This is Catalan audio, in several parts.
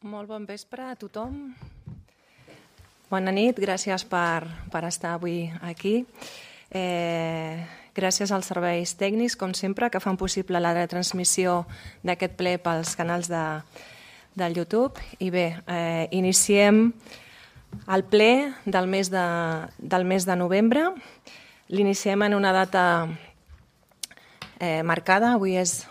Molt bon vespre a tothom. Bona nit, gràcies per estar avui aquí. Gràcies als serveis tècnics, com sempre, que fan possible la retransmissió d'aquest ple pels canals del YouTube. I bé, iniciem el ple del mes de novembre. L'iniciem en una data marcada. Avui és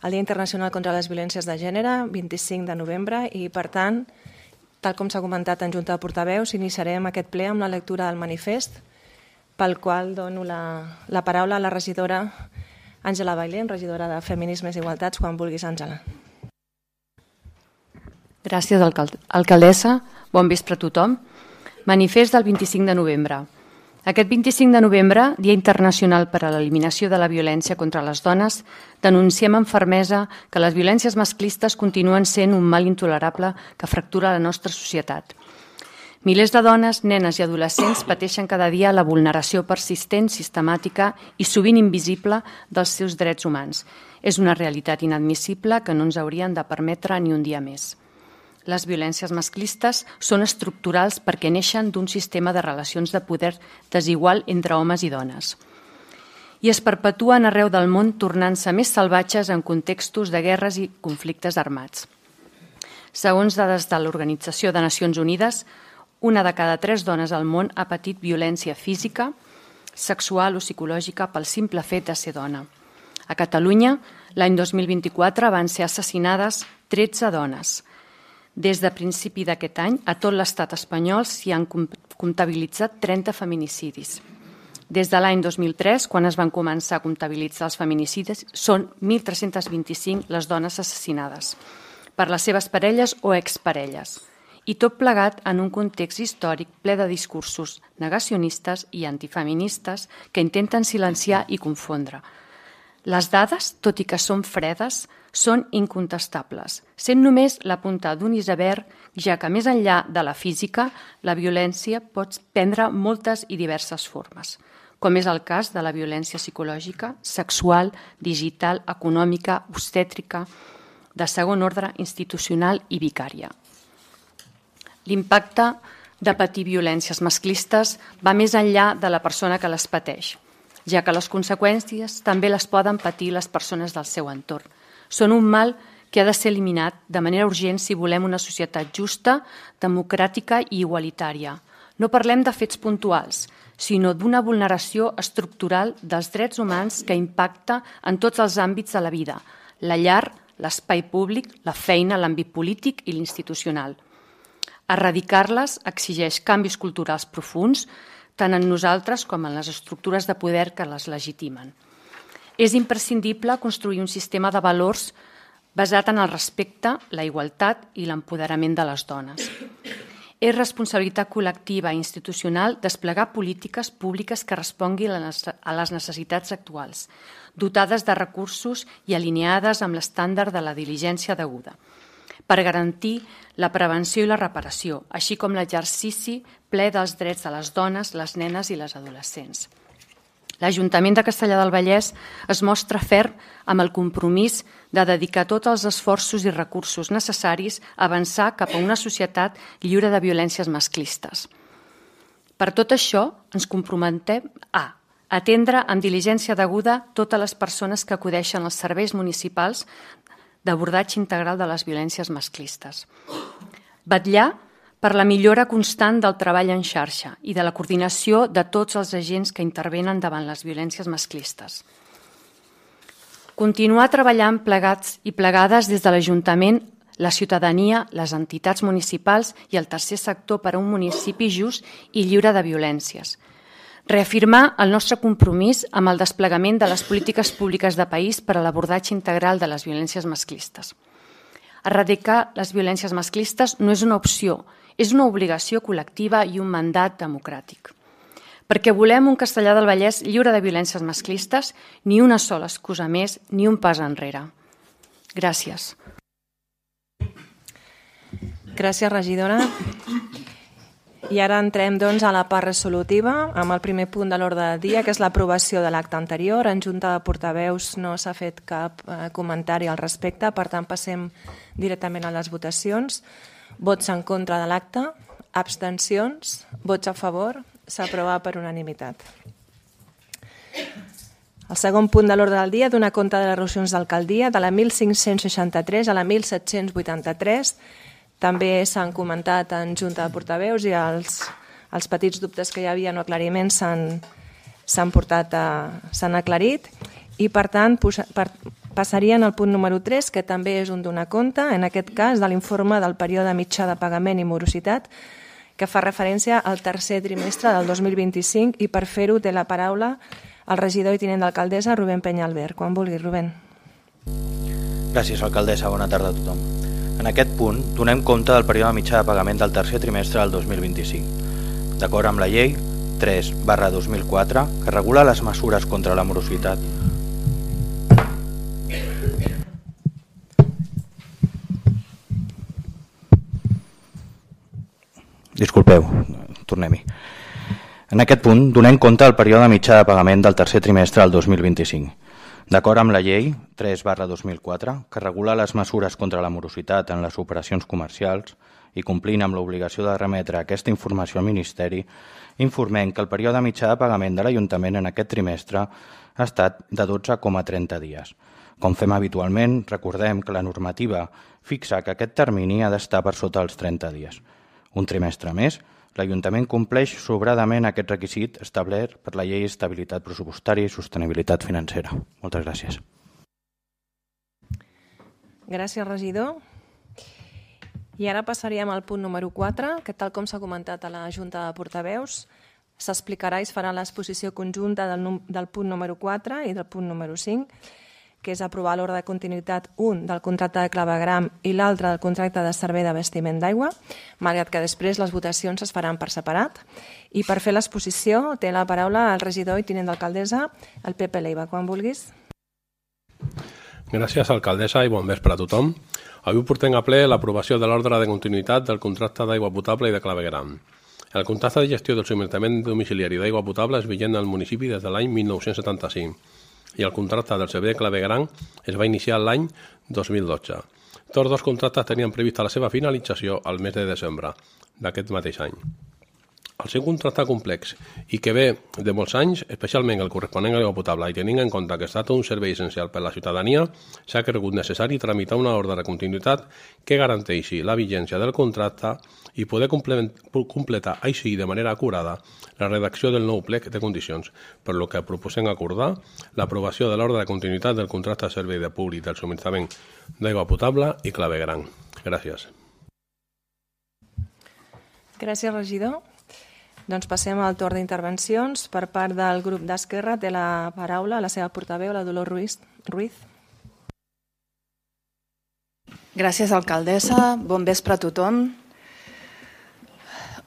el Dia Internacional contra les Violències de Gènere, 25 de novembre, i per tant, tal com s'ha comentat en Junta de Portaveus, iniciarem aquest ple amb la lectura del manifest, pel qual dono la paraula a la regidora Àngela Bailén, regidora de Feminismes i Igualtats, quan vulguis, Àngela. Gràcies, alcaldessa. Bon vespre a tothom. Manifest del 25 de novembre. Aquest 25 de novembre, Dia Internacional per a l'Eliminació de la Violència contra les Dones, denunciem amb fermesa que les violències masclistes continuen sent un mal intolerable que fractura la nostra societat. Milers de dones, nenes i adolescents pateixen cada dia la vulneració persistent, sistemàtica i sovint invisible dels seus drets humans. És una realitat inadmissible que no ens haurien de permetre ni un dia més. Les violències masclistes són estructurals perquè neixen d'un sistema de relacions de poder desigual entre homes i dones. I es perpetuen arreu del món tornant-se més salvatges en contextos de guerres i conflictes armats. Segons dades de l'Organització de Nacions Unides, 1 de cada 3 dones al món ha patit violència física, sexual o psicològica pel simple fet de ser dona. A Catalunya, l'any 2024 van ser assassinades 13 dones. Des de principi d'aquest any, a tot l'estat espanyol s'hi han comptabilitzat 30 feminicidis. Des de l'any 2003, quan es van començar a comptabilitzar els feminicidis, són 1.325 les dones assassinades per les seves parelles o exparelles, i tot plegat en un context històric ple de discursos negacionistes i antifeministes que intenten silenciar i confondre. Les dades, tot i que són fredes, són incontestables, sent només la punta d'un iceberg, ja que més enllà de la física, la violència pot prendre moltes i diverses formes, com és el cas de la violència psicològica, sexual, digital, econòmica, obstètrica, de segon ordre, institucional i vicària. L'impacte de patir violències masclistes va més enllà de la persona que les pateix, ja que les conseqüències també les poden patir les persones del seu entorn. Són un mal que ha de ser eliminat de manera urgent si volem una societat justa, democràtica i igualitària. No parlem de fets puntuals, sinó d'una vulneració estructural dels drets humans que impacta en tots els àmbits de la vida, la llar, l'espai públic, la feina, l'àmbit polític i l'institucional. Erradicar-les exigeix canvis culturals profunds, tant en nosaltres com en les estructures de poder que les legitimen. És imprescindible construir un sistema de valors basat en el respecte, la igualtat i l'empoderament de les dones. És responsabilitat col·lectiva i institucional desplegar polítiques públiques que responguin a les necessitats actuals, dotades de recursos i alineades amb l'estàndard de la diligència deguda, per garantir la prevenció i la reparació, així com l'exercici ple dels drets de les dones, les nenes i les adolescents. L'Ajuntament de Castellar del Vallès es mostra ferm amb el compromís de dedicar tots els esforços i recursos necessaris a avançar cap a una societat lliure de violències masclistes. Per tot això, ens comprometem a atendre amb diligència deguda totes les persones que acudeixen als serveis municipals d'abordatge integral de les violències masclistes. Vetllar per la millora constant del treball en xarxa i de la coordinació de tots els agents que intervenen davant les violències masclistes. Continuar treballant plegats i plegades des de l'Ajuntament, la ciutadania, les entitats municipals i el tercer sector per a un municipi just i lliure de violències. Reafirmar el nostre compromís amb el desplegament de les polítiques públiques de país per a l'abordatge integral de les violències masclistes. Erradicar les violències masclistes no és una opció, és una obligació col·lectiva i un mandat democràtic. Perquè volem un Castellar del Vallès lliure de violències masclistes, ni una sola excusa més, ni un pas enrere. Gràcies. Gràcies, regidora. I ara entrem doncs, a la part resolutiva amb el primer punt de l'ordre del dia, que és l'aprovació de l'acte anterior. En Junta de Portaveus no s'ha fet cap comentari al respecte, per tant passem directament a les votacions. Vots en contra de l'acte, abstencions, vots a favor, s'aprova per unanimitat. El segon punt de l'ordre del dia dona compte de les resolucions d'alcaldia de la 1563 a la 1783. També s'han comentat en Junta de Portaveus i els petits dubtes que hi havia o aclariments s'han aclarit i, per tant, passarien al punt número 3, que també és un donar compte, en aquest cas, de l'informe del període mitjà de pagament i morositat, que fa referència al tercer trimestre del 2025 i per fer-ho té la paraula el regidor i tinent d'alcaldessa Rubén Peñalver. Quan vulgui, Rubén. Gràcies, alcaldessa. Bona tarda a tothom. En aquest punt, donem compte del període mitjà de pagament del tercer trimestre del 2025, d'acord amb la llei 3/2004, que regula les mesures contra la morositat. Disculpeu, tornem-hi. En aquest punt, donem compte del període mitjà de pagament del tercer trimestre del 2025, d'acord amb la llei 3/2004, que regula les mesures contra la morositat en les operacions comercials i complint amb l'obligació de remetre aquesta informació al Ministeri, informem que el període mitjà de pagament de l'Ajuntament en aquest trimestre ha estat de 12,30 dies. Com fem habitualment, recordem que la normativa fixa que aquest termini ha d'estar per sota dels 30 dies. Un trimestre més, l'Ajuntament compleix sobradament aquest requisit establert per la Llei d'Estabilitat Pressupostària i Sostenibilitat Financera. Moltes gràcies. Gràcies, regidor. I ara passaríem al punt número 4, que tal com s'ha comentat a la Junta de Portaveus, s'explicarà i es farà l'exposició conjunta del punt número 4 i del punt número 5, que és aprovar l'ordre de continuïtat, un del contracte de clavegram i l'altre del contracte de servei d'abastiment d'aigua, malgrat que després les votacions es faran per separat. I per fer l'exposició té la paraula el regidor i tinent d'alcaldessa, el Pepe Leiva. Quan vulguis. Gràcies, alcaldessa, i bon vespre a tothom. Avui portem a ple l'aprovació de l'ordre de continuïtat del contracte d'aigua potable i de clavegram. El contracte de gestió del subministrament domiciliari d'aigua potable és vigent al municipi des de l'any 1975 i el contracte del servei de clavegram es va iniciar l'any 2012. Tots dos contractes tenien prevista la seva finalització al mes de desembre d'aquest mateix any. El seu contracte complex i que ve de molts anys, especialment el corresponent a l'aigua potable, i tenint en compte que es tracta d'un servei essencial per a la ciutadania, s'ha cregut necessari tramitar una ordre de continuïtat que garanteixi la vigència del contracte i poder completar així de manera acurada la redacció del nou plec de condicions, per lo que proposem acordar l'aprovació de l'ordre de continuïtat del contracte de servei de públic del subministrament d'aigua potable i clavegram. Gràcies. Gràcies, regidor. Doncs passem al torn d'intervencions. Per part del grup d'Esquerra té la paraula la seva portaveu, la Dolors Ruiz. Gràcies, alcaldessa. Bon vespre a tothom.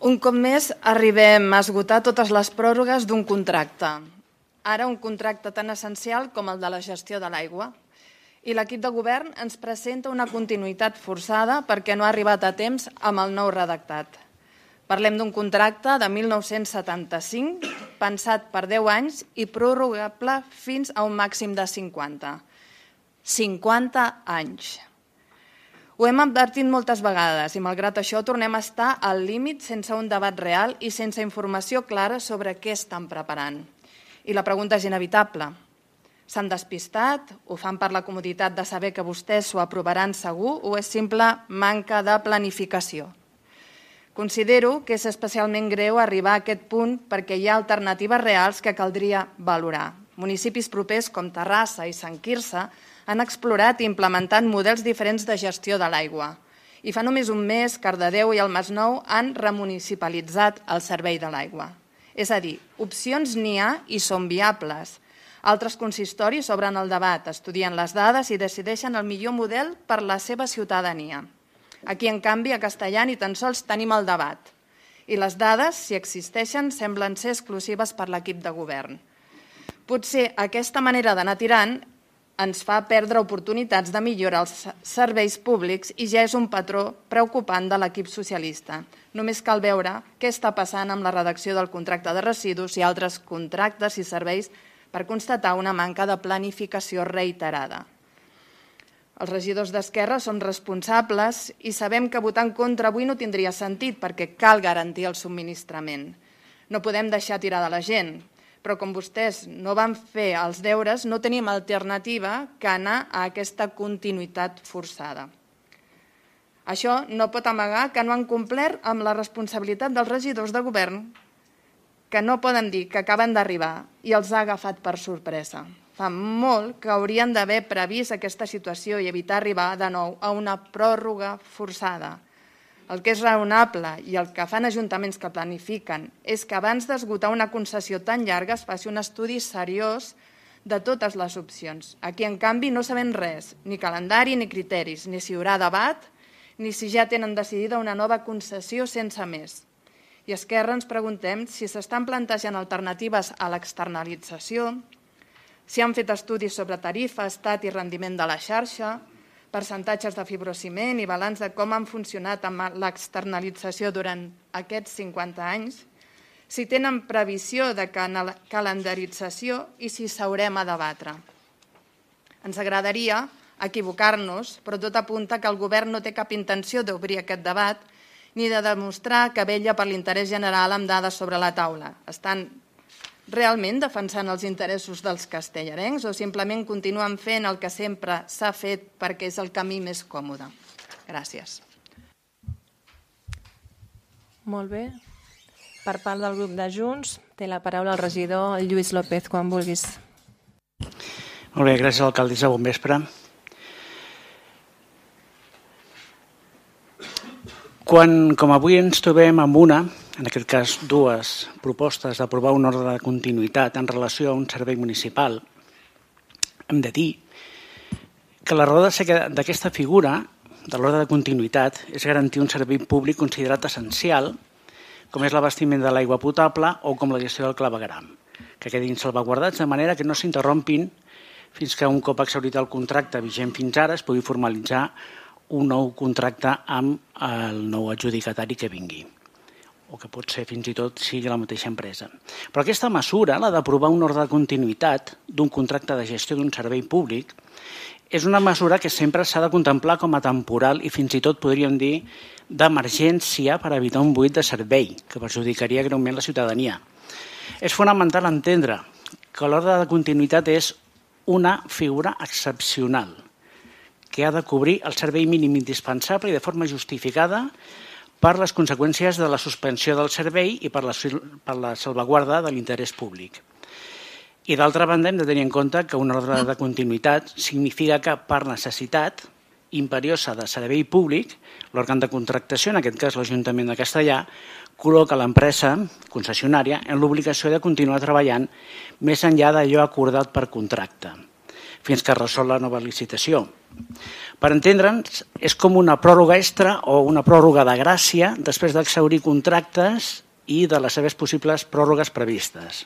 Un cop més arribem a esgotar totes les pròrrogues d'un contracte. Ara un contracte tan essencial com el de la gestió de l'aigua. I l'equip de govern ens presenta una continuïtat forçada perquè no ha arribat a temps amb el nou redactat. Parlem d'un contracte de 1975, pensat per 10 anys i prorrogable fins a un màxim de 50. 50 anys. Ho hem advertit moltes vegades i, malgrat això, tornem a estar al límit sense un debat real i sense informació clara sobre què estan preparant. I la pregunta és inevitable. S'han despistat? Ho fan per la comoditat de saber que vostès s'ho aprovaran segur o és simple manca de planificació? Considero que és especialment greu arribar a aquest punt perquè hi ha alternatives reals que caldria valorar. Municipis propers com Terrassa i Sant Quirze han explorat i implementat models diferents de gestió de l'aigua. I fa només un mes, Cardedeu i el Masnou han remunicipalitzat el servei de l'aigua. És a dir, opcions n'hi ha i són viables. Altres consistoris obren el debat, estudien les dades i decideixen el millor model per la seva ciutadania. Aquí, en canvi, a Castellà ni tan sols tenim el debat. I les dades, si existeixen, semblen ser exclusives per l'equip de govern. Potser aquesta manera d'anar tirant ens fa perdre oportunitats de millorar els serveis públics i ja és un patró preocupant de l'equip socialista. Només cal veure què està passant amb la redacció del contracte de residus i altres contractes i serveis per constatar una manca de planificació reiterada. Els regidors d'Esquerra som responsables i sabem que votar en contra avui no tindria sentit perquè cal garantir el subministrament. No podem deixar tirada la gent, però com vostès no van fer els deures, no tenim alternativa que anar a aquesta continuïtat forçada. Això no pot amagar que no han complert amb la responsabilitat dels regidors de govern, que no poden dir que acaben d'arribar i els ha agafat per sorpresa. Fa molt que haurien d'haver previst aquesta situació i evitar arribar de nou a una pròrroga forçada. El que és raonable i el que fan ajuntaments que planifiquen és que abans d'esgotar una concessió tan llarga es faci un estudi seriós de totes les opcions. Aquí, en canvi, no sabem res, ni calendari ni criteris, ni si hi haurà debat, ni si ja tenen decidida una nova concessió sense més. I a Esquerra ens preguntem si s'estan plantejant alternatives a l'externalització, si han fet estudis sobre tarifa, estat i rendiment de la xarxa, percentatges de fibrociment i balanç de com han funcionat amb l'externalització durant aquests 50 anys, si tenen previsió de calendarització i si s'haurem a debatre. Ens agradaria equivocar-nos, però tot apunta que el govern no té cap intenció d'obrir aquest debat ni de demostrar que vetlla per l'interès general amb dades sobre la taula. Estan realment defensant els interessos dels castellarencs o simplement continuen fent el que sempre s'ha fet perquè és el camí més còmode? Gràcies. Molt bé. Per part del grup de Junts, té la paraula el regidor Lluís López, quan vulguis. Molt bé, gràcies, alcaldessa. Bon vespre. Quan, com avui ens trobem amb una, en aquest cas dues propostes d'aprovar un ordre de continuïtat en relació a un servei municipal, hem de dir que la raó de ser d'aquesta figura, de l'ordre de continuïtat, és garantir un servei públic considerat essencial, com és l'abastiment de l'aigua potable o com la gestió del clavegueram, que quedin salvaguardats de manera que no s'interrompin fins que un cop exhaurit el contracte vigent fins ara es pugui formalitzar un nou contracte amb el nou adjudicatari que vingui, o que pot ser fins i tot sigui la mateixa empresa. Però aquesta mesura, la d'aprovar un ordre de continuïtat d'un contracte de gestió d'un servei públic, és una mesura que sempre s'ha de contemplar com a temporal i fins i tot podríem dir d'emergència per evitar un buit de servei que perjudicaria greument la ciutadania. És fonamental entendre que l'ordre de continuïtat és una figura excepcional que ha de cobrir el servei mínim indispensable i de forma justificada per les conseqüències de la suspensió del servei i per la salvaguarda de l'interès públic. I d'altra banda hem de tenir en compte que un ordre de continuïtat significa que per necessitat imperiosa de servei públic, l'òrgan de contractació, en aquest cas l'Ajuntament de Castellar, col·loca l'empresa concessionària en l'obligació de continuar treballant més enllà d'allò acordat per contracte, fins que resol la nova licitació. Per entendre'ns, és com una pròrroga extra o una pròrroga de gràcia després d'exhaurir contractes i de les seves possibles pròrrogues previstes.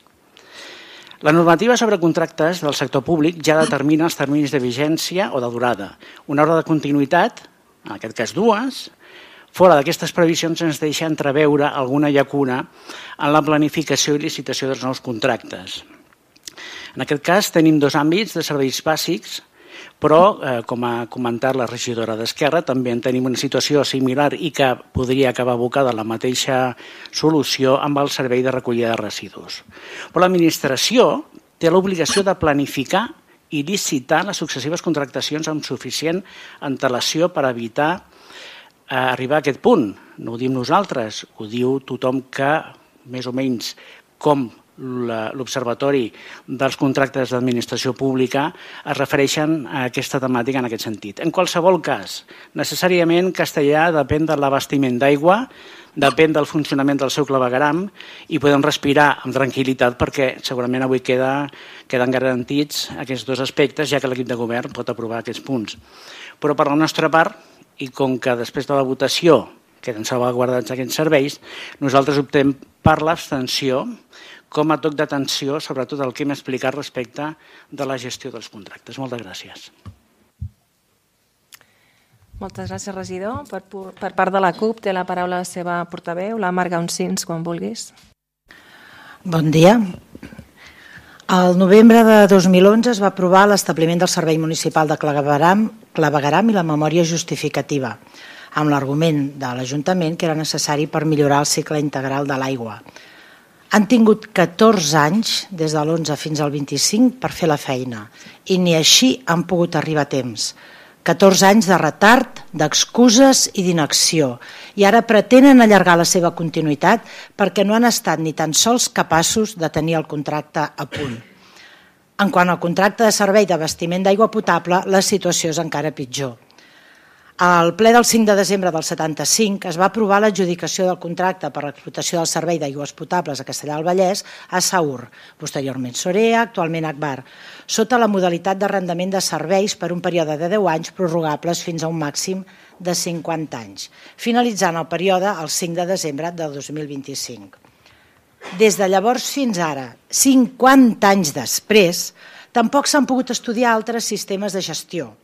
La normativa sobre contractes del sector públic ja determina els terminis de vigència o de durada. Una ordre de continuïtat, en aquest cas dues, fora d'aquestes previsions ens deixa entreveure alguna llacuna en la planificació i licitació dels nous contractes. En aquest cas tenim dos àmbits de serveis bàsics, però, com ha comentat la regidora d'Esquerra, també en tenim una situació similar i que podria acabar abocada a la mateixa solució amb el servei de recollida de residus. Però l'administració té l'obligació de planificar i licitar les successives contractacions amb suficient antelació per evitar arribar a aquest punt. No ho dim nosaltres, ho diu tothom que, més o menys, com l'Observatori dels Contractes d'Administració Pública es refereixen a aquesta temàtica en aquest sentit. En qualsevol cas, necessàriament Castellar depèn de l'abastiment d'aigua, depèn del funcionament del seu clavegueram i podem respirar amb tranquil·litat perquè segurament avui queden garantits aquests dos aspectes, ja que l'equip de govern pot aprovar aquests punts. Però per la nostra part, i com que després de la votació queden salvaguardats aquests serveis, nosaltres optem per l'abstenció, com a toc d'atenció, sobretot el que hem explicat respecte de la gestió dels contractes. Moltes gràcies. Moltes gràcies, regidor. Per part de la CUP té la paraula la seva portaveu, la Marga Uncins, quan vulguis. Bon dia. El novembre de 2011 es va aprovar l'establiment del Servei Municipal de Clavegueram i la memòria justificativa, amb l'argument de l'Ajuntament que era necessari per millorar el cicle integral de l'aigua. Han tingut 14 anys, des de l'11 fins al 25, per fer la feina, i ni així han pogut arribar a temps. 14 anys de retard, d'excuses i d'inacció, i ara pretenen allargar la seva continuïtat perquè no han estat ni tan sols capaços de tenir el contracte a punt. En quant al contracte de servei d'abastiment d'aigua potable, la situació és encara pitjor. Al ple del 5 de desembre del 75 es va aprovar l'adjudicació del contracte per l'explotació del servei d'aigües potables a Castellar del Vallès a Saur, posteriorment Sorea, actualment Agbar, sota la modalitat d'arrendament de serveis per un període de 10 anys prorrogables fins a un màxim de 50 anys, finalitzant el període el 5 de desembre de 2025. Des de llavors fins ara, 50 anys després, tampoc s'han pogut estudiar altres sistemes de gestió.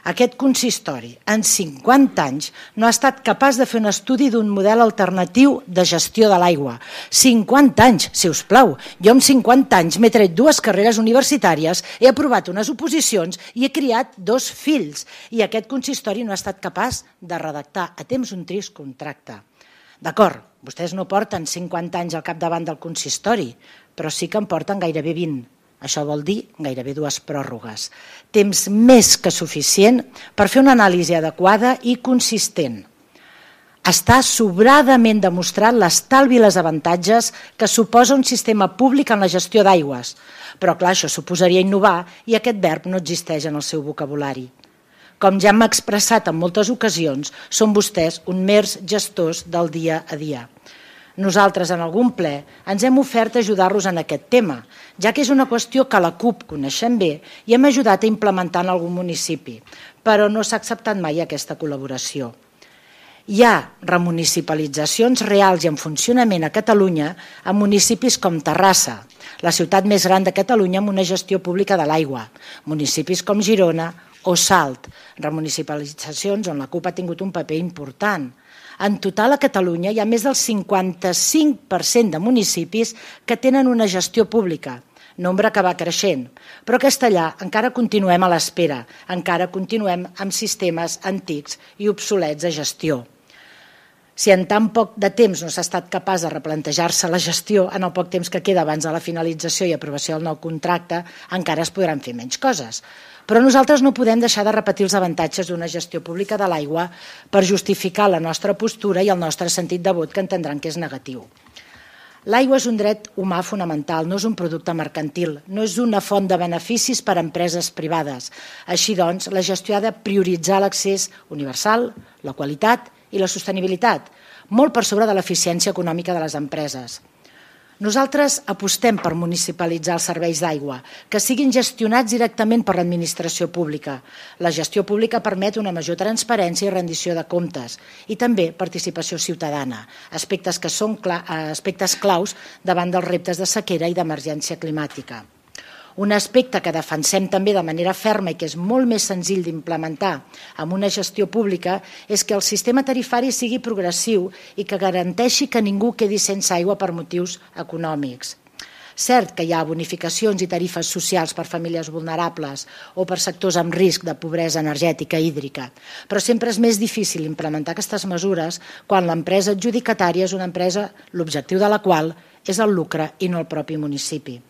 Aquest consistori, en 50 anys, no ha estat capaç de fer un estudi d'un model alternatiu de gestió de l'aigua. 50 anys, si us plau. Jo amb 50 anys m'he tret 2 carreres universitàries, he aprovat unes oposicions i he criat 2 fills. I aquest consistori no ha estat capaç de redactar a temps un trist contracte. D'acord, vostès no porten 50 anys al capdavant del consistori, però sí que en porten gairebé 20. Això vol dir gairebé 2 pròrrogues. Temps més que suficient per fer una anàlisi adequada i consistent. Està sobradament demostrat l'estalvi i els avantatges que suposa un sistema públic en la gestió d'aigües. Però clar, això suposaria innovar i aquest verb no existeix en el seu vocabulari. Com ja hem expressat en moltes ocasions, són vostès uns mers gestors del dia a dia. Nosaltres, en algun ple, ens hem ofert a ajudar-los en aquest tema, ja que és una qüestió que la CUP coneixem bé i hem ajudat a implementar en algun municipi, però no s'ha acceptat mai aquesta col·laboració. Hi ha remunicipalitzacions reals i en funcionament a Catalunya en municipis com Terrassa, la ciutat més gran de Catalunya amb una gestió pública de l'aigua, municipis com Girona o Salt, remunicipalitzacions on la CUP ha tingut un paper important. En total a Catalunya hi ha més del 55% de municipis que tenen una gestió pública, nombre que va creixent. Però a Castellar encara continuem a l'espera, encara continuem amb sistemes antics i obsolets de gestió. Si en tan poc de temps no s'ha estat capaç de replantejar-se la gestió, en el poc temps que queda abans de la finalització i aprovació del nou contracte, encara es podran fer menys coses. Però nosaltres no podem deixar de repetir els avantatges d'una gestió pública de l'aigua per justificar la nostra postura i el nostre sentit de vot, que entendran que és negatiu. L'aigua és un dret humà fonamental, no és un producte mercantil, no és una font de beneficis per a empreses privades. Així doncs, la gestió ha de prioritzar l'accés universal, la qualitat i la sostenibilitat, molt per sobre de l'eficiència econòmica de les empreses. Nosaltres apostem per municipalitzar els serveis d'aigua, que siguin gestionats directament per l'administració pública. La gestió pública permet una major transparència i rendició de comptes i també participació ciutadana, aspectes que són aspectes claus davant dels reptes de sequera i d'emergència climàtica. Un aspecte que defensem també de manera ferma i que és molt més senzill d'implementar amb una gestió pública és que el sistema tarifari sigui progressiu i que garanteixi que ningú quedi sense aigua per motius econòmics. Cert que hi ha bonificacions i tarifes socials per famílies vulnerables o per sectors amb risc de pobresa energètica i hídrica, però sempre és més difícil implementar aquestes mesures quan l'empresa adjudicatària és una empresa l'objectiu de la qual és el lucre i no el propi municipi.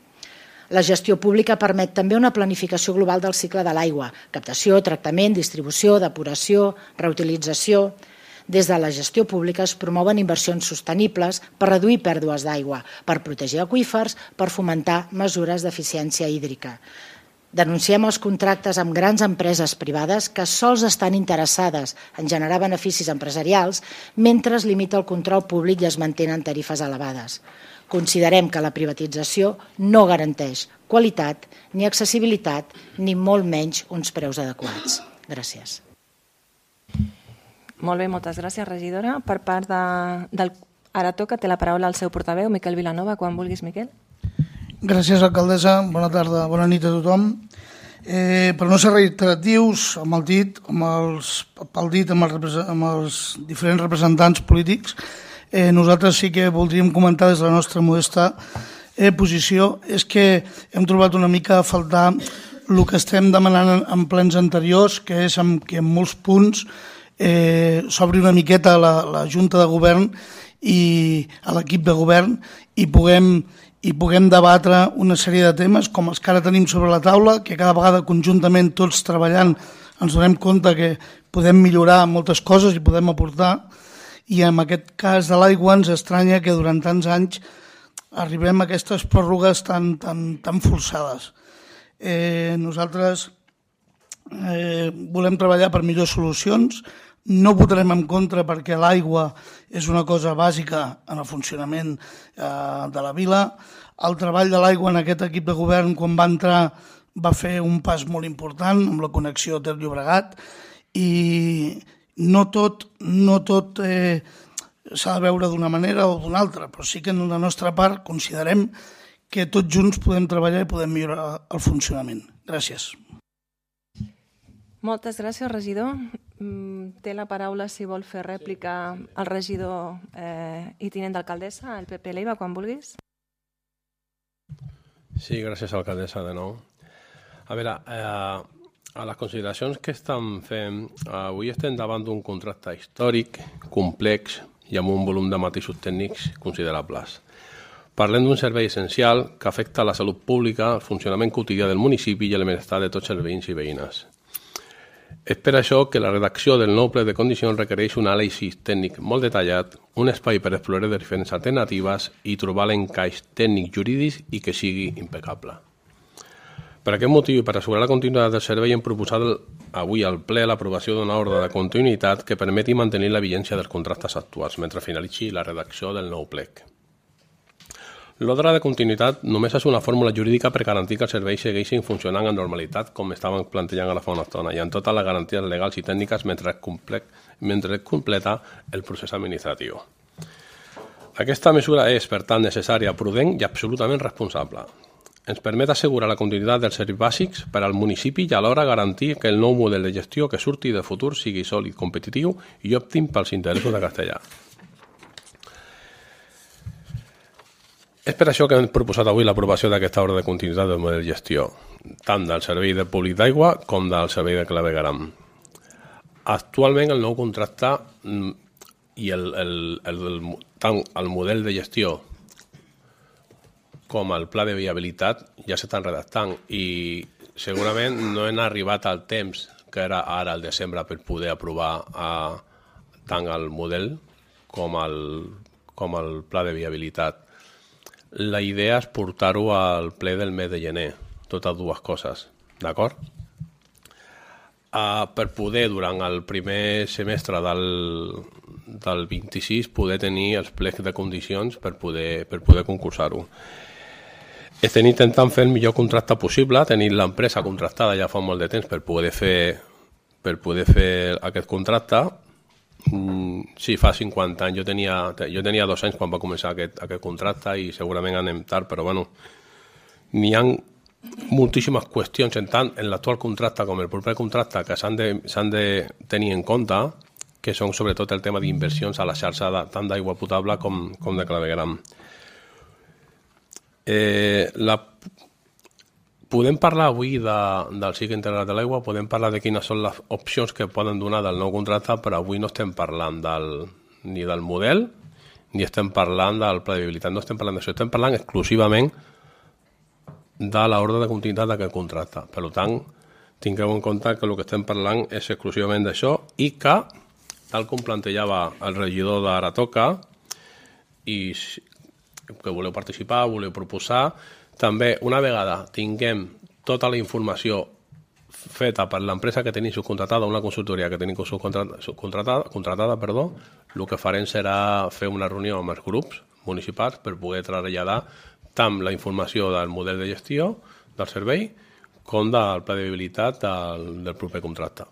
La gestió pública permet també una planificació global del cicle de l'aigua, captació, tractament, distribució, depuració, reutilització. Des de la gestió pública es promouen inversions sostenibles per reduir pèrdues d'aigua, per protegir aqüífers, per fomentar mesures d'eficiència hídrica. Denunciem els contractes amb grans empreses privades que sols estan interessades en generar beneficis empresarials mentre es limita el control públic i es mantenen tarifes elevades. Considerem que la privatització no garanteix qualitat ni accessibilitat ni molt menys uns preus adequats. Gràcies. Molt bé, moltes gràcies, regidora. Per part del... Ara toca, té la paraula el seu portaveu, Miquel Vilanova, quan vulguis, Miquel. Gràcies, alcaldessa. Bona tarda, bona nit a tothom. Per no ser reiteratius, amb el dit, amb els diferents representants polítics, nosaltres sí que voldríem comentar des de la nostra modesta posició és que hem trobat una mica a faltar el que estem demanant en plens anteriors, que és que en molts punts s'obri una miqueta la Junta de Govern i a l'equip de govern i puguem debatre una sèrie de temes com els que ara tenim sobre la taula, que cada vegada conjuntament tots treballant ens donem compte que podem millorar moltes coses i podem aportar, i en aquest cas de l'aigua ens estranya que durant tants anys arribem a aquestes pròrrogues tan forçades. Nosaltres volem treballar per millors solucions, no votarem en contra perquè l'aigua és una cosa bàsica en el funcionament de la vila. El treball de l'aigua en aquest equip de govern, quan va entrar, va fer un pas molt important amb la connexió Ter-Llobregat i no tot s'ha de veure d'una manera o d'una altra, però sí que en la nostra part considerem que tots junts podem treballar i podem millorar el funcionament. Gràcies. Moltes gràcies, regidor. Té la paraula, si vol fer rèplica, el regidor i tinent d'alcaldessa, el Pepe Leiva, quan vulguis. Sí, gràcies, alcaldessa, de nou. A veure, a les consideracions que estem fent, avui estem davant d'un contracte històric, complex i amb un volum de matisos tècnics considerables. Parlem d'un servei essencial que afecta la salut pública, el funcionament quotidià del municipi i el benestar de tots els veïns i veïnes. És per això que la redacció del nou ple de condicions requereix un anàlisi tècnic molt detallat, un espai per explorar diferents alternatives i trobar l'encaix tècnic jurídic i que sigui impecable. Per aquest motiu i per assegurar la continuïtat del servei hem proposat avui al ple l'aprovació d'una ordre de continuïtat que permeti mantenir la vigència dels contractes actuals mentre finalitzi la redacció del nou plec. L'ordre de continuïtat només és una fórmula jurídica per garantir que els serveis segueixin funcionant amb normalitat com estaven plantejant ara fa una estona i amb totes les garanties legals i tècniques mentre es completa el procés administratiu. Aquesta mesura és, per tant, necessària, prudent i absolutament responsable. Ens permet assegurar la continuïtat dels serveis bàsics per al municipi i alhora garantir que el nou model de gestió que surti de futur sigui sòlid, competitiu i òptim pels interessos de Castellà. És per això que hem proposat avui l'aprovació d'aquesta ordre de continuïtat del model de gestió, tant del servei de públic d'aigua com del servei de clavegueram. Actualment el nou contracte i tant el model de gestió com el pla de viabilitat ja s'estan redactant i segurament no hem arribat al temps que era ara al desembre per poder aprovar tant el model com el pla de viabilitat. La idea és portar-ho al ple del mes de gener, totes dues coses, d'acord? Per poder, durant el primer semestre del 26, poder tenir els plecs de condicions per poder concursar-ho. Estem intentant fer el millor contracte possible, tenir l'empresa contractada ja fa molt de temps per poder fer aquest contracte. Sí, fa 50 anys. Jo tenia 2 anys quan va començar aquest contracte i segurament anem tard, però bueno, n'hi ha moltíssimes qüestions tant en l'actual contracte com el proper contracte que s'han de tenir en compte, que són sobretot el tema d'inversions a la xarxa tant d'aigua potable com de clavegueram. Podem parlar avui del cicle integrat de l'aigua, podem parlar de quines són les opcions que poden donar del nou contracte, però avui no estem parlant ni del model ni estem parlant del pla de viabilitat, no estem parlant d'això, estem parlant exclusivament de l'ordre de continuïtat d'aquest contracte. Per tant, tingueu en compte que el que estem parlant és exclusivament d'això i que, tal com plantejava el regidor d'Ara Toca, i que voleu participar, voleu proposar, també, una vegada tinguem tota la informació feta per l'empresa que tenim subcontratada, una consultoria que tenim contratada, el que farem serà fer una reunió amb els grups municipals per poder traslladar tant la informació del model de gestió del servei com del pla de viabilitat del proper contracte.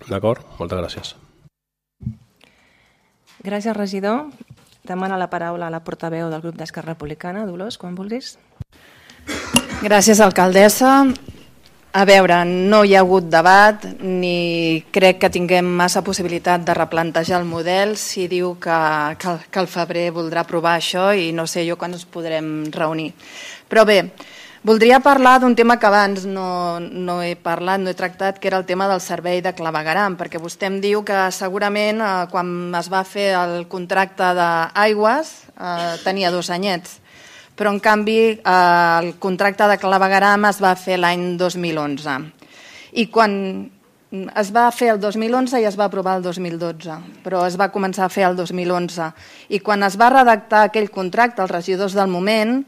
D'acord? Moltes gràcies. Gràcies, regidor. Demana la paraula a la portaveu del grup d'Esquerra Republicana. Dolors, quan vulguis. Gràcies, alcaldessa. A veure, no hi ha hagut debat ni crec que tinguem massa possibilitat de replantejar el model si diu que al febrer voldrà aprovar això i no sé jo quan ens podrem reunir. Però bé, voldria parlar d'un tema que abans no he parlat, no he tractat, que era el tema del servei de clavegueram, perquè vostè em diu que segurament quan es va fer el contracte d'aigües tenia 2 anyets, però en canvi el contracte de clavegueram es va fer l'any 2011. I quan es va fer el 2011 i es va aprovar el 2012, però es va començar a fer el 2011. I quan es va redactar aquell contracte, els regidors del moment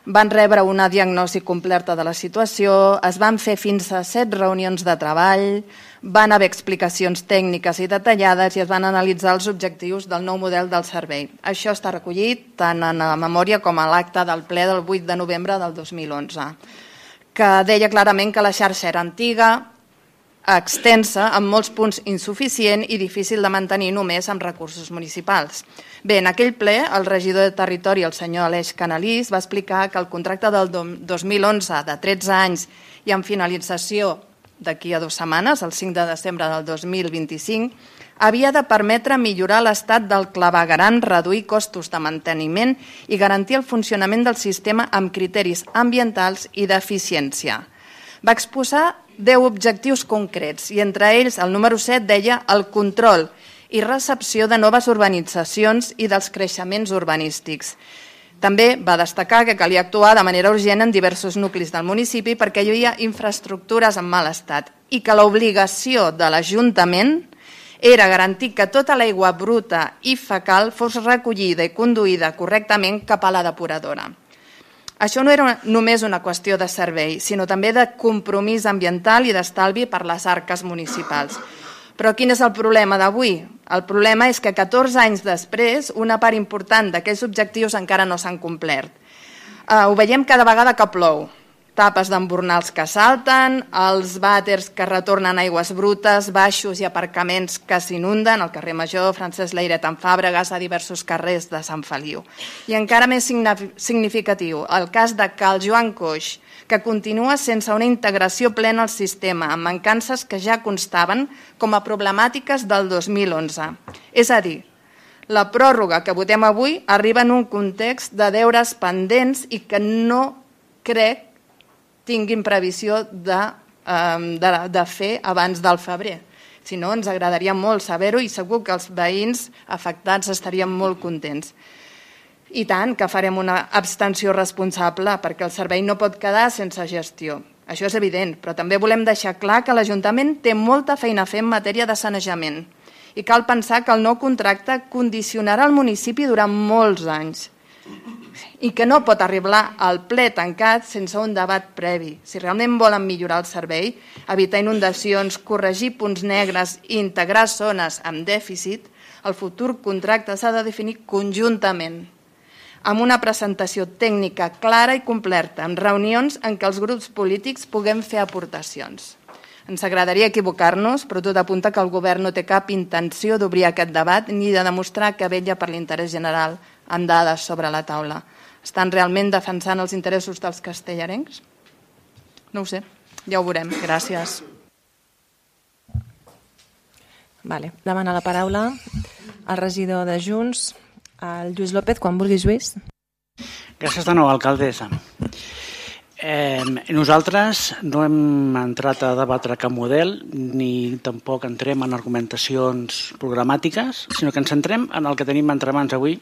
van rebre una diagnosi completa de la situació, es van fer fins a 7 reunions de treball, van haver explicacions tècniques i detallades i es van analitzar els objectius del nou model del servei. Això està recollit tant en la memòria com a l'acte del ple del 8 de novembre del 2011, que deia clarament que la xarxa era antiga, extensa, amb molts punts insuficient i difícil de mantenir només amb recursos municipals. Bé, en aquell ple, el regidor de Territori, el senyor Aleix Canalís, va explicar que el contracte del 2011 de 13 anys i amb finalització d'aquí a 2 setmanes, el 5 de desembre del 2025, havia de permetre millorar l'estat del clavegueram, reduir costos de manteniment i garantir el funcionament del sistema amb criteris ambientals i d'eficiència. Va exposar 10 objectius concrets i entre ells el número 7 deia el control i recepció de noves urbanitzacions i dels creixements urbanístics. També va destacar que calia actuar de manera urgent en diversos nuclis del municipi perquè hi havia infraestructures en mal estat i que l'obligació de l'Ajuntament era garantir que tota l'aigua bruta i fecal fos recollida i conduïda correctament cap a la depuradora. Això no era només una qüestió de servei, sinó també de compromís ambiental i d'estalvi per les arques municipals. Però quin és el problema d'avui? El problema és que 14 anys després una part important d'aquests objectius encara no s'han complert. Ho veiem cada vegada que plou. Tapes d'embornals que salten, els vàters que retornen aigües brutes, baixos i aparcaments que s'inunden, al carrer Major, Francesc Layret en Fàbregas, a diversos carrers de Sant Feliu. I encara més significatiu, el cas de Cal Joan Coix, que continua sense una integració plena al sistema, amb mancances que ja constaven com a problemàtiques del 2011. És a dir, la pròrroga que votem avui arriba en un context de deures pendents i que no crec tinguin previsió de fer abans del febrer. Si no, ens agradaria molt saber-ho i segur que els veïns afectats estarien molt contents. I tant que farem una abstenció responsable perquè el servei no pot quedar sense gestió. Això és evident, però també volem deixar clar que l'Ajuntament té molta feina a fer en matèria de sanejament i cal pensar que el nou contracte condicionarà el municipi durant molts anys i que no pot arribar al ple tancat sense un debat previ. Si realment volen millorar el servei, evitar inundacions, corregir punts negres i integrar zones amb dèficit, el futur contracte s'ha de definir conjuntament, amb una presentació tècnica clara i completa, amb reunions en què els grups polítics puguem fer aportacions. Ens agradaria equivocar-nos, però tot apunta que el govern no té cap intenció d'obrir aquest debat ni de demostrar que vetlla per l'interès general amb dades sobre la taula. Estan realment defensant els interessos dels castellarencs? No ho sé, ja ho veurem. Gràcies. Demana la paraula el regidor de Junts, el Lluís López, quan vulguis, Lluís. Gràcies de nou, alcaldessa. Nosaltres no hem entrat a debatre cap model ni tampoc entrem en argumentacions programàtiques, sinó que ens centrem en el que tenim entre mans avui,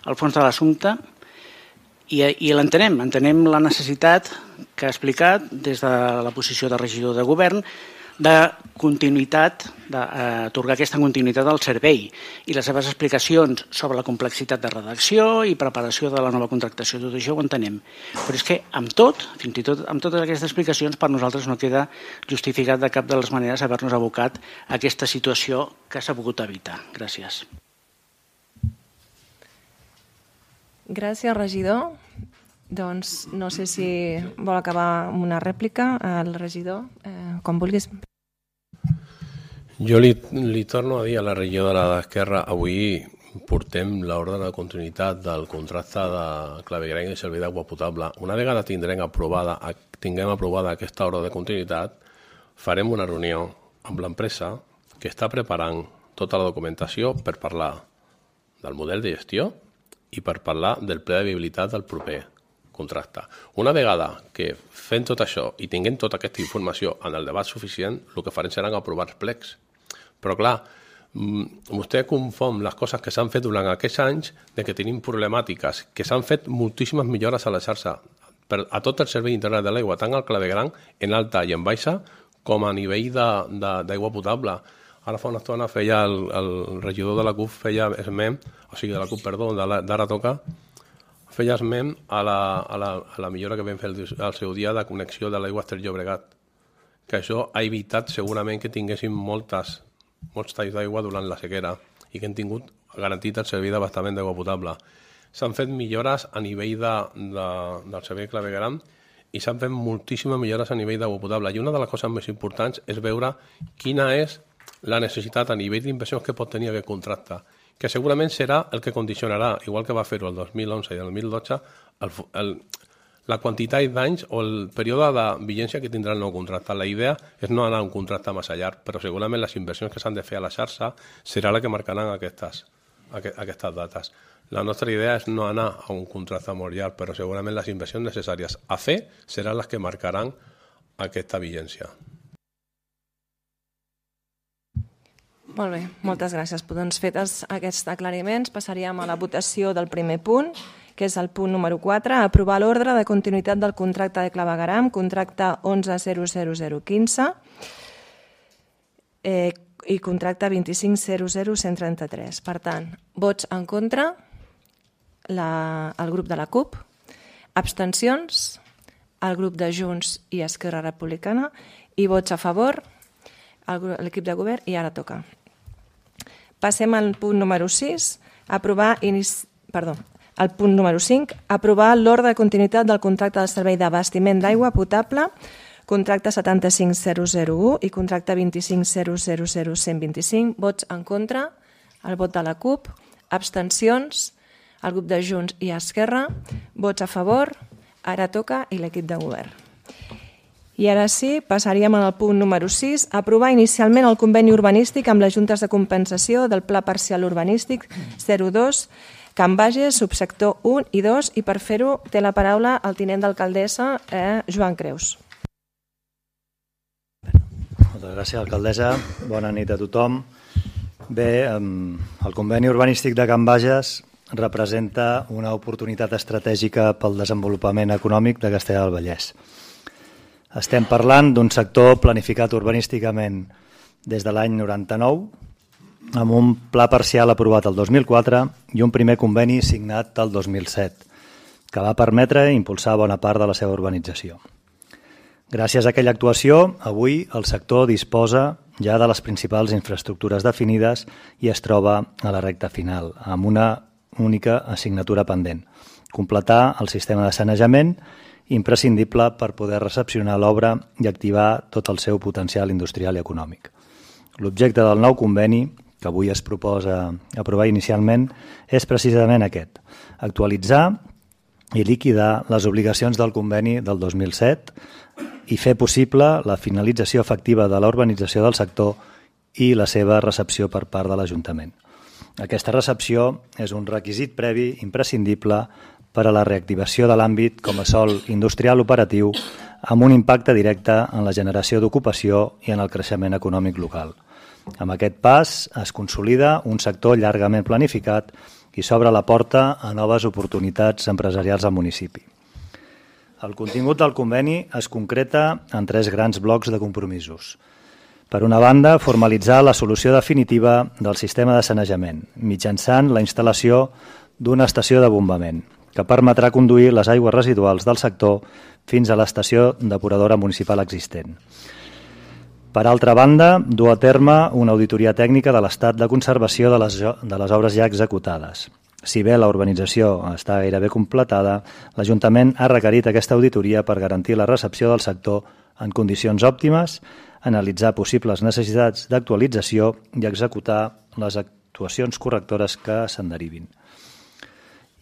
al fons de l'assumpte, i l'entenem. Entenem la necessitat que ha explicat des de la posició de regidor de govern de continuïtat, d'atorgar aquesta continuïtat al servei i les seves explicacions sobre la complexitat de redacció i preparació de la nova contractació, tot això ho entenem. Però és que amb tot, fins i tot amb totes aquestes explicacions, per nosaltres no queda justificat de cap de les maneres haver-nos abocat a aquesta situació que s'ha pogut evitar. Gràcies. Gràcies, regidor. Doncs no sé si vol acabar amb una rèplica al regidor, com vulguis. Jo li torno a dir a la regidora d'Esquerra avui portem l'ordre de continuïtat del contracte de clavegueram i servei d'aigua potable. Una vegada tinguem aprovada aquesta ordre de continuïtat, farem una reunió amb l'empresa que està preparant tota la documentació per parlar del model de gestió i per parlar del pla de viabilitat del proper contracte. Una vegada que fem tot això i tinguem tota aquesta informació en el debat suficient, el que farem seran aprovar els plecs. Però clar, vostè confon les coses que s'han fet durant aquests anys de que tenim problemàtiques, que s'han fet moltíssimes millores a la xarxa a tot el servei integral de l'aigua, tant al clavegueram en alta i en baixa com a nivell d'aigua potable. Ara fa una estona feia el regidor de la CUP de la CUP, perdó, d'Ara Toca, feia esment a la millora que vam fer al seu dia de connexió de l'aigua Ter Llobregat, que això ha evitat segurament que tinguéssim molts talls d'aigua durant la sequera i que hem tingut garantit el servei d'abastament d'aigua potable. S'han fet millores a nivell del servei clavegueram i s'han fet moltíssimes millores a nivell d'aigua potable. I una de les coses més importants és veure quina és la necessitat a nivell d'inversions que pot tenir aquest contracte, que segurament serà el que condicionarà, igual que va fer-ho el 2011 i el 2012, la quantitat d'anys o el període de vigència que tindrà el nou contracte. La idea és no anar a un contracte massa llarg, però segurament les inversions que s'han de fer a la xarxa serà la que marcaran aquestes dates. La nostra idea és no anar a un contracte molt llarg, però segurament les inversions necessàries a fer seran les que marcaran aquesta vigència. Molt bé, moltes gràcies. Doncs fetes aquests aclariments, passaríem a la votació del primer punt, que és el punt número 4, aprovar l'ordre de continuïtat del contracte de clavegueram, contracte 11.00015 i contracte 25.00133. Per tant, vots en contra, el grup de la CUP, abstencions, el grup de Junts i Esquerra Republicana, i vots a favor, l'equip de govern, i ara toca. Passem al punt número 6, el punt número 5, aprovar l'ordre de continuïtat del contracte de servei d'abastiment d'aigua potable, contracte 75.001 i contracte 25.000.125. Vots en contra, el vot de la CUP, abstencions, el grup de Junts i Esquerra, vots a favor, ara toca, i l'equip de govern. I ara sí, passaríem al punt número 6, aprovar inicialment el conveni urbanístic amb les juntes de compensació del Pla Parcial Urbanístic 02, Can Bages, subsector 1 i 2, i per fer-ho té la paraula el tinent d'alcaldessa, Joan Creus. Moltes gràcies, alcaldessa. Bona nit a tothom. Bé, el conveni urbanístic de Can Bages representa una oportunitat estratègica pel desenvolupament econòmic de Castellar del Vallès. Estem parlant d'un sector planificat urbanísticament des de l'any 99, amb un pla parcial aprovat el 2004 i un primer conveni signat el 2007, que va permetre impulsar bona part de la seva urbanització. Gràcies a aquella actuació, avui el sector disposa ja de les principals infraestructures definides i es troba a la recta final, amb una única assignatura pendent: completar el sistema de sanejament imprescindible per poder recepcionar l'obra i activar tot el seu potencial industrial i econòmic. L'objecte del nou conveni, que avui es proposa aprovar inicialment, és precisament aquest: actualitzar i liquidar les obligacions del conveni del 2007 i fer possible la finalització efectiva de la urbanització del sector i la seva recepció per part de l'Ajuntament. Aquesta recepció és un requisit previ imprescindible per a la reactivació de l'àmbit com a sòl industrial operatiu amb un impacte directe en la generació d'ocupació i en el creixement econòmic local. Amb aquest pas es consolida un sector llargament planificat i s'obre la porta a noves oportunitats empresarials al municipi. El contingut del conveni es concreta en 3 grans blocs de compromisos. Per una banda, formalitzar la solució definitiva del sistema de sanejament mitjançant la instal·lació d'una estació de bombament que permetrà conduir les aigües residuals del sector fins a l'estació depuradora municipal existent. Per altra banda, dur a terme una auditoria tècnica de l'estat de conservació de les obres ja executades. Si bé la urbanització està gairebé completada, l'Ajuntament ha requerit aquesta auditoria per garantir la recepció del sector en condicions òptimes, analitzar possibles necessitats d'actualització i executar les actuacions correctores que se'n derivin.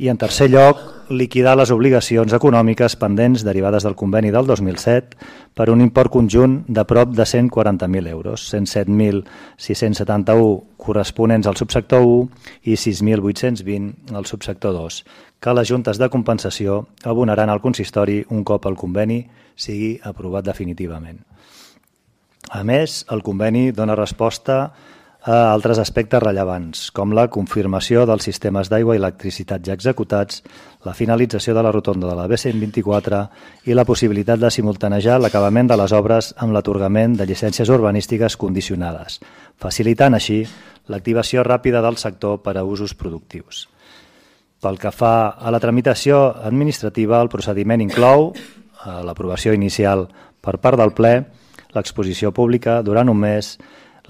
I, en tercer lloc, liquidar les obligacions econòmiques pendents derivades del conveni del 2007 per un import conjunt de prop de 140.000 euros, 107.671 corresponents al subsector 1 i 6.820 al subsector 2, que les juntes de compensació abonaran al consistori un cop el conveni sigui aprovat definitivament. A més, el conveni dona resposta a altres aspectes rellevants, com la confirmació dels sistemes d'aigua i electricitat ja executats, la finalització de la rotonda de la B124 i la possibilitat de simultanejar l'acabament de les obres amb l'atorgament de llicències urbanístiques condicionades, facilitant així l'activació ràpida del sector per a usos productius. Pel que fa a la tramitació administrativa, el procediment inclou l'aprovació inicial per part del ple, l'exposició pública durant un mes,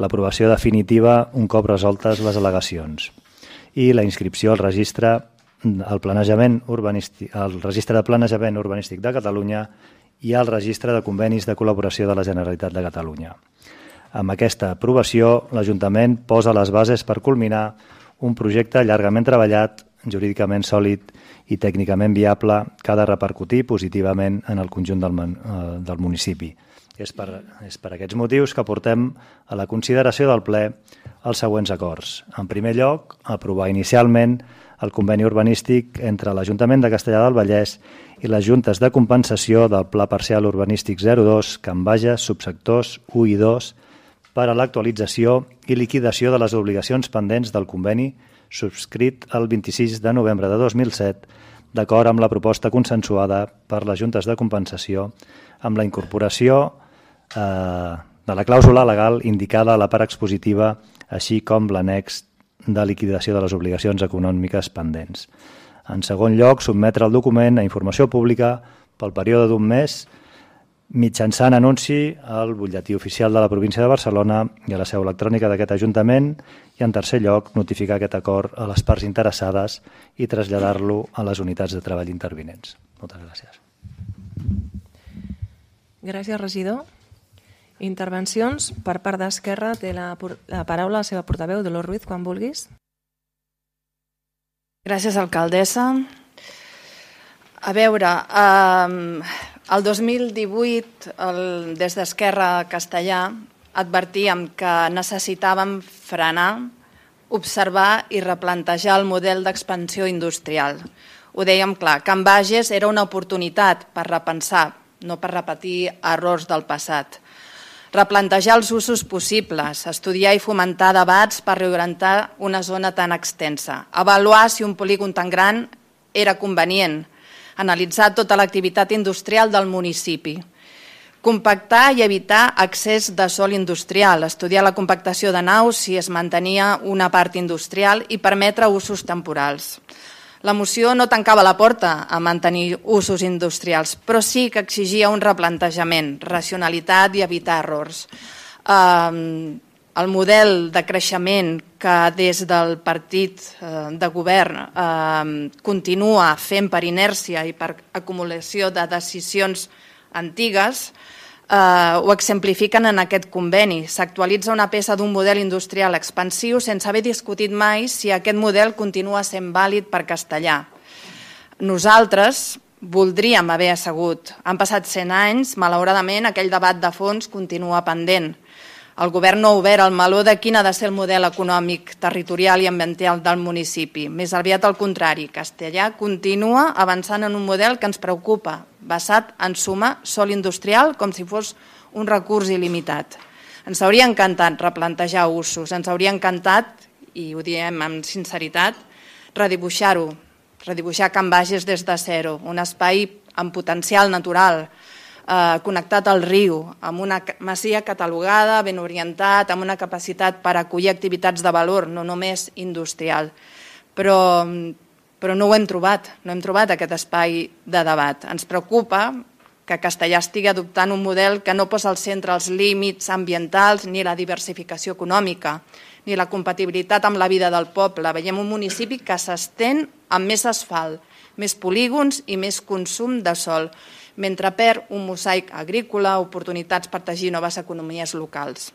l'aprovació definitiva un cop resoltes les al·legacions i la inscripció al registre de planejament urbanístic de Catalunya i al registre de convenis de col·laboració de la Generalitat de Catalunya. Amb aquesta aprovació, l'Ajuntament posa les bases per culminar un projecte llargament treballat, jurídicament sòlid i tècnicament viable que ha de repercutir positivament en el conjunt del municipi. És per aquests motius que portem a la consideració del ple els següents acords. En primer lloc, aprovar inicialment el conveni urbanístic entre l'Ajuntament de Castellar del Vallès i les juntes de compensació del Pla Parcial Urbanístic 02, Can Bages, subsectors 1 i 2, per a l'actualització i liquidació de les obligacions pendents del conveni subscrit el 26 de novembre de 2007, d'acord amb la proposta consensuada per les juntes de compensació, amb la incorporació de la clàusula legal indicada a la part expositiva, així com l'annex de liquidació de les obligacions econòmiques pendents. En segon lloc, sotmetre el document a informació pública pel període d'un mes mitjançant anunci al butlletí oficial de la província de Barcelona i a la seu electrònica d'aquest Ajuntament i, en tercer lloc, notificar aquest acord a les parts interessades i traslladar-lo a les unitats de treball intervinents. Moltes gràcies. Gràcies, regidor. Intervencions per part d'Esquerra. Té la paraula la seva portaveu, Dolors Ruiz, quan vulguis. Gràcies, alcaldessa. A veure, el 2018, des d'Esquerra Castellar, advertíem que necessitàvem frenar, observar i replantejar el model d'expansió industrial. Ho dèiem clar, Can Bages era una oportunitat per repensar, no per repetir errors del passat. Replantejar els usos possibles, estudiar i fomentar debats per reorientar una zona tan extensa, avaluar si un polígon tan gran era convenient, analitzar tota l'activitat industrial del municipi, compactar i evitar accés de sòl industrial, estudiar la compactació de naus si es mantenia una part industrial i permetre usos temporals. La moció no tancava la porta a mantenir usos industrials, però sí que exigia un replantejament, racionalitat i evitar errors. El model de creixement que des del partit de govern continua fent per inèrcia i per acumulació de decisions antigues ho exemplifiquen en aquest conveni. S'actualitza una peça d'un model industrial expansiu sense haver discutit mai si aquest model continua sent vàlid per Castellar. Nosaltres voldríem haver assegut. Han passat 100 anys, malauradament aquell debat de fons continua pendent. El govern no ha obert el meló de quin ha de ser el model econòmic, territorial i ambiental del municipi. Més aviat al contrari, Castellar continua avançant en un model que ens preocupa, basat en sumar sòl industrial com si fos un recurs il·limitat. Ens hauria encantat replantejar usos, ens hauria encantat, i ho diem amb sinceritat, redibuixar-ho, redibuixar Can Bages des de zero, un espai amb potencial natural, connectat al riu, amb una masia catalogada, ben orientat, amb una capacitat per acollir activitats de valor, no només industrial. Però no ho hem trobat, no hem trobat aquest espai de debat. Ens preocupa que Castellar estigui adoptant un model que no posa al centre els límits ambientals ni la diversificació econòmica, ni la compatibilitat amb la vida del poble. Veiem un municipi que s'estén amb més asfalt, més polígons i més consum de sòl, mentre perd un mosaic agrícola, oportunitats per teixir noves economies locals.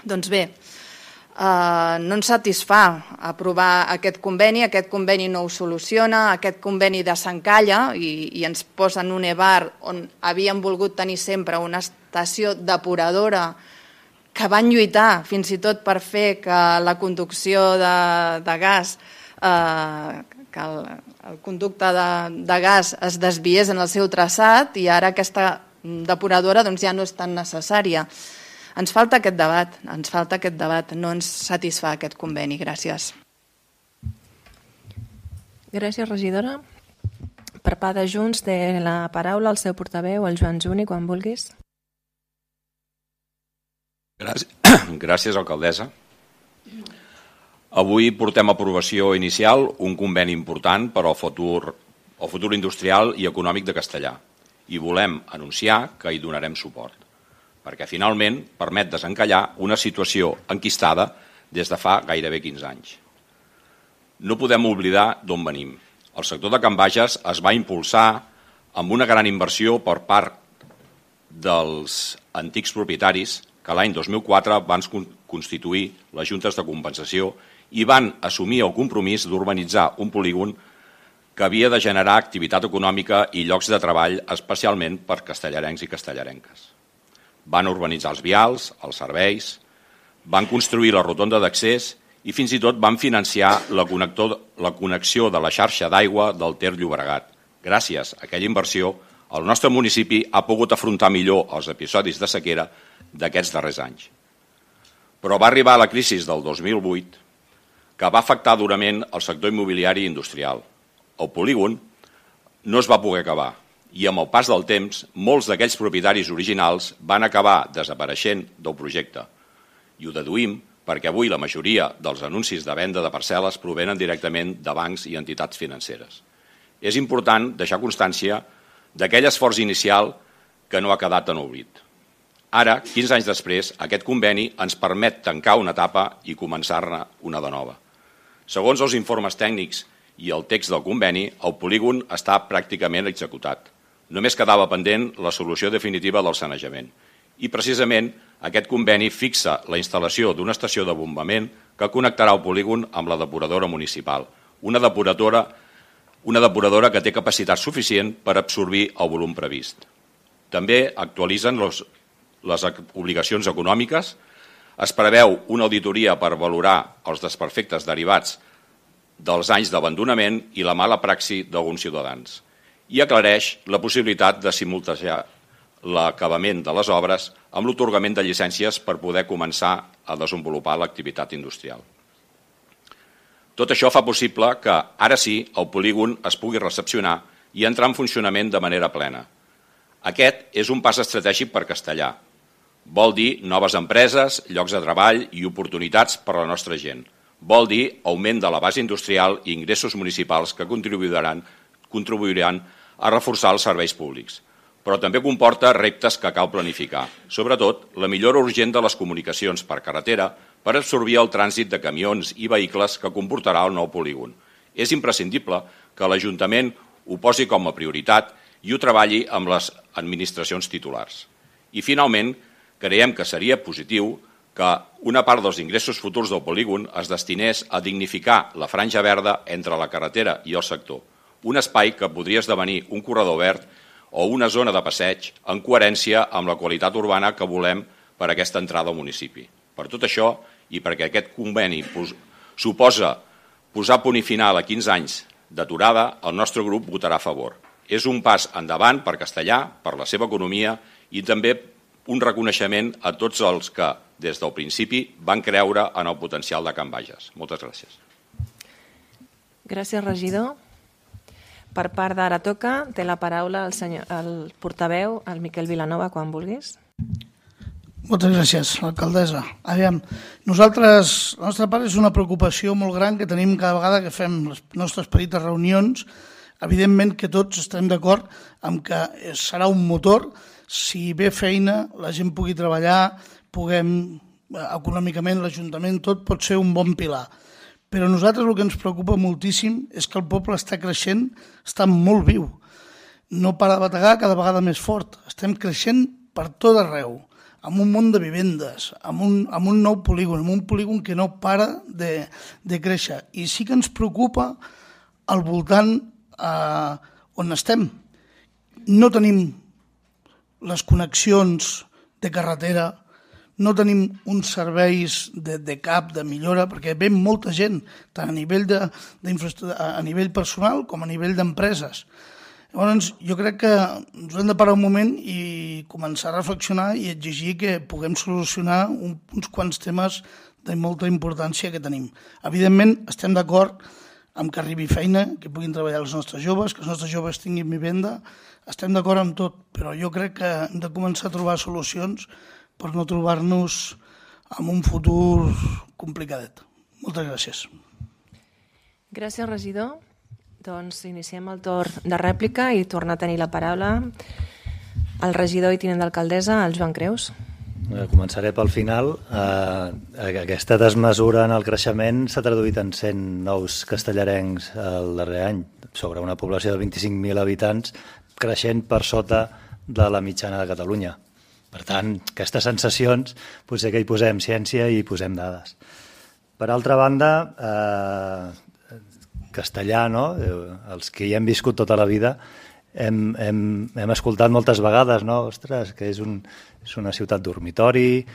Doncs bé, no ens satisfà aprovar aquest conveni no ho soluciona, aquest conveni desencalla i ens posa en un EVAR on havíem volgut tenir sempre una estació depuradora que van lluitar fins i tot per fer que la conducció de gas, que el conducte de gas es desviés en el seu traçat i ara aquesta depuradora ja no és tan necessària. Ens falta aquest debat, no ens satisfà aquest conveni. Gràcies. Gràcies, regidora. Per part de Junts té la paraula el seu portaveu, el Joan Juni, quan vulguis. Gràcies, alcaldessa. Avui portem a aprovació inicial un conveni important per al futur industrial i econòmic de Castellar i volem anunciar que hi donarem suport, perquè finalment permet desencallar una situació enquistada des de fa gairebé 15 anys. No podem oblidar d'on venim. El sector de Can Bages es va impulsar amb una gran inversió per part dels antics propietaris que l'any 2004 van constituir les juntes de compensació i van assumir el compromís d'urbanitzar un polígon que havia de generar activitat econòmica i llocs de treball especialment per castellarencs i castellarenques. Van urbanitzar els vials, els serveis, van construir la rotonda d'accés i fins i tot van financiar la connexió de la xarxa d'aigua del Ter Llobregat. Gràcies a aquella inversió, el nostre municipi ha pogut afrontar millor els episodis de sequera d'aquests darrers anys. Però va arribar la crisi del 2008, que va afectar durament el sector immobiliari i industrial. El polígon no es va poder acabar i amb el pas del temps molts d'aquells propietaris originals van acabar desapareixent del projecte. I ho deduïm perquè avui la majoria dels anuncis de venda de parcel·les provenen directament de bancs i entitats financeres. És important deixar constància d'aquell esforç inicial que no ha quedat en oblit. Ara, 15 anys després, aquest conveni ens permet tancar una etapa i començar-ne una de nova. Segons els informes tècnics i el text del conveni, el polígon està pràcticament executat. Només quedava pendent la solució definitiva del sanejament. I precisament aquest conveni fixa la instal·lació d'una estació de bombament que connectarà el polígon amb la depuradora municipal. Una depuradora que té capacitat suficient per absorbir el volum previst. També actualitzen les obligacions econòmiques. Es preveu una auditoria per valorar els desperfectes derivats dels anys d'abandonament i la mala praxi d'alguns ciutadans i aclareix la possibilitat de simultanejar l'acabament de les obres amb l'atorgament de llicències per poder començar a desenvolupar l'activitat industrial. Tot això fa possible que, ara sí, el polígon es pugui recepcionar i entrar en funcionament de manera plena. Aquest és un pas estratègic per Castellar. Vol dir noves empreses, llocs de treball i oportunitats per a la nostra gent. Vol dir augment de la base industrial i ingressos municipals que contribuiran a reforçar els serveis públics. Però també comporta reptes que cal planificar. Sobretot, la millora urgent de les comunicacions per carretera per absorbir el trànsit de camions i vehicles que comportarà el nou polígon. És imprescindible que l'Ajuntament ho posi com a prioritat i ho treballi amb les administracions titulars. I, finalment, creiem que seria positiu que una part dels ingressos futurs del polígon es destinés a dignificar la franja verda entre la carretera i el sector, un espai que podria esdevenir un corredor verd o una zona de passeig en coherència amb la qualitat urbana que volem per a aquesta entrada al municipi. Per tot això, i perquè aquest conveni suposa posar punt i final a 15 anys d'aturada, el nostre grup votarà a favor. És un pas endavant per Castellar, per la seva economia i també un reconeixement a tots els que, des del principi, van creure en el potencial de Can Bages. Moltes gràcies. Gràcies, regidor. Per part d'Ara Toca, té la paraula el portaveu, el Miquel Vilanova, quan vulguis. Moltes gràcies, alcaldessa. Aviam, nosaltres, la nostra part és una preocupació molt gran que tenim cada vegada que fem les nostres petites reunions. Evidentment que tots estem d'acord amb que serà un motor. Si ve feina, la gent pugui treballar, puguem, econòmicament, l'Ajuntament, tot pot ser un bon pilar. Però a nosaltres el que ens preocupa moltíssim és que el poble està creixent, està molt viu. No para de bategar, cada vegada més fort. Estem creixent per tot arreu. amb un munt de vivendes, amb un nou polígon, amb un polígon que no para de créixer. I sí que ens preocupa al voltant on estem. No tenim les connexions de carretera, no tenim uns serveis de cap, de millora, perquè ve molta gent, tant a nivell a nivell personal com a nivell d'empreses. Llavors, jo crec que ens hem de parar un moment i començar a reflexionar i exigir que puguem solucionar uns quants temes de molta importància que tenim. Evidentment, estem d'acord amb que arribi feina, que puguin treballar els nostres joves, que els nostres joves tinguin vivenda, estem d'acord amb tot, però jo crec que hem de començar a trobar solucions per no trobar-nos en un futur complicadet. Moltes gràcies. Gràcies, regidor. Doncs iniciem el torn de rèplica i torna a tenir la paraula el regidor i tinent d'alcaldessa, el Joan Creus. Començaré pel final. Aquesta desmesura en el creixement s'ha traduït en 100 nous castellarencs el darrer any, sobre una població de 25.000 habitants, creixent per sota de la mitjana de Catalunya. Per tant, aquestes sensacions potser que hi posem ciència i hi posem dades. Per altra banda, castellà, no? Els que hi hem viscut tota la vida hem escoltat moltes vegades, no? Ostres, que és una ciutat dormitori,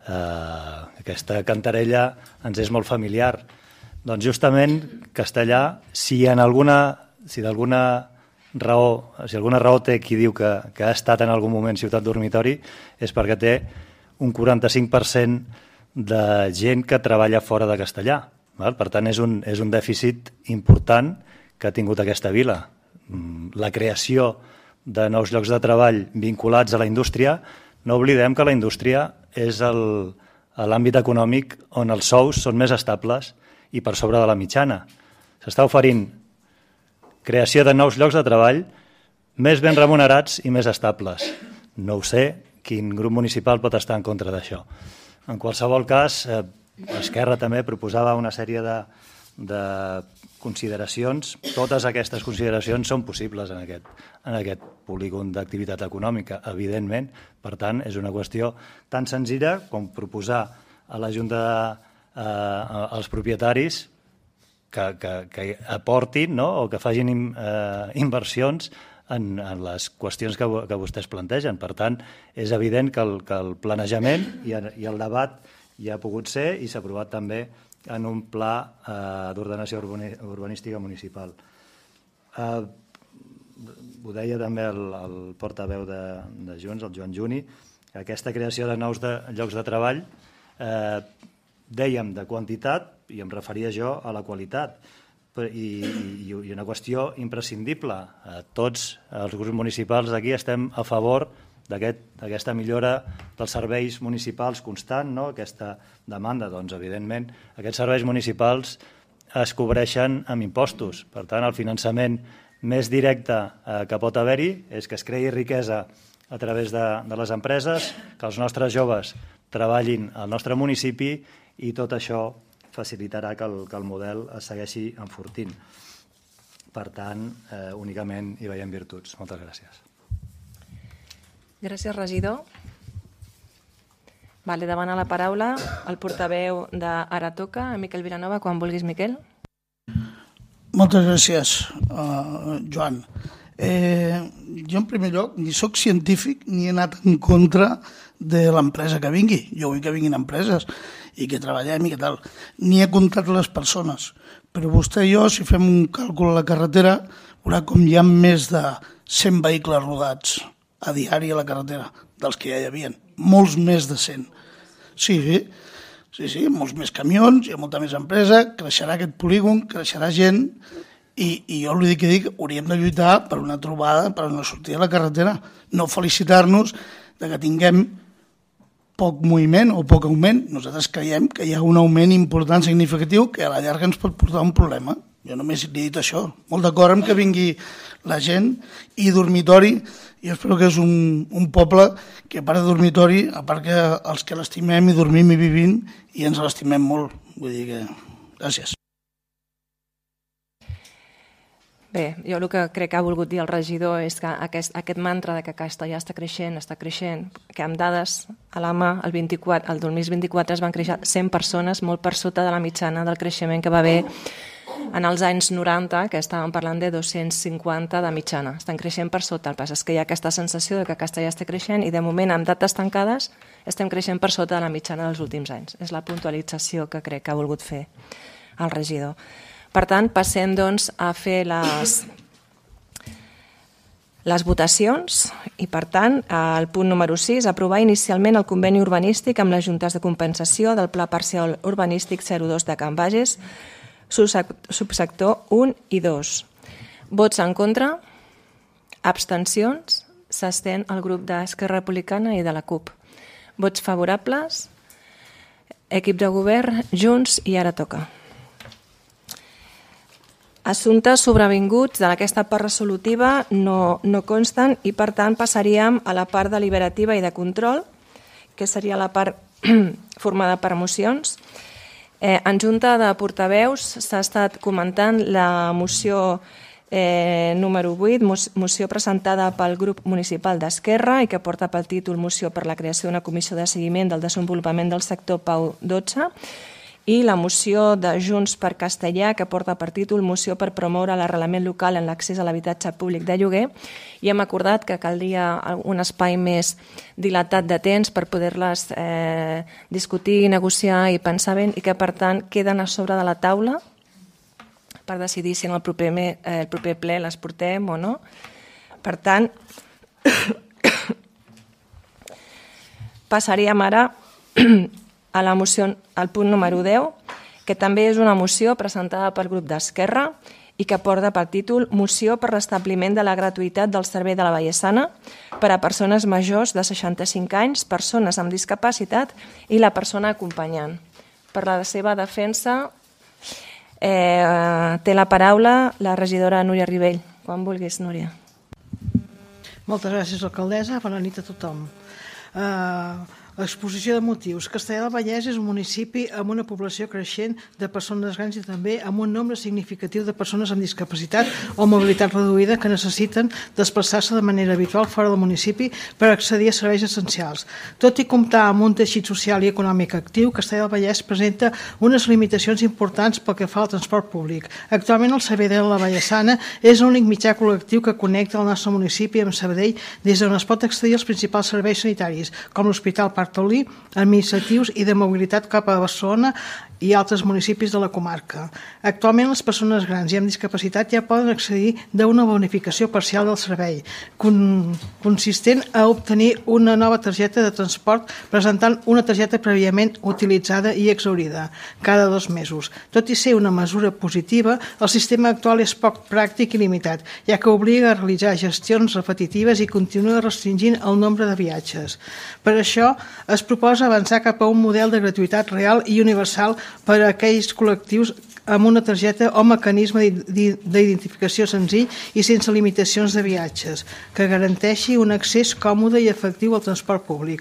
aquesta cantarella ens és molt familiar. Doncs justament castellà, si d'alguna raó té qui diu que ha estat en algun moment ciutat dormitori, és perquè té un 45% de gent que treballa fora de castellà. Per tant, és un dèficit important que ha tingut aquesta vila. La creació de nous llocs de treball vinculats a la indústria, no oblidem que la indústria és l'àmbit econòmic on els sous són més estables i per sobre de la mitjana. S'està oferint creació de nous llocs de treball més ben remunerats i més estables. No ho sé, quin grup municipal pot estar en contra d'això. En qualsevol cas, Esquerra també proposava una sèrie de consideracions. Totes aquestes consideracions són possibles en aquest polígon d'activitat econòmica, evidentment. Per tant, és una qüestió tan senzilla com proposar a la Junta als propietaris que aportin, no? O que facin inversions en les qüestions que vostès plantegen. Per tant, és evident que el planejament i el debat hi ha pogut ser i s'ha aprovat també en un pla d'ordenació urbanística municipal. Ho deia també el portaveu de Junts, el Joan Juni, aquesta creació de nous llocs de treball, dèiem de quantitat, i em referia jo a la qualitat, i una qüestió imprescindible. Tots els grups municipals d'aquí estem a favor d'aquesta millora dels serveis municipals constant, no? Aquesta demanda, doncs, evidentment, aquests serveis municipals es cobreixen amb impostos. Per tant, el finançament més directe que pot haver-hi és que es creï riquesa a través de les empreses, que els nostres joves treballin al nostre municipi i tot això facilitarà que el model es segueixi enfortint. Per tant, únicament hi veiem virtuts. Moltes gràcies. Gràcies, regidor. Demana la paraula el portaveu d'Ara Toca, Miquel Vilanova, quan vulguis, Miquel. Moltes gràcies, Joan. Jo, en primer lloc, ni soc científic ni he anat en contra de l'empresa que vingui. Jo vull que vinguin empreses i que treballem i que tal. Ni he comptat les persones. Però vostè i jo, si fem un càlcul a la carretera, veurà com hi ha més de 100 vehicles rodats a diari a la carretera, dels que ja hi havia. Molts més de 100. Sí, molts més camions, hi ha molta més empresa, creixerà aquest polígon, creixerà gent, i jo li dic, hauríem de lluitar per una trobada, per una sortida a la carretera, no felicitar-nos de que tinguem poc moviment o poc augment. Nosaltres creiem que hi ha un augment important, significatiu, que a la llarga ens pot portar un problema. Jo només li he dit això. Molt d'acord amb que vingui la gent, i dormitori, jo espero que és un poble que, a part de dormitori, a part que els que l'estimem i dormim i vivim, i ens l'estimem molt. Vull dir que... Gràcies. Bé, jo el que crec que ha volgut dir el regidor és que aquest mantra de que Castellà està creixent, que amb dades a la mà, el 2024 es van créixer 100 persones, molt per sota de la mitjana del creixement que va haver en els anys 90, que estàvem parlant de 250 de mitjana. Estan creixent per sota. El pas és que hi ha aquesta sensació de que Castellà està creixent i de moment, amb dates tancades, estem creixent per sota de la mitjana dels últims anys. És la puntualització que crec que ha volgut fer el regidor. Per tant, passem doncs, a fer les votacions i, per tant, el punt número 6, aprovar inicialment el conveni urbanístic amb les juntes de compensació del Pla Parcial Urbanístic 02 de Can Bages, subsector 1 i 2. Vots en contra, abstencions, s'abstén el grup d'Esquerra Republicana i de la CUP. Vots favorables, equip de govern, Junts i Ara Toca. Assumptes sobrevinguts d'aquesta part resolutiva no consten i, per tant, passaríem a la part deliberativa i de control, que seria la part formada per mocions. En Junta de Portaveus s'ha estat comentant la moció número 8, moció presentada pel grup municipal d'Esquerra i que porta pel títol Moció per la creació d'una comissió de seguiment del desenvolupament del sector PAU 12, i la moció de Junts per Castellà, que porta per títol Moció per promoure l'arrelament local en l'accés a l'habitatge públic de lloguer, i hem acordat que caldria un espai més dilatat de temps per poder-les discutir, negociar i pensar bé, i que, per tant, queden a sobre de la taula per decidir si en el proper ple les portem o no. Per tant, passaríem ara a la moció, al punt número 10, que també és una moció presentada pel grup d'Esquerra i que porta per títol Moció per l'establiment de la gratuïtat del servei de la Vallesana per a persones majors de 65 anys, persones amb discapacitat i la persona acompanyant. Per la seva defensa té la paraula la regidora Núria Ribell. Quan vulguis, Núria. Moltes gràcies, alcaldessa. Bona nit a tothom. Exposició de motius. Castellar del Vallès és un municipi amb una població creixent de persones grans i també amb un nombre significatiu de persones amb discapacitat o mobilitat reduïda que necessiten desplaçar-se de manera habitual fora del municipi per accedir a serveis essencials. Tot i comptar amb un teixit social i econòmic actiu, Castellar del Vallès presenta unes limitacions importants pel que fa al transport públic. Actualment el servei de la Vallesana és l'únic mitjà col·lectiu que connecta el nostre municipi amb Sabadell des d'on es pot accedir als principals serveis sanitaris, com l'Hospital Taulí, administratius i de mobilitat cap a Barcelona i altres municipis de la comarca. Actualment les persones grans i amb discapacitat ja poden accedir d'una bonificació parcial del servei, consistent a obtenir una nova targeta de transport presentant una targeta prèviament utilitzada i exhaurida cada 2 mesos. Tot i ser una mesura positiva, el sistema actual és poc pràctic i limitat, ja que obliga a realitzar gestions repetitives i continua restringint el nombre de viatges. Per això, es proposa avançar cap a un model de gratuïtat real i universal per a aquells col·lectius amb una targeta o mecanisme d'identificació senzill i sense limitacions de viatges, que garanteixi un accés còmode i efectiu al transport públic.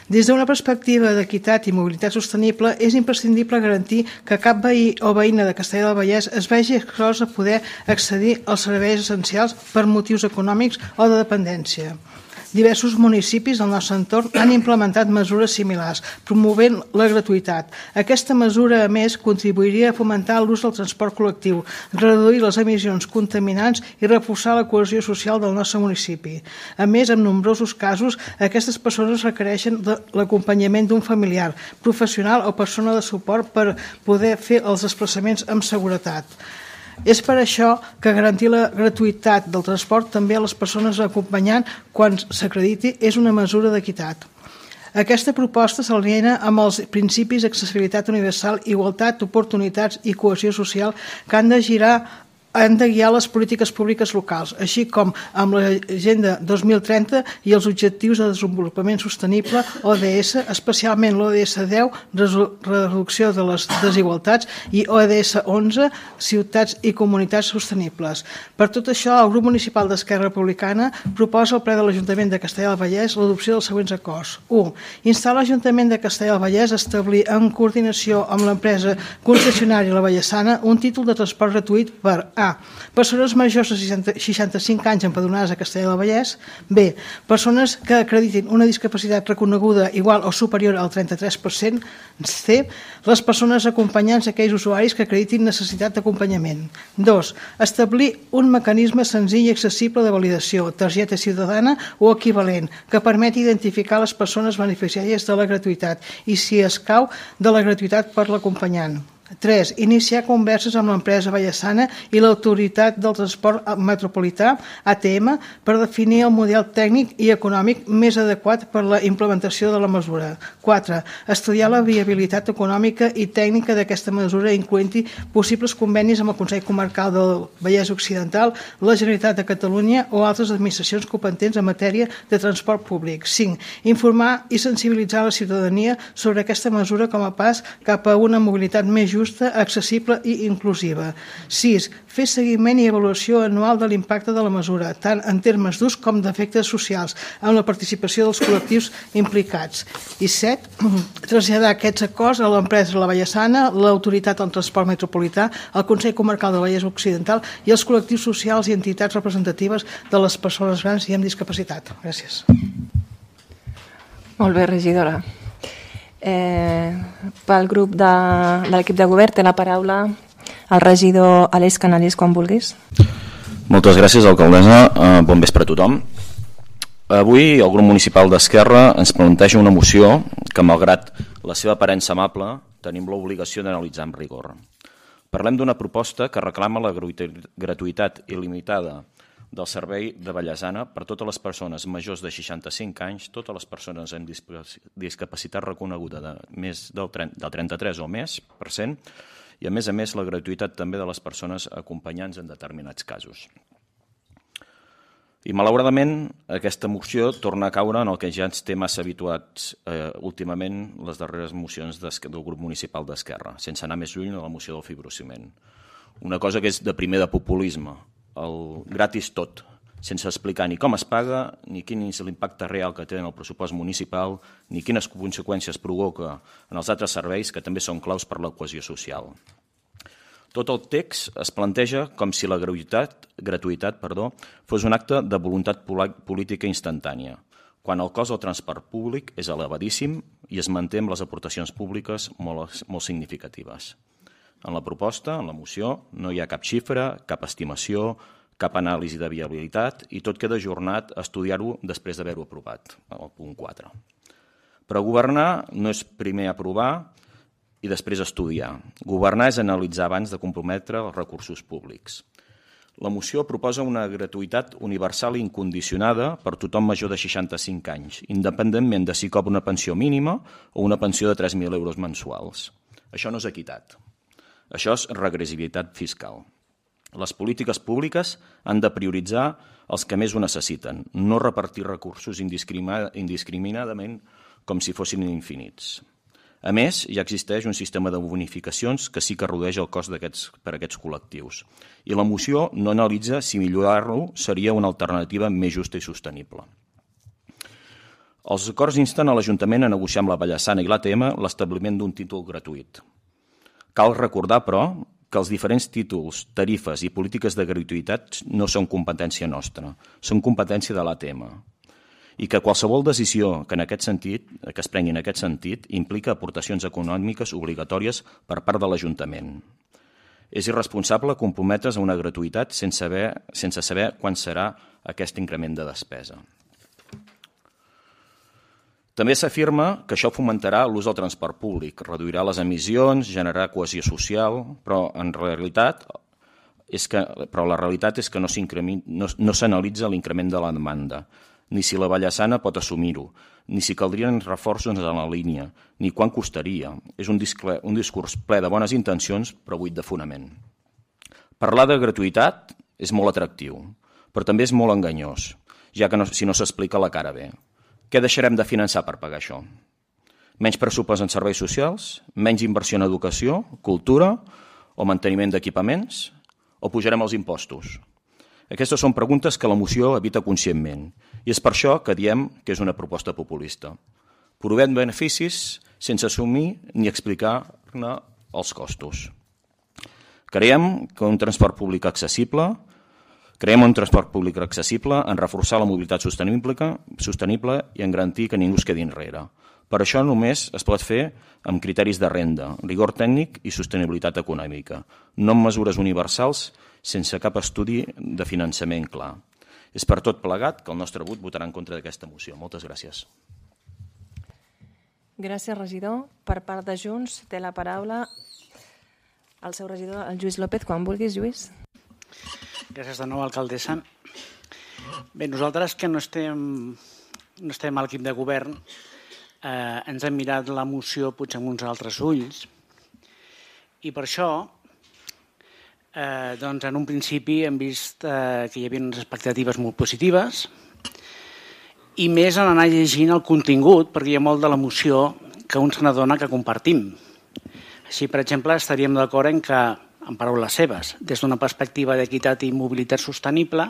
Des d'una perspectiva d'equitat i mobilitat sostenible, és imprescindible garantir que cap veí o veïna de Castellar del Vallès es vegi exclòs a poder accedir als serveis essencials per motius econòmics o de dependència. Diversos municipis del nostre entorn han implementat mesures similars, promovent la gratuïtat. Aquesta mesura, a més, contribuiria a fomentar l'ús del transport col·lectiu, reduir les emissions contaminants i reforçar la cohesió social del nostre municipi. A més, en nombrosos casos, aquestes persones requereixen l'acompanyament d'un familiar, professional o persona de suport per poder fer els desplaçaments amb seguretat. És per això que garantir la gratuïtat del transport també a les persones acompanyant quan s'acrediti és una mesura d'equitat. Aquesta proposta s'alinea amb els principis d'accessibilitat universal, igualtat, oportunitats i cohesió social que han de guiar les polítiques públiques locals, així com amb l'Agenda 2030 i els Objectius de Desenvolupament Sostenible ODS, especialment l'ODS 10, reducció de les desigualtats, i ODS 11, ciutats i comunitats sostenibles. Per tot això, el grup municipal d'Esquerra Republicana proposa al ple de l'Ajuntament de Castellar del Vallès l'adopció dels següents acords. 1. Instar l'Ajuntament de Castellar del Vallès a establir en coordinació amb l'empresa concessionària La Vallesana un títol de transport gratuït per A. Persones majors de 65 anys empadronades a Castellar del Vallès. B. Persones que acreditin una discapacitat reconeguda igual o superior al 33%. C. Les persones acompanyants d'aquells usuaris que acreditin necessitat d'acompanyament. 2. Establir un mecanisme senzill i accessible de validació, targeta ciutadana o equivalent, que permeti identificar les persones beneficiàries de la gratuïtat i, si escau, de la gratuïtat per l'acompanyant. 3. Iniciar converses amb l'empresa Vallesana i l'Autoritat del Transport Metropolità, ATM, per definir el model tècnic i econòmic més adequat per la implementació de la mesura. 4. Estudiar la viabilitat econòmica i tècnica d'aquesta mesura, incloent-hi possibles convenis amb el Consell Comarcal del Vallès Occidental, la Generalitat de Catalunya o altres administracions competents en matèria de transport públic. 5. Informar i sensibilitzar la ciutadania sobre aquesta mesura com a pas cap a una mobilitat més justa, accessible i inclusiva. 6. Fer seguiment i avaluació anual de l'impacte de la mesura, tant en termes d'ús com d'efectes socials, amb la participació dels col·lectius implicats. I 7. Traslladar aquests acords a l'empresa La Vallesana, l'Autoritat del Transport Metropolità, el Consell Comarcal del Vallès Occidental i els col·lectius socials i entitats representatives de les persones grans i amb discapacitat. Gràcies. Molt bé, regidora. Pel grup de l'equip de govern té la paraula el regidor Aleix Canalís, quan vulguis. Moltes gràcies, alcaldessa. Bon vespre a tothom. Avui el grup municipal d'Esquerra ens planteja una moció que, malgrat la seva aparença amable, tenim l'obligació d'analitzar amb rigor. Parlem d'una proposta que reclama la gratuïtat il·limitada del servei de Vallesana per totes les persones majors de 65 anys, totes les persones amb discapacitat reconeguda de més del 33 o més %, i a més la gratuïtat també de les persones acompanyants en determinats casos. I malauradament aquesta moció torna a caure en el que ja ens té massa habituats últimament les darreres mocions del grup municipal d'Esquerra, sense anar més lluny a la moció del fibrociment. Una cosa que és de primer de populisme, el gratis tot, sense explicar ni com es paga, ni quin és l'impacte real que té en el pressupost municipal, ni quines conseqüències provoca en els altres serveis que també són claus per la cohesió social. Tot el text es planteja com si la gratuïtat fos un acte de voluntat política instantània, quan el cost del transport públic és elevadíssim i es manté amb les aportacions públiques molt significatives. En la proposta, en la moció, no hi ha cap xifra, cap estimació, cap anàlisi de viabilitat i tot queda ajornat a estudiar-ho després d'haver-ho aprovat, al punt 4. Però governar no és primer aprovar i després estudiar. Governar és analitzar abans de comprometre els recursos públics. La moció proposa una gratuïtat universal i incondicionada per tothom major de 65 anys, independentment de si cobra una pensió mínima o una pensió de 3.000 euros mensuals. Això no és equitat. Això és regressivitat fiscal. Les polítiques públiques han de prioritzar els que més ho necessiten, no repartir recursos indiscriminadament com si fossin infinits. A més, ja existeix un sistema de bonificacions que sí que redueix el cost per a aquests col·lectius. I la moció no analitza si millorar-lo seria una alternativa més justa i sostenible. Els acords insten a l'Ajuntament a negociar amb la Vallesana i l'ATM l'establiment d'un títol gratuït. Cal recordar, però, que els diferents títols, tarifes i polítiques de gratuïtat no són competència nostra, són competència de l'ATM, i que qualsevol decisió que es prengui en aquest sentit implica aportacions econòmiques obligatòries per part de l'Ajuntament. És irresponsable comprometre's a una gratuïtat sense saber quan serà aquest increment de despesa. També s'afirma que això fomentarà l'ús del transport públic, reduirà les emissions, generarà cohesió social, però la realitat és que no s'analitza l'increment de la demanda, ni si la Vallesana pot assumir-ho, ni si caldrien reforços en la línia, ni quant costaria. És un discurs ple de bones intencions, però buit de fonament. Parlar de gratuïtat és molt atractiu, però també és molt enganyós, ja que si no s'explica la cara bé. Què deixarem de finançar per pagar això? Menys pressupost en serveis socials? Menys inversió en educació, cultura o manteniment d'equipaments? O pujarem els impostos? Aquestes són preguntes que la moció evita conscientment i és per això que diem que és una proposta populista. Provem beneficis sense assumir ni explicar-ne els costos. Creiem un transport públic accessible, en reforçar la mobilitat sostenible i en garantir que ningú es quedi enrere. Per això només es pot fer amb criteris de renda, rigor tècnic i sostenibilitat econòmica, no amb mesures universals sense cap estudi de finançament clar. És per tot plegat que el nostre vot votarà en contra d'aquesta moció. Moltes gràcies. Gràcies, regidor. Per part de Junts té la paraula el seu regidor, el Lluís López. Quan vulguis, Lluís. Gràcies de nou, alcaldessa. Bé, nosaltres que no estem a l'equip de govern ens hem mirat la moció potser amb uns altres ulls i per això doncs en un principi hem vist que hi havia unes expectatives molt positives i més en anar llegint el contingut, perquè hi ha molt de la moció que un se n'adona que compartim. Així, per exemple, estaríem d'acord en que, en paraules seves, des d'una perspectiva d'equitat i mobilitat sostenible,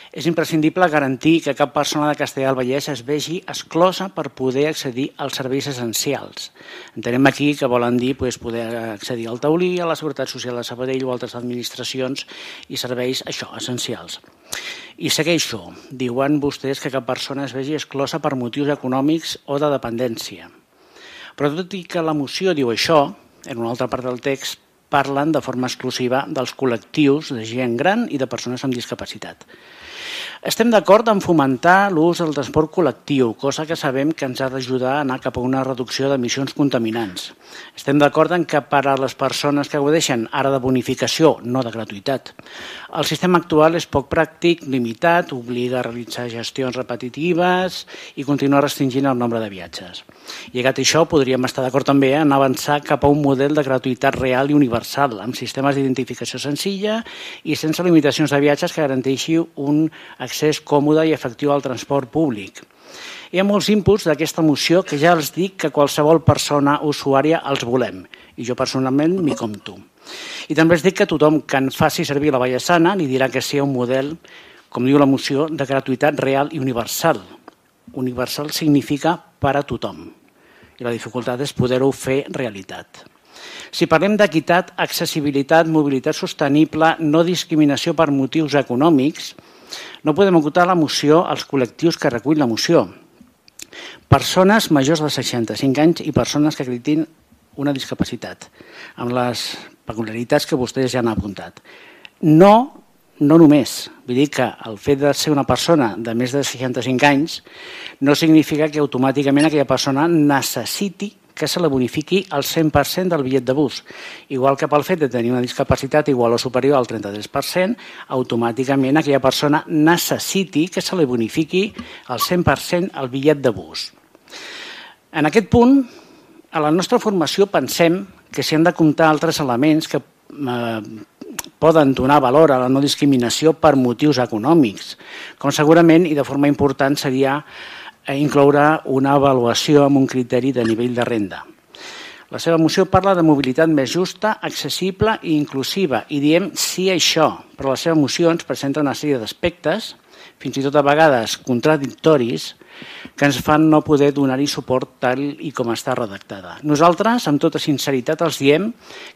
és imprescindible garantir que cap persona de Castellar del Vallès es vegi exclosa per poder accedir als serveis essencials. Entenem aquí que volen dir poder accedir al taulí, a la Seguretat Social de Sabadell o altres administracions i serveis essencials. I segueixo. Diuen vostès que cap persona es vegi exclosa per motius econòmics o de dependència. Però tot i que la moció diu això, en una altra part del text parlen de forma exclusiva dels col·lectius de gent gran i de persones amb discapacitat. Estem d'acord en fomentar l'ús del transport col·lectiu, cosa que sabem que ens ha d'ajudar a anar cap a una reducció d'emissions contaminants. Estem d'acord en que per a les persones que gaudeixen ara de bonificació, no de gratuïtat, el sistema actual és poc pràctic, limitat, obliga a realitzar gestions repetitives i continuar restringint el nombre de viatges. Llegat a això, podríem estar d'acord també en avançar cap a un model de gratuïtat real i universal, amb sistemes d'identificació senzilla i sense limitacions de viatges que garanteixi un accés còmode i efectiu al transport públic. Hi ha molts inputs d'aquesta moció que ja els dic que qualsevol persona usuària els volem, i jo personalment m'hi compto. I també els dic que tothom que en faci servir la Vallesana li dirà que sigui un model, com diu la moció, de gratuïtat real i universal. Universal significa per a tothom, i la dificultat és poder-ho fer realitat. Si parlem d'equitat, accessibilitat, mobilitat sostenible, no discriminació per motius econòmics, no podem ocultar la moció als col·lectius que recull la moció. Persones majors de 65 anys i persones que acreditin una discapacitat, amb les peculiaritats que vostès ja han apuntat. No només. Vull dir que el fet de ser una persona de més de 65 anys no significa que automàticament aquella persona necessiti que se la bonifiqui al 100% del bitllet de bus. Igual que pel fet de tenir una discapacitat igual o superior al 33%, automàticament aquella persona necessiti que se li bonifiqui al 100% el bitllet de bus. En aquest punt, a la nostra formació pensem que s'hi han de comptar altres elements que poden donar valor a la no discriminació per motius econòmics, com segurament i de forma important seria incloure una avaluació amb un criteri de nivell de renda. La seva moció parla de mobilitat més justa, accessible i inclusiva i diem sí a això, però la seva moció ens presenta una sèrie d'aspectes, fins i tot a vegades contradictoris, que ens fan no poder donar-hi suport tal i com està redactada. Nosaltres, amb tota sinceritat, els diem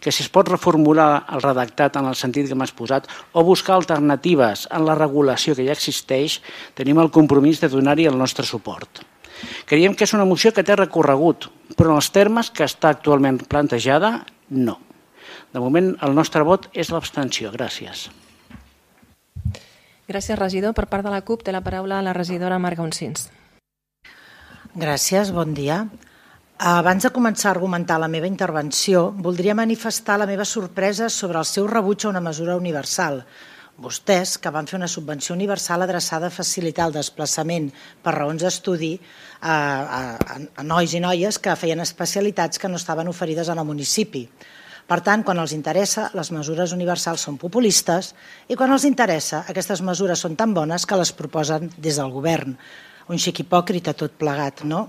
que si es pot reformular el redactat en el sentit que hem exposat o buscar alternatives en la regulació que ja existeix, tenim el compromís de donar-hi el nostre suport. Creiem que és una moció que té recorregut, però en els termes que està actualment plantejada, no. De moment, el nostre vot és l'abstenció. Gràcies. Gràcies, regidor. Per part de la CUP té la paraula la regidora Marga Onsins. Gràcies, bon dia. Abans de començar a argumentar la meva intervenció, voldria manifestar la meva sorpresa sobre el seu rebuig a una mesura universal. Vostès, que van fer una subvenció universal adreçada a facilitar el desplaçament per raons d'estudi a nois i noies que feien especialitats que no estaven oferides en el municipi. Per tant, quan els interessa, les mesures universals són populistes i quan els interessa, aquestes mesures són tan bones que les proposen des del govern. Un xic hipòcrita tot plegat, no?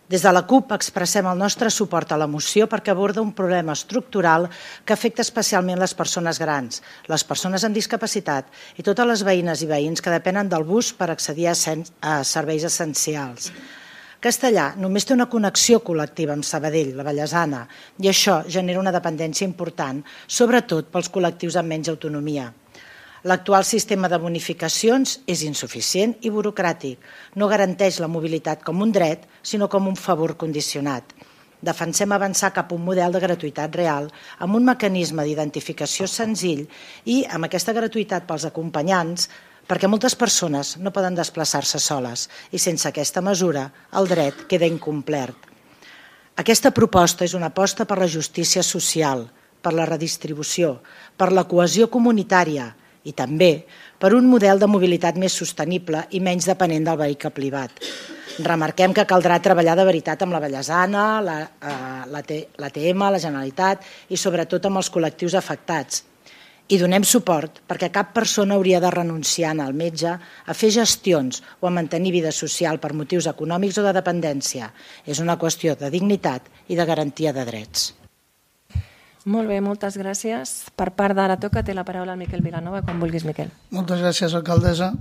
Des de la CUP expressem el nostre suport a la moció perquè aborda un problema estructural que afecta especialment les persones grans, les persones amb discapacitat i totes les veïnes i veïns que depenen del bus per accedir a serveis essencials. Castellà només té una connexió col·lectiva amb Sabadell, la Vallesana, i això genera una dependència important, sobretot pels col·lectius amb menys autonomia. L'actual sistema de bonificacions és insuficient i burocràtic. No garanteix la mobilitat com un dret, sinó com un favor condicionat. Defensem avançar cap a un model de gratuïtat real amb un mecanisme d'identificació senzill i amb aquesta gratuïtat pels acompanyants, perquè moltes persones no poden desplaçar-se soles i sense aquesta mesura el dret queda incomplert. Aquesta proposta és una aposta per la justícia social, per la redistribució, per la cohesió comunitària i també per un model de mobilitat més sostenible i menys depenent del vehicle privat. Remarquem que caldrà treballar de veritat amb la Vallesana, l'ATM, la Generalitat i sobretot amb els col·lectius afectats. I donem suport perquè cap persona hauria de renunciar al metge a fer gestions o a mantenir vida social per motius econòmics o de dependència. És una qüestió de dignitat i de garantia de drets. Molt bé, moltes gràcies. Per part d'Ara Toca té la paraula el Miquel Vilanova, quan vulguis, Miquel. Moltes gràcies, alcaldessa.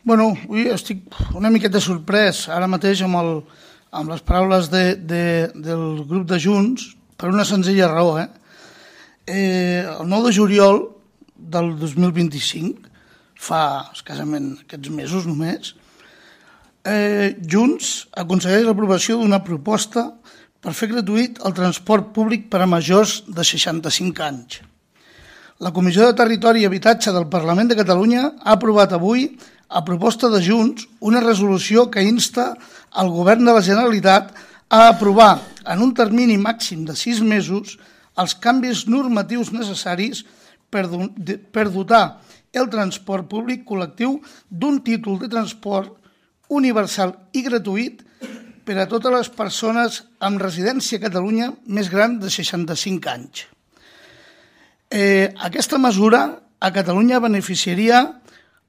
Bueno, avui estic una miqueta sorprès ara mateix amb les paraules del grup de Junts per una senzilla raó. El 9 de juliol del 2025, fa escassament aquests mesos només, Junts aconsegueix l'aprovació d'una proposta per fer gratuït el transport públic per a majors de 65 anys. La Comissió de Territori i Habitatge del Parlament de Catalunya ha aprovat avui, a proposta de Junts, una resolució que insta al Govern de la Generalitat a aprovar en un termini màxim de 6 mesos els canvis normatius necessaris per dotar el transport públic col·lectiu d'un títol de transport universal i gratuït per a totes les persones amb residència a Catalunya més gran de 65 anys. Aquesta mesura a Catalunya beneficiaria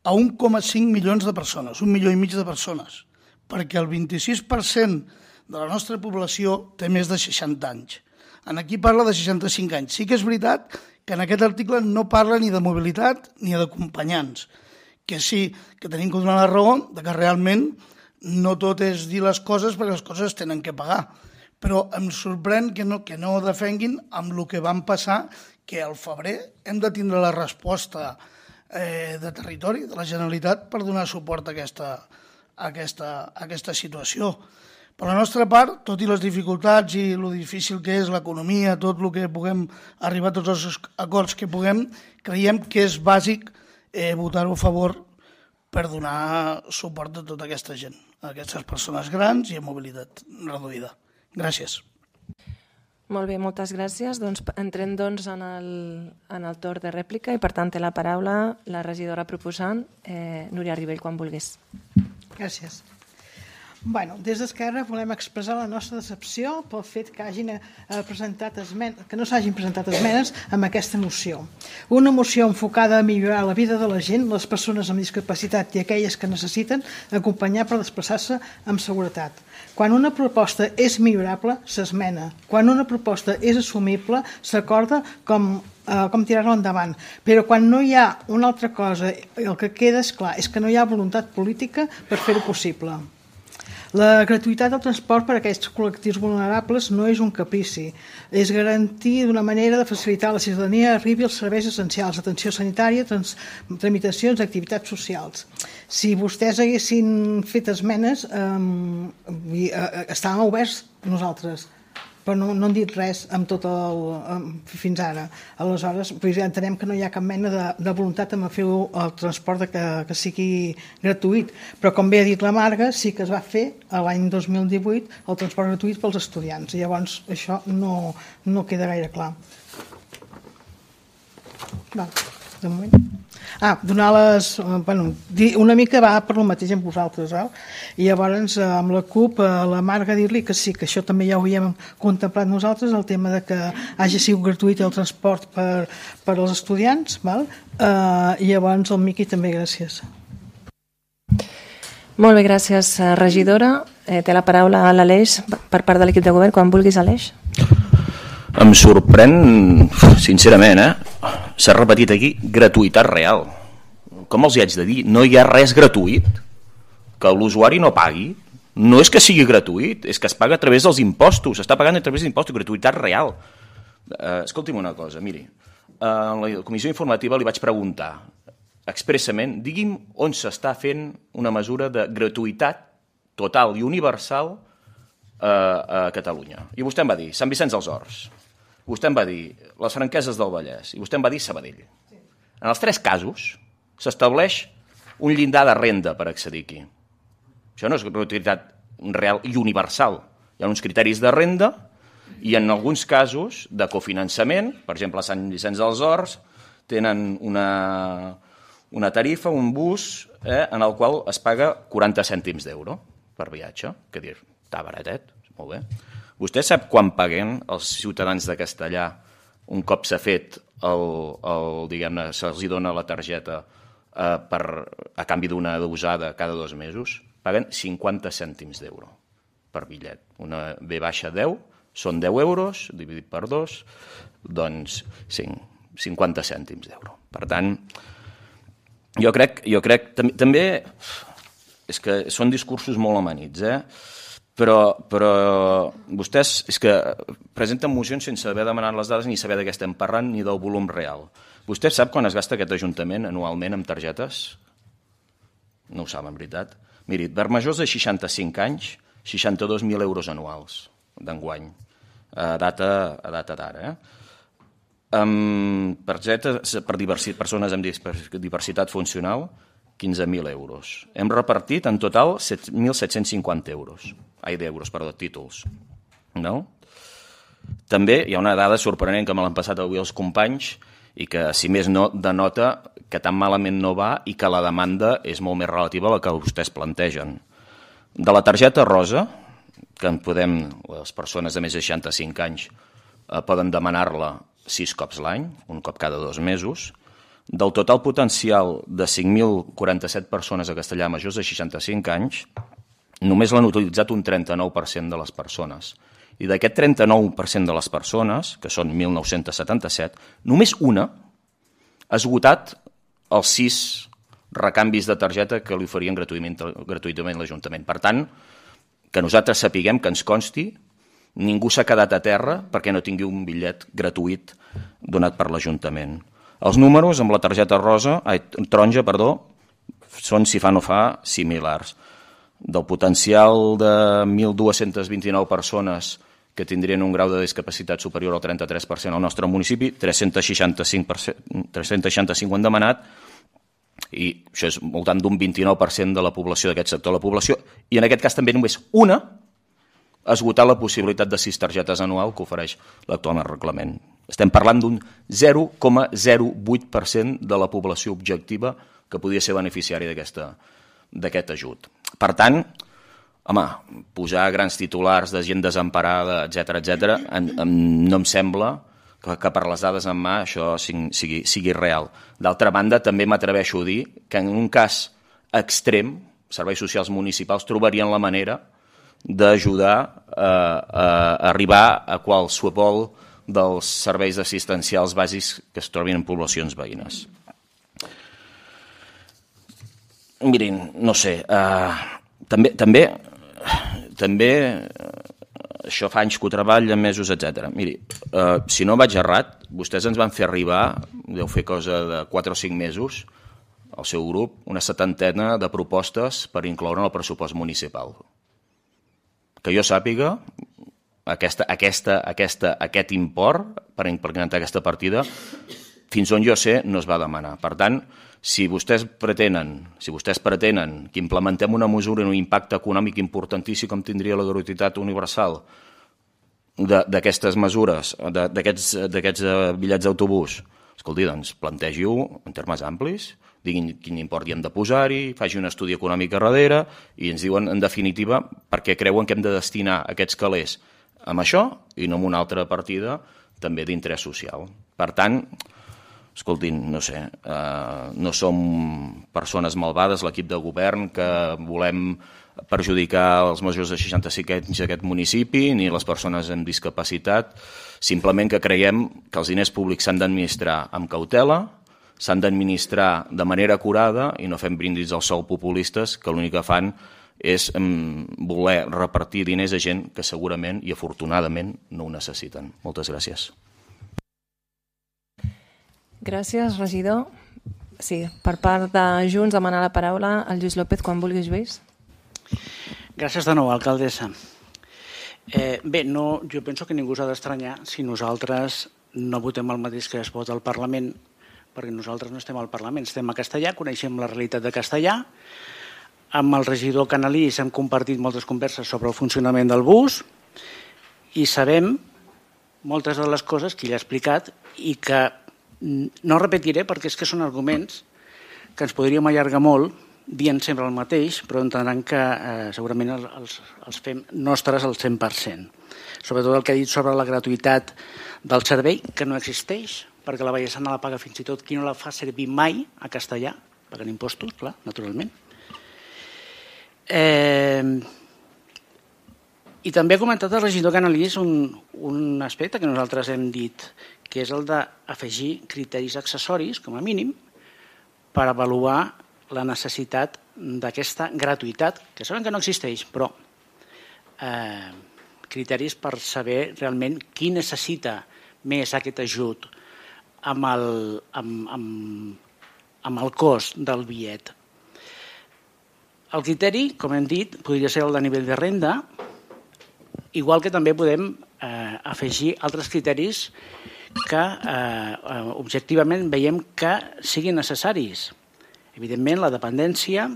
a 1,5 milions de persones, 1,5 milions de persones, perquè el 26% de la nostra població té més de 60 anys. Aquí parla de 65 anys. Sí que és veritat que en aquest article no parla ni de mobilitat ni d'acompanyants, que sí que tenim que donar la raó de que realment no tot és dir les coses perquè les coses es tenen que pagar. Però em sorprèn que no defenguin amb el que van passar, que al febrer hem de tindre la resposta de territori de la Generalitat per donar suport a aquesta situació. Per la nostra part, tot i les dificultats i el difícil que és l'economia, tot el que puguem arribar a tots els acords que puguem, creiem que és bàsic votar-ho a favor per donar suport a tota aquesta gent, a aquestes persones grans i amb mobilitat reduïda. Gràcies. Molt bé, moltes gràcies. Entrem en el torn de rèplica i per tant té la paraula la regidora proposant, Núria Ribell, quan vulguis. Gràcies. Des d'Esquerra volem expressar la nostra decepció pel fet que no s'hagin presentat esmenes amb aquesta moció. Una moció enfocada a millorar la vida de la gent, les persones amb discapacitat i aquelles que necessiten acompanyar per desplaçar-se amb seguretat. Quan una proposta és millorable, s'esmena. Quan una proposta és assumible, s'acorda com tirar-la endavant. Però quan no hi ha una altra cosa, el que queda és clar, és que no hi ha voluntat política per fer-ho possible. La gratuïtat del transport per a aquests col·lectius vulnerables no és un caprici, és garantir d'una manera de facilitar a la ciutadania arribi als serveis essencials, atenció sanitària, tramitacions, activitats socials. Si vostès haguessin fet esmenes, estàvem oberts nosaltres, però no han dit res fins ara. Aleshores, entenem que no hi ha cap mena de voluntat de fer el transport que sigui gratuït. Però, com bé ha dit la Marga, sí que es va fer l'any 2018 el transport gratuït pels estudiants. I llavors això no queda gaire clar. De moment. Una mica va per el mateix amb vosaltres, i llavors amb la CUP, la Marga dir-li que sí, que això també ja ho havíem contemplat nosaltres, el tema de que hagi sigut gratuït el transport per als estudiants, i llavors el Miqui també, gràcies. Molt bé, gràcies, regidora. Té la paraula a l'Aleix per part de l'equip de govern, quan vulguis, Aleix. Em sorprèn, sincerament, s'ha repetit aquí, gratuïtat real. Com els hi haig de dir? No hi ha res gratuït. Que l'usuari no pagui. No és que sigui gratuït, és que es paga a través dels impostos, s'està pagant a través d'impostos, gratuïtat real. Escolti'm una cosa, miri, a la comissió informativa li vaig preguntar expressament, digui'm on s'està fent una mesura de gratuïtat total i universal a Catalunya. I vostè em va dir Sant Vicenç dels Horts, vostè em va dir les Franqueses del Vallès i vostè em va dir Sabadell. En els 3 casos s'estableix un llindar de renda per accedir aquí. Això no és gratuïtat real i universal. Hi ha uns criteris de renda i en alguns casos de cofinançament, per exemple a Sant Vicenç dels Horts, tenen una tarifa, un bus, en el qual es paga 40 cèntims d'euro per viatge, que dir, està baratet, molt bé. Vostè sap quan paguen els ciutadans de Castellà un cop s'ha fet diguem-ne, se'ls dona la targeta a canvi d'una usada cada 2 mesos? Paguen 50 cèntims d'euro per bitllet. Una V-10 són 10 euros, dividit per 2, doncs 50 cèntims d'euro. Per tant, jo crec també és que són discursos molt amanits, però vostès és que presenten mocions sense haver demanat les dades ni saber de què estem parlant ni del volum real. Vostè sap quan es gasta aquest Ajuntament anualment amb targetes? No ho sap, en veritat. Miri, per majors de 65 anys, 62.000 euros anuals d'enguany, a data d'ara. Per persones amb diversitat funcional, 15.000 euros. Hem repartit en total 7.750 euros. Títols. No? També hi ha una dada sorprenent que me l'han passat avui els companys i que, si més no, denota que tan malament no va i que la demanda és molt més relativa a la que vostès plantegen. De la targeta rosa, que les persones de més de 65 anys poden demanar-la 6 cops l'any, un cop cada 2 mesos, del total potencial de 5.047 persones a Castellà majors de 65 anys, només l'han utilitzat un 39% de les persones. I d'aquest 39% de les persones, que són 1.977, només una ha esgotat els 6 recanvis de targeta que li oferien gratuïtament l'Ajuntament. Per tant, que nosaltres sapiguem, que ens consti, ningú s'ha quedat a terra perquè no tingui un bitllet gratuït donat per l'Ajuntament. Els números amb la targeta taronja són, si fa no fa, similars. Del potencial de 1.229 persones que tindrien un grau de discapacitat superior al 33% al nostre municipi, 365 han demanat, i això és voltant d'un 29% de la població d'aquest sector de la població, i en aquest cas també només una ha esgotat la possibilitat de 6 targetes anual que ofereix l'actual reglament. Estem parlant d'un 0,08% de la població objectiva que podria ser beneficiari d'aquest ajut. Per tant, home, posar grans titulars de gent desemparada, etc., no em sembla que per les dades en mà això sigui real. D'altra banda, també m'atreveixo a dir que en un cas extrem, serveis socials municipals trobarien la manera d'ajudar a arribar a qualsevol dels serveis assistencials bàsics que es trobin en poblacions veïnes. Mirin, no sé, també això fa anys que ho treballa, mesos, etc. Miri, si no vaig errat, vostès ens van fer arribar, deu fer cosa de 4 o 5 mesos, al seu grup, una 70ena de propostes per incloure en el pressupost municipal. Que jo sàpiga, aquest import per implementar aquesta partida, fins on jo sé, no es va demanar. Per tant, si vostès pretenen que implementem una mesura amb un impacte econòmic importantíssim com tindria la gratuïtat universal d'aquestes mesures, d'aquests bitllets d'autobús, escolti, doncs plantegi-ho en termes amplis, diguin quin import hi hem de posar-hi, faci un estudi econòmic a darrere i ens diuen, en definitiva, per què creuen que hem de destinar aquests calés amb això i no amb una altra partida també d'interès social. Per tant, escoltin, no sé, no som persones malvades, l'equip de govern, que volem perjudicar els majors de 65 anys d'aquest municipi ni les persones amb discapacitat, simplement que creiem que els diners públics s'han d'administrar amb cautela, s'han d'administrar de manera acurada i no fem brindis al sol populistes que l'únic que fan és voler repartir diners a gent que segurament i afortunadament no ho necessiten. Moltes gràcies. Gràcies, regidor. Sí, per part de Junts demanar la paraula al Lluís López quan vulguis, Lluís. Gràcies de nou, alcaldessa. Bé, jo penso que ningú s'ha d'estranyar si nosaltres no votem el mateix que es vota al Parlament, perquè nosaltres no estem al Parlament, estem a Castellà, coneixem la realitat de Castellà. Amb el regidor Canalís hem compartit moltes converses sobre el funcionament del bus i sabem moltes de les coses que ell ha explicat i que no repetiré perquè és que són arguments que ens podríem allargar molt dient sempre el mateix, però entendran que segurament els fem nostres al 100%. Sobretot el que ha dit sobre la gratuïtat del servei, que no existeix, perquè la Vallesana la paga fins i tot qui no la fa servir mai a Castellà, pagant impostos, clar, naturalment. I també ha comentat el regidor Canalís un aspecte que nosaltres hem dit, que és el d'afegir criteris accessoris, com a mínim, per avaluar la necessitat d'aquesta gratuïtat, que sabem que no existeix, però criteris per saber realment qui necessita més aquest ajut amb el cost del bitllet. El criteri, com hem dit, podria ser el de nivell de renda, igual que també podem afegir altres criteris que objectivament veiem que siguin necessaris. Evidentment, la dependència,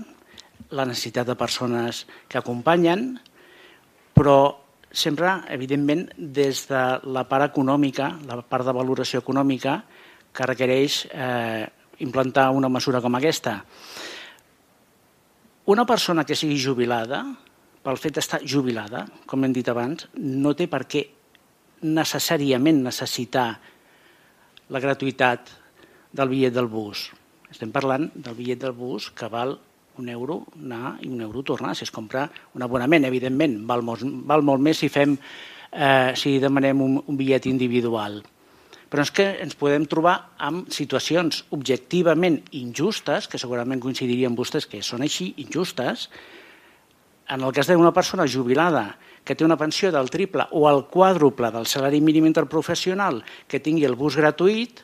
la necessitat de persones que acompanyen, però sempre, evidentment, des de la part econòmica, la part de valoració econòmica, que requereix implantar una mesura com aquesta. Una persona que sigui jubilada, pel fet d'estar jubilada, com hem dit abans, no té per què necessàriament necessitar la gratuïtat del bitllet del bus. Estem parlant del bitllet del bus que val €1 anar i €1 tornar, si es compra un abonament. Evidentment, val molt més si demanem un bitllet individual. Però és que ens podem trobar amb situacions objectivament injustes, que segurament coincidirien vostès que són així, injustes. En el cas d'una persona jubilada que té una pensió del triple o el quàdruple del salari mínim interprofessional que tingui el bus gratuït,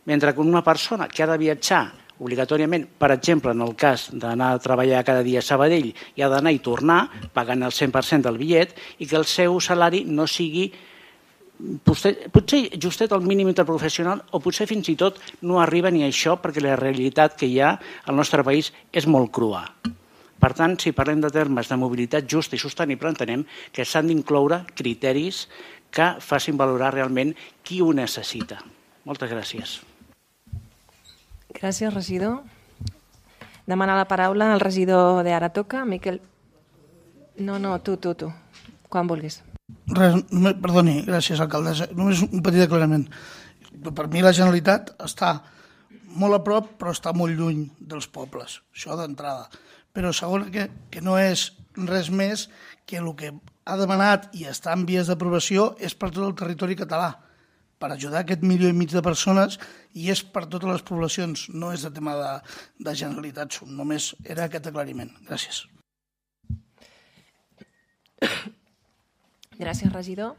mentre que una persona que ha de viatjar obligatòriament, per exemple, en el cas d'anar a treballar cada dia a Sabadell i ha d'anar i tornar, pagant el 100% del bitllet, i que el seu salari no sigui potser justet al mínim interprofessional o potser fins i tot no arriba ni a això perquè la realitat que hi ha al nostre país és molt crua. Per tant, si parlem de termes de mobilitat justa i sostenible, entenem que s'han d'incloure criteris que facin valorar realment qui ho necessita. Moltes gràcies. Gràcies, regidor. Demana la paraula al regidor d'Ara Toca, Miquel... No, tu. Quan vulguis. Perdoni, gràcies, alcaldessa. Només un petit aclarament. Per mi la Generalitat està molt a prop, però està molt lluny dels pobles. Això d'entrada. Però segon, que no és res més que el que ha demanat i està en vies d'aprovació és per tot el territori català, per ajudar aquest 1,5 milió de persones, i és per totes les poblacions, no és de tema de Generalitat, només era aquest aclariment. Gràcies. Gràcies, regidor.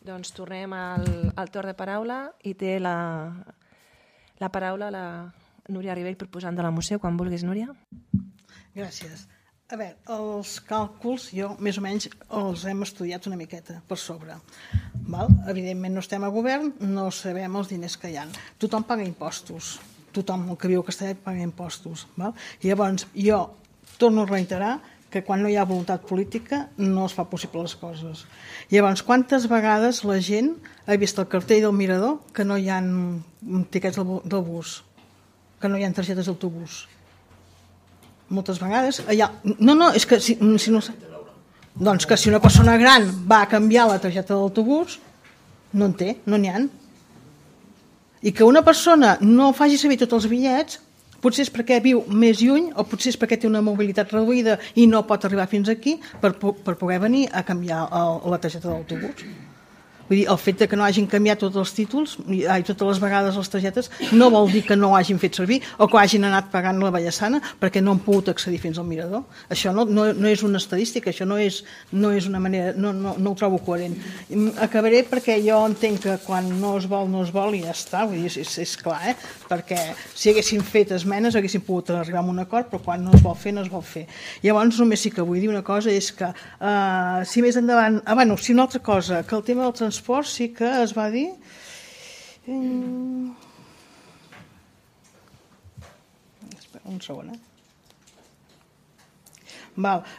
Doncs tornem al torn de paraula i té la paraula la Núria Ribell, proposant de la moció. Quan vulguis, Núria. Gràcies. A veure, els càlculs jo més o menys els hem estudiat una miqueta per sobre. Evidentment no estem a govern, no sabem els diners que hi ha. Tothom paga impostos. Tothom que viu a Castellà paga impostos. Llavors, jo torno a reiterar que quan no hi ha voluntat política no es fa possible les coses. Llavors, quantes vegades la gent ha vist el cartell del mirador que no hi ha tiquets del bus, que no hi ha targetes d'autobús? Moltes vegades allà... No, és que si no... Doncs que si una persona gran va a canviar la targeta d'autobús, no en té, no n'hi ha. I que una persona no faci servir tots els bitllets, potser és perquè viu més lluny o potser és perquè té una mobilitat reduïda i no pot arribar fins aquí per poder venir a canviar la targeta d'autobús. Vull dir, el fet que no hagin canviat tots els títols, totes les vegades les targetes, no vol dir que no ho hagin fet servir o que hagin anat pagant la Vallassana perquè no han pogut accedir fins al mirador. Això no és una estadística, això no és una manera, no ho trobo coherent. Acabaré perquè jo entenc que quan no es vol i ja està, vull dir, és clar, perquè si haguessin fet esmenes haguessin pogut arribar a un acord, però quan no es vol fer, no es vol fer. Llavors només sí que vull dir una cosa, és que si més endavant, si una altra cosa, que el tema del transport sí que es va dir espera un segon,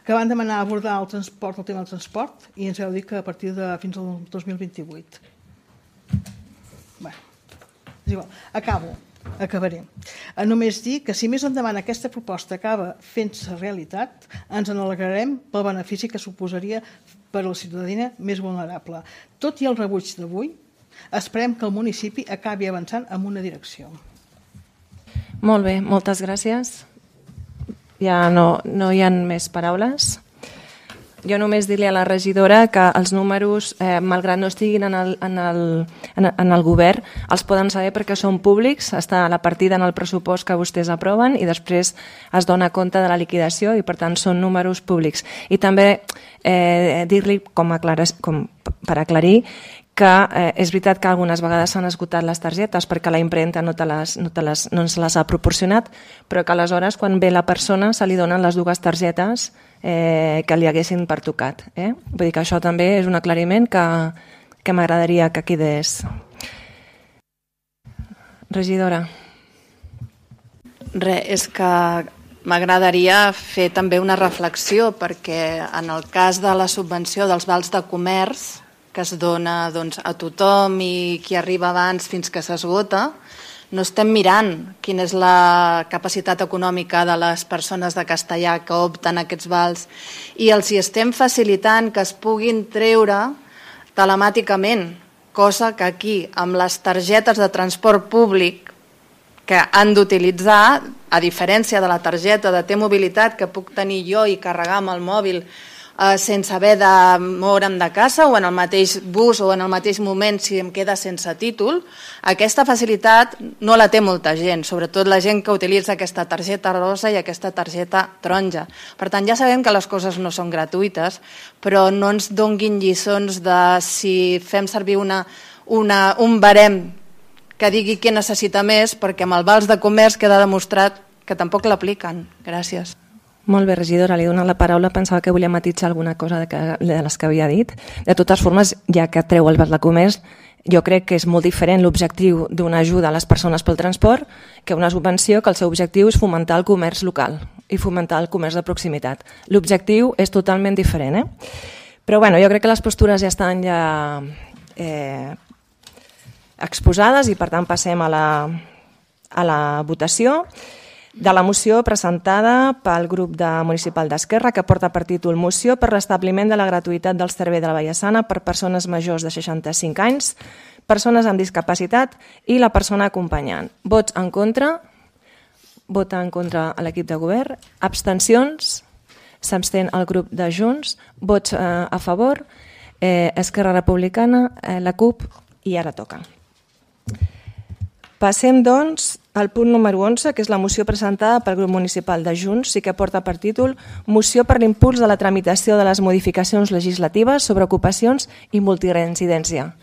que van demanar abordar el transport, el tema del transport, i ens vau dir que a partir de fins al 2028. És igual, acabaré. Només dir que si més endavant aquesta proposta acaba fent-se realitat, ens n'alegrarem pel benefici que suposaria per a la ciutadania més vulnerable. Tot i el rebuig d'avui, esperem que el municipi acabi avançant en una direcció. Molt bé, moltes gràcies. Ja no hi ha més paraules. Jo només dir-li a la regidora que els números, malgrat no estiguin en el govern, els poden saber perquè són públics, està la partida en el pressupost que vostès aproven i després es dona compte de la liquidació i per tant són números públics. I també dir-li per aclarir que és veritat que algunes vegades s'han esgotat les targetes perquè la impremta no ens les ha proporcionat, però que aleshores quan ve la persona se li donen les dues targetes que li haguessin pertocat. Vull dir que això també és un aclariment que m'agradaria que quedés. Regidora. Res, és que m'agradaria fer també una reflexió perquè en el cas de la subvenció dels vals de comerç que es dona a tothom i qui arriba abans fins que s'esgota, no estem mirant quina és la capacitat econòmica de les persones de Castellar que opten a aquests vals i els hi estem facilitant que es puguin treure telemàticament, cosa que aquí, amb les targetes de transport públic que han d'utilitzar, a diferència de la targeta de T-Mobilitat que puc tenir jo i carregar amb el mòbil sense haver de moure'm de casa o en el mateix bus o en el mateix moment si em queda sense títol, aquesta facilitat no la té molta gent, sobretot la gent que utilitza aquesta targeta rosa i aquesta targeta taronja. Per tant, ja sabem que les coses no són gratuïtes, però no ens donguin lliçons de si fem servir un barem que digui què necessita més, perquè amb el vals de comerç queda demostrat que tampoc l'apliquen. Gràcies. Molt bé, regidora, li he donat la paraula, pensava que volia matitzar alguna cosa de les que havia dit. De totes formes, ja que treu el vals de comerç, jo crec que és molt diferent l'objectiu d'una ajuda a les persones pel transport que una subvenció que el seu objectiu és fomentar el comerç local i fomentar el comerç de proximitat. L'objectiu és totalment diferent. Però bueno, jo crec que les postures ja estan exposades i per tant passem a la votació de la moció presentada pel grup municipal d'Esquerra que porta per títol Moció per l'establiment de la gratuïtat del servei de la Vallassana per persones majors de 65 anys, persones amb discapacitat i la persona acompanyant. Vots en contra, vota en contra a l'equip de govern, abstencions, s'abstén el grup de Junts, vots a favor, Esquerra Republicana, la CUP i ara toca. Passem, doncs, al punt número 11, que és la moció presentada pel grup municipal de Junts, sí que porta per títol Moció per l'impuls de la tramitació de les modificacions legislatives sobre ocupacions i multireincidència.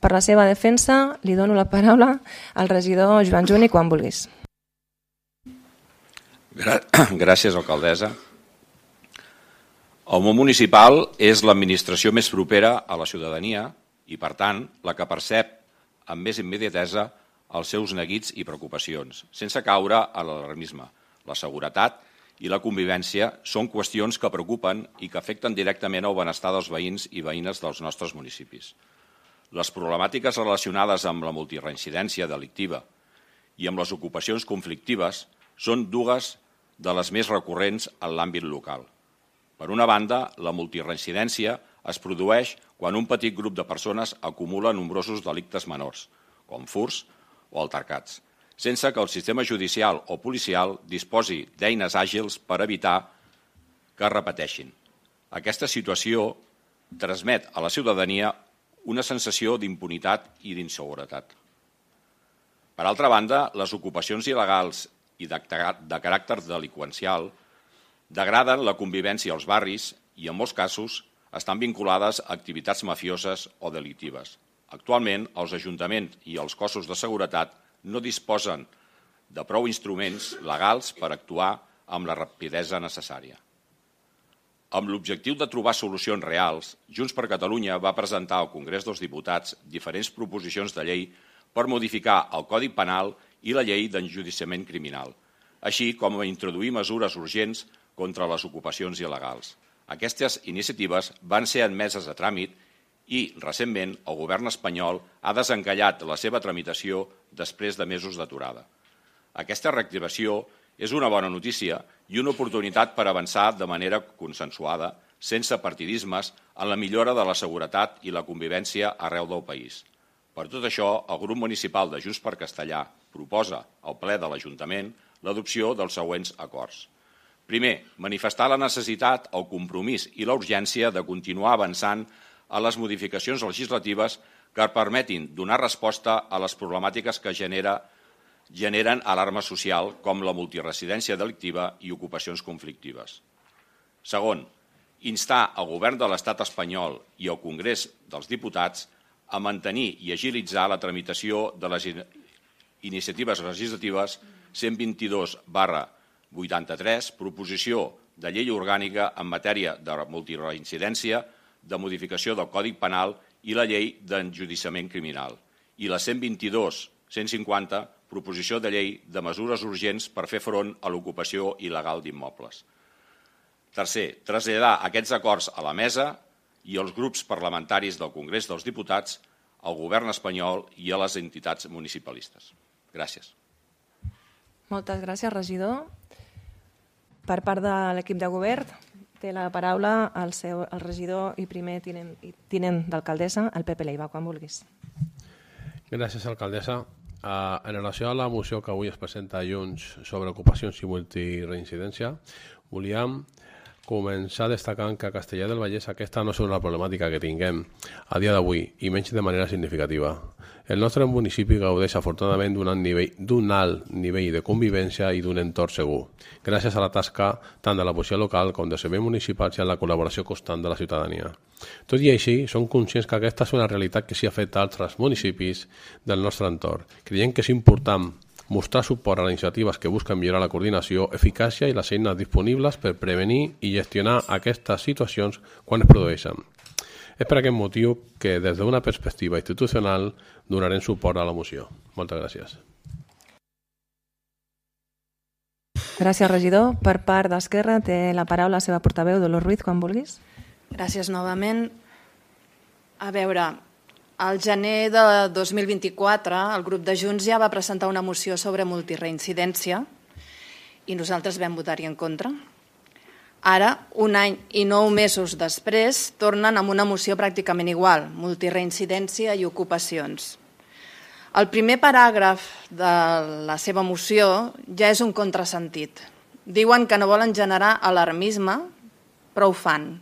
Per la seva defensa, li dono la paraula al regidor Joan Juni quan vulguis. Gràcies, alcaldessa. El món municipal és l'administració més propera a la ciutadania i, per tant, la que percep amb més immediatesa els seus neguits i preocupacions, sense caure a l'alarmisme. La seguretat i la convivència són qüestions que preocupen i que afecten directament el benestar dels veïns i veïnes dels nostres municipis. Les problemàtiques relacionades amb la multireincidència delictiva i amb les ocupacions conflictives són dues de les més recurrents en l'àmbit local. Per una banda, la multireincidència es produeix quan un petit grup de persones acumula nombrosos delictes menors, com furts o altercats, sense que el sistema judicial o policial disposi d'eines àgils per evitar que es repeteixin. Aquesta situació transmet a la ciutadania una sensació d'impunitat i d'inseguretat. Per altra banda, les ocupacions il·legals i de caràcter delinqüencial degraden la convivència als barris i, en molts casos, estan vinculades a activitats mafioses o delictives. Actualment, els ajuntaments i els cossos de seguretat no disposen de prou instruments legals per actuar amb la rapidesa necessària. Amb l'objectiu de trobar solucions reals, Junts per Catalunya va presentar al Congrés dels Diputats diferents proposicions de llei per modificar el Codi Penal i la llei d'enjudiciament criminal, així com a introduir mesures urgents contra les ocupacions il·legals. Aquestes iniciatives van ser admeses a tràmit i, recentment, el govern espanyol ha desencallat la seva tramitació després de mesos d'aturada. Aquesta reactivació és una bona notícia i una oportunitat per avançar de manera consensuada, sense partidismes, en la millora de la seguretat i la convivència arreu del país. Per tot això, el grup municipal de Junts per Castellà proposa al ple de l'Ajuntament l'adopció dels següents acords. Primer, manifestar la necessitat, el compromís i la urgència de continuar avançant a les modificacions legislatives que permetin donar resposta a les problemàtiques que generen alarma social, com la multiresidència delictiva i ocupacions conflictives. Segon, instar el govern de l'Estat espanyol i el Congrés dels Diputats a mantenir i agilitzar la tramitació de les iniciatives legislatives 122/83, proposició de llei orgànica en matèria de multireincidència, de modificació del Codi Penal i la llei d'enjudiciament criminal, i la 122/150, proposició de llei de mesures urgents per fer front a l'ocupació il·legal d'immobles. Tercer, traslladar aquests acords a la mesa i als grups parlamentaris del Congrés dels Diputats, al govern espanyol i a les entitats municipalistes. Gràcies. Moltes gràcies, regidor. Per part de l'equip de govern, té la paraula el regidor i primer tinent d'alcaldessa, el Pepe Leiva, quan vulguis. Gràcies, alcaldessa. En relació a la moció que avui es presenta a Junts sobre ocupacions i multireincidència, volíem començar destacant que a Castellar del Vallès aquesta no és una problemàtica que tinguem a dia d'avui, i menys de manera significativa. El nostre municipi gaudeix afortunadament d'un alt nivell de convivència i d'un entorn segur, gràcies a la tasca tant de la policia local com de serveis municipals i a la col·laboració constant de la ciutadania. Tot i així, som conscients que aquesta és una realitat que s'hi afecta a altres municipis del nostre entorn. Creiem que és important mostrar suport a les iniciatives que busquen millorar la coordinació, eficàcia i les eines disponibles per prevenir i gestionar aquestes situacions quan es produeixen. És per aquest motiu que, des d'una perspectiva institucional, donarem suport a la moció. Moltes gràcies. Gràcies, regidor. Per part d'Esquerra, té la paraula la seva portaveu, Dolors Ruiz, quan vulguis. Gràcies novament. A veure, al gener de 2024 el grup de Junts ja va presentar una moció sobre multireincidència i nosaltres vam votar-hi en contra. Ara, un any i 9 mesos després, tornen amb una moció pràcticament igual, multireincidència i ocupacions. El primer paràgraf de la seva moció ja és un contrasentit. Diuen que no volen generar alarmisme, però ho fan.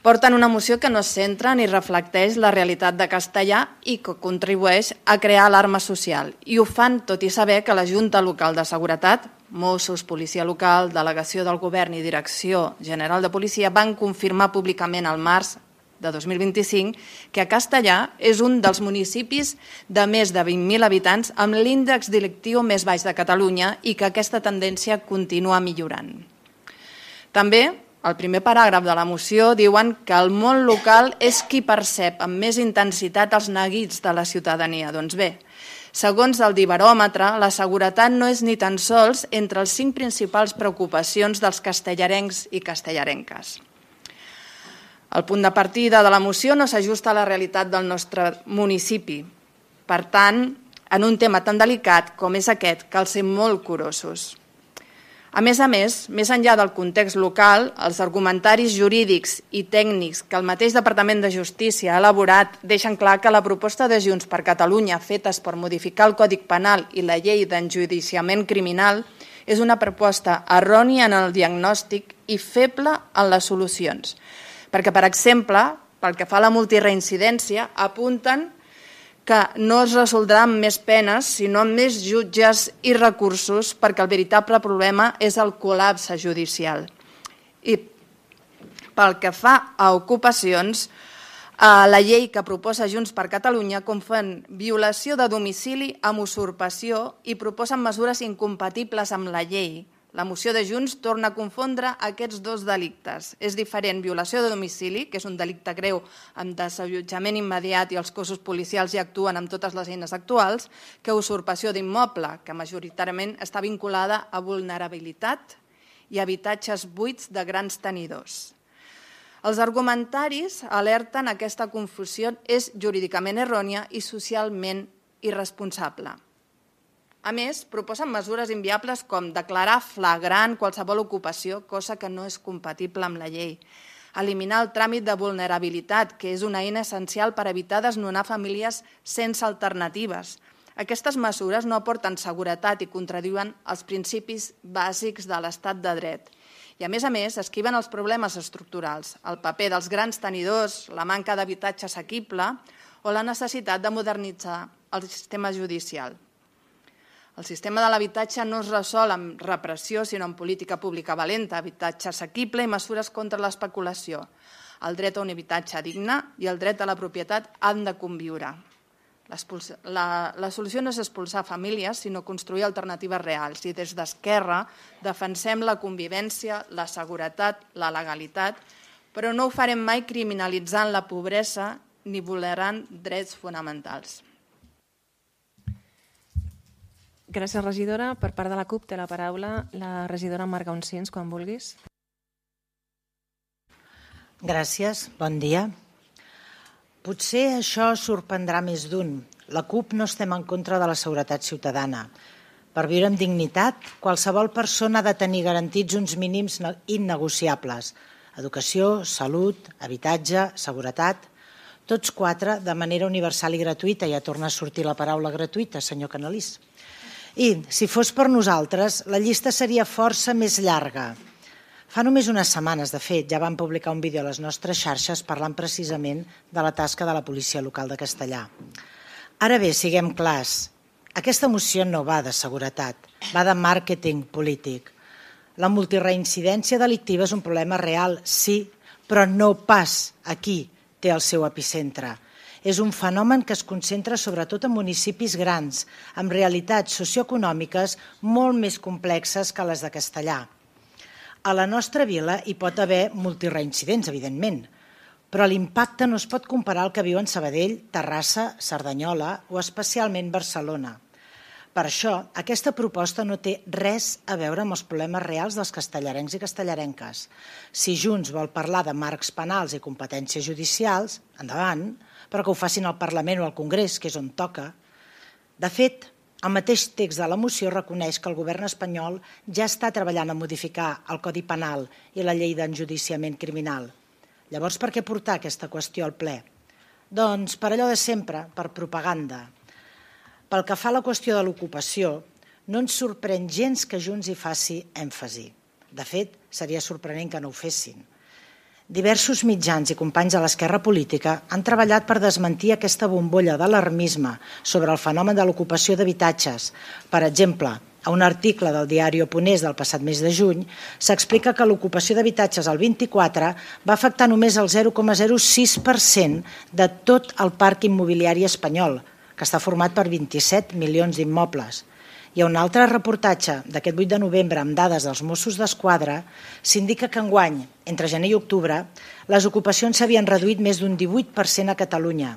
Porten una moció que no es centra ni reflecteix la realitat de Castellar i que contribueix a crear alarma social. I ho fan tot i saber que la Junta Local de Seguretat, Mossos, Policia Local, Delegació del Govern i Direcció General de Policia van confirmar públicament al març de 2025 que Castellar és un dels municipis de més de 20.000 habitants amb l'índex delictiu més baix de Catalunya i que aquesta tendència continua millorant. També, al primer paràgraf de la moció, diuen que el món local és qui percep amb més intensitat els neguits de la ciutadania. Doncs bé, segons el Dibaròmetre, la seguretat no és ni tan sols entre les 5 principals preocupacions dels castellarencs i castellarenques. El punt de partida de la moció no s'ajusta a la realitat del nostre municipi. Per tant, en un tema tan delicat com és aquest, cal ser molt curosos. A més més enllà del context local, els argumentaris jurídics i tècnics que el mateix Departament de Justícia ha elaborat deixen clar que la proposta de Junts per Catalunya fetes per modificar el Codi Penal i la llei d'enjudiciament criminal és una proposta errònia en el diagnòstic i feble en les solucions. Perquè, per exemple, pel que fa a la multireincidència, apunten que no es resoldrà amb més penes, sinó amb més jutges i recursos, perquè el veritable problema és el col·lapse judicial. I pel que fa a ocupacions, la llei que proposa Junts per Catalunya confon violació de domicili amb usurpació i proposen mesures incompatibles amb la llei. La moció de Junts torna a confondre aquests dos delictes. És diferent violació de domicili, que és un delicte greu amb desallotjament immediat i els cossos policials hi actuen amb totes les eines actuals, que usurpació d'immoble, que majoritàriament està vinculada a vulnerabilitat i habitatges buits de grans tenidors. Els argumentaris alerten que aquesta confusió és jurídicament errònia i socialment irresponsable. A més, proposen mesures inviables com declarar flagrant qualsevol ocupació, cosa que no és compatible amb la llei. Eliminar el tràmit de vulnerabilitat, que és una eina essencial per evitar desnonar famílies sense alternatives. Aquestes mesures no aporten seguretat i contradiuen els principis bàsics de l'estat de dret. I, a més, esquiven els problemes estructurals, el paper dels grans tenidors, la manca d'habitatge assequible o la necessitat de modernitzar el sistema judicial. El sistema de l'habitatge no es resol amb repressió, sinó amb política pública valenta, habitatge assequible i mesures contra l'especulació. El dret a un habitatge digne i el dret a la propietat han de conviure. La solució no és expulsar famílies, sinó construir alternatives reals. I des d'Esquerra defensem la convivència, la seguretat, la legalitat, però no ho farem mai criminalitzant la pobresa ni vulnerant drets fonamentals. Gràcies, regidora. Per part de la CUP té la paraula la regidora Marga Uncins, quan vulguis. Gràcies, bon dia. Potser això sorprendrà més d'un. La CUP no estem en contra de la seguretat ciutadana. Per viure amb dignitat, qualsevol persona ha de tenir garantits uns mínims innegociables. Educació, salut, habitatge, seguretat, tots quatre de manera universal i gratuïta. Ja torna a sortir la paraula gratuïta, senyor Canalís. I, si fos per nosaltres, la llista seria força més llarga. Fa només unes setmanes, de fet, ja vam publicar un vídeo a les nostres xarxes parlant precisament de la tasca de la policia local de Castellar. Ara bé, siguem clars, aquesta moció no va de seguretat, va de màrqueting polític. La multireincidència delictiva és un problema real, sí, però no pas aquí té el seu epicentre. És un fenomen que es concentra sobretot en municipis grans, amb realitats socioeconòmiques molt més complexes que les de Castellar. A la nostra vila hi pot haver multireincidents, evidentment, però l'impacte no es pot comparar al que viuen Sabadell, Terrassa, Cerdanyola o especialment Barcelona. Per això, aquesta proposta no té res a veure amb els problemes reals dels castellarencs i castellarenques. Si Junts vol parlar de marcs penals i competències judicials, endavant, però que ho facin al Parlament o al Congrés, que és on toca. De fet, el mateix text de la moció reconeix que el govern espanyol ja està treballant a modificar el Codi Penal i la llei d'enjudiciament criminal. Llavors, per què portar aquesta qüestió al ple? Doncs per allò de sempre, per propaganda. Pel que fa a la qüestió de l'ocupació, no ens sorprèn gens que Junts hi faci èmfasi. De fet, seria sorprenent que no ho fessin. Diversos mitjans i companys de l'esquerra política han treballat per desmentir aquesta bombolla d'alarmisme sobre el fenomen de l'ocupació d'habitatges. Per exemple, a un article del diari Oponés del passat mes de juny s'explica que l'ocupació d'habitatges al 24 va afectar només el 0,06% de tot el parc immobiliari espanyol, que està format per 27 milions d'immobles. I a un altre reportatge d'aquest 8 de novembre amb dades dels Mossos d'Esquadra s'indica que enguany, entre gener i octubre, les ocupacions s'havien reduït més d'un 18% a Catalunya.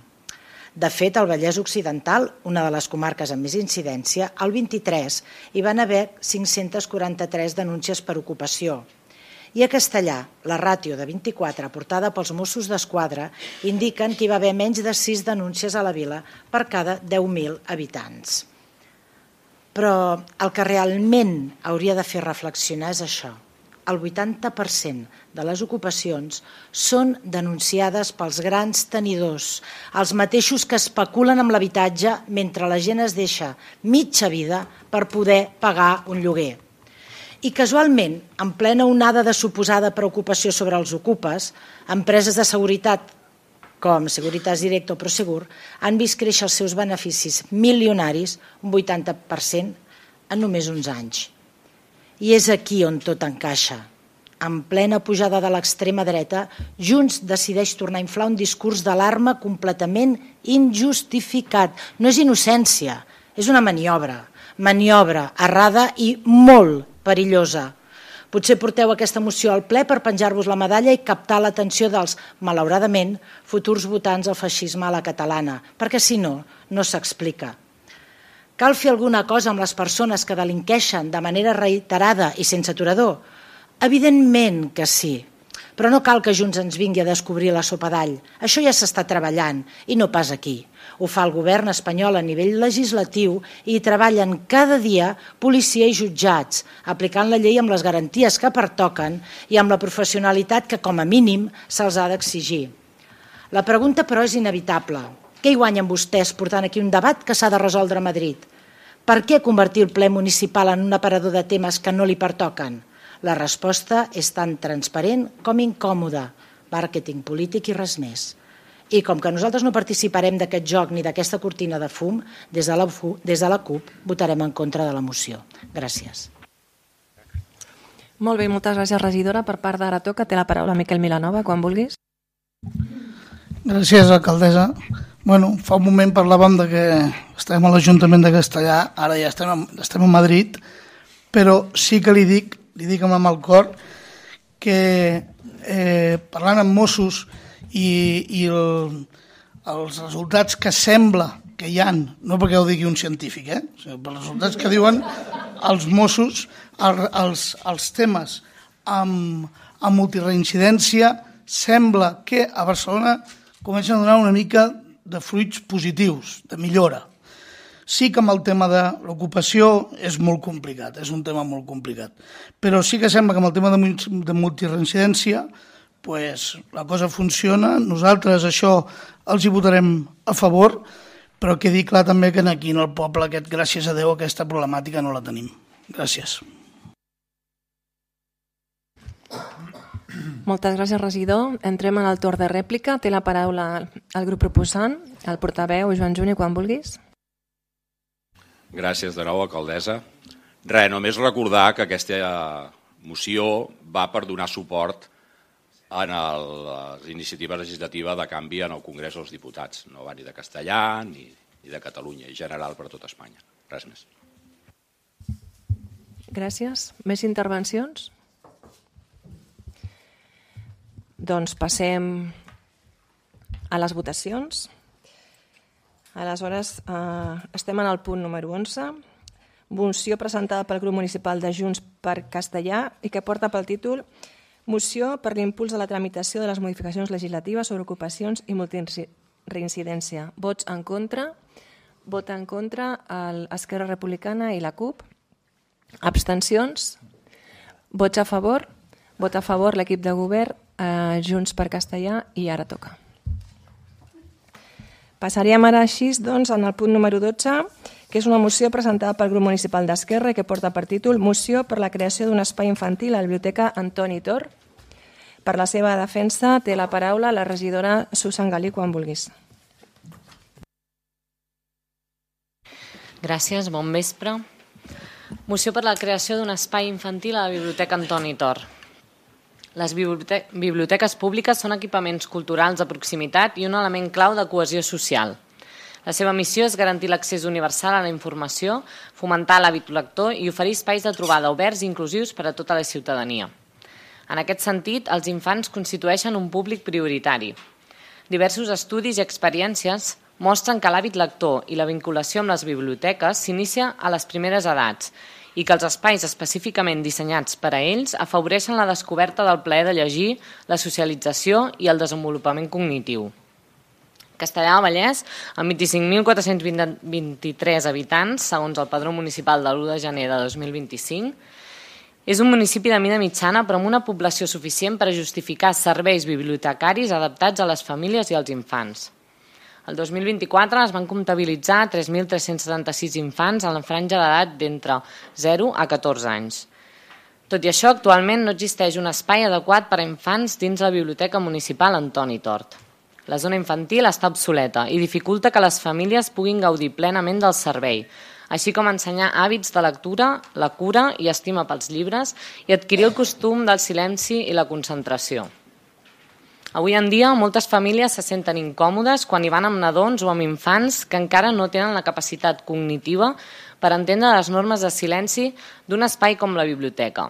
De fet, al Vallès Occidental, una de les comarques amb més incidència, el 23 hi van haver 543 denúncies per ocupació. I a Castellar, la ràtio de 24 aportada pels Mossos d'Esquadra indiquen que hi va haver menys de 6 denúncies a la vila per cada 10.000 habitants. Però el que realment hauria de fer reflexionar és això. El 80% de les ocupacions són denunciades pels grans tenidors, els mateixos que especulen amb l'habitatge mentre la gent es deixa mitja vida per poder pagar un lloguer. I casualment, en plena onada de suposada preocupació sobre els ocupes, empreses de seguretat com Securitas Direct o Prosegur, han vist créixer els seus beneficis milionaris un 80% en només uns anys. I és aquí on tot encaixa. En plena pujada de l'extrema dreta, Junts decideix tornar a inflar un discurs d'alarma completament injustificat. No és innocència, és una maniobra errada i molt perillosa. Potser porteu aquesta moció al ple per penjar-vos la medalla i captar l'atenció dels, malauradament, futurs votants al feixisme a la catalana, perquè si no, no s'explica. Cal fer alguna cosa amb les persones que delinqueixen de manera reiterada i sense aturador? Evidentment que sí, però no cal que Junts ens vingui a descobrir la sopa d'all. Això ja s'està treballant i no pas aquí. Ho fa el govern espanyol a nivell legislatiu i hi treballen cada dia policia i jutjats, aplicant la llei amb les garanties que pertoquen i amb la professionalitat que, com a mínim, se'ls ha d'exigir. La pregunta, però, és inevitable. Què hi guanyen vostès portant aquí un debat que s'ha de resoldre a Madrid? Per què convertir el ple municipal en un aparador de temes que no li pertoquen? La resposta és tan transparent com incòmoda, màrqueting polític i res més. I com que nosaltres no participarem d'aquest joc ni d'aquesta cortina de fum, des de la CUP votarem en contra de la moció. Gràcies. Molt bé, moltes gràcies, regidora. Per part d'Ara Toca, té la paraula Miquel Milanova, quan vulguis. Gràcies, alcaldessa. Bueno, fa un moment parlàvem de que estem a l'Ajuntament de Castellà, ara ja estem a Madrid, però sí que li dic amb el cor que parlant amb Mossos i els resultats que sembla que hi ha, no perquè ho digui un científic, sinó per els resultats que diuen els Mossos, els temes amb multireincidència, sembla que a Barcelona comencen a donar una mica de fruits positius, de millora. Sí que amb el tema de l'ocupació és molt complicat, és un tema molt complicat, però sí que sembla que amb el tema de multireincidència la cosa funciona. Nosaltres això els hi votarem a favor, però quedi clar també que aquí en el poble aquest, gràcies a Déu, aquesta problemàtica no la tenim. Gràcies. Moltes gràcies, regidor. Entrem en el torn de rèplica. Té la paraula el grup proposant, el portaveu Joan Juni, quan vulguis. Gràcies de nou, alcaldessa. Res, només recordar que aquesta moció va per donar suport a la iniciativa legislativa de canvi en el Congrés dels Diputats. No va ni de Castellà ni de Catalunya, en general per tot Espanya. Res més. Gràcies. Més intervencions? Doncs passem a les votacions. Aleshores, estem en el punt número 11, moció presentada pel grup municipal de Junts per Castellà i que porta pel títol Moció per l'impuls de la tramitació de les modificacions legislatives sobre ocupacions i multireincidència. Vots en contra. Vota en contra Esquerra Republicana i la CUP. Abstencions. Vots a favor. Vota a favor l'equip de govern, Junts per Castellà i Ara Toca. Passaríem ara així doncs, en el punt número 12, que és una moció presentada pel grup municipal d'Esquerra i que porta per títol Moció per la creació d'un espai infantil a la Biblioteca Antoni Tor. Per la seva defensa té la paraula la regidora Susan Galí, quan vulguis. Gràcies, bon vespre. Moció per la creació d'un espai infantil a la Biblioteca Antoni Tor. Les biblioteques públiques són equipaments culturals de proximitat i un element clau de cohesió social. La seva missió és garantir l'accés universal a la informació, fomentar l'hàbit lector i oferir espais de trobada oberts i inclusius per a tota la ciutadania. En aquest sentit, els infants constitueixen un públic prioritari. Diversos estudis i experiències mostren que l'hàbit lector i la vinculació amb les biblioteques s'inicia a les primeres edats i que els espais específicament dissenyats per a ells afavoreixen la descoberta del plaer de llegir, la socialització i el desenvolupament cognitiu. Castellà del Vallès, amb 25.423 habitants, segons el padró municipal de l'1 de gener de 2025, és un municipi de mida mitjana però amb una població suficient per a justificar serveis bibliotecaris adaptats a les famílies i als infants. El 2024 es van comptabilitzar 3.376 infants en la franja d'edat d'entre 0 a 14 anys. Tot i això, actualment no existeix un espai adequat per a infants dins la Biblioteca Municipal Antoni Tort. La zona infantil està obsoleta i dificulta que les famílies puguin gaudir plenament del servei, així com ensenyar hàbits de lectura, la cura i estima pels llibres i adquirir el costum del silenci i la concentració. Avui en dia, moltes famílies se senten incòmodes quan hi van amb nadons o amb infants que encara no tenen la capacitat cognitiva per entendre les normes de silenci d'un espai com la biblioteca.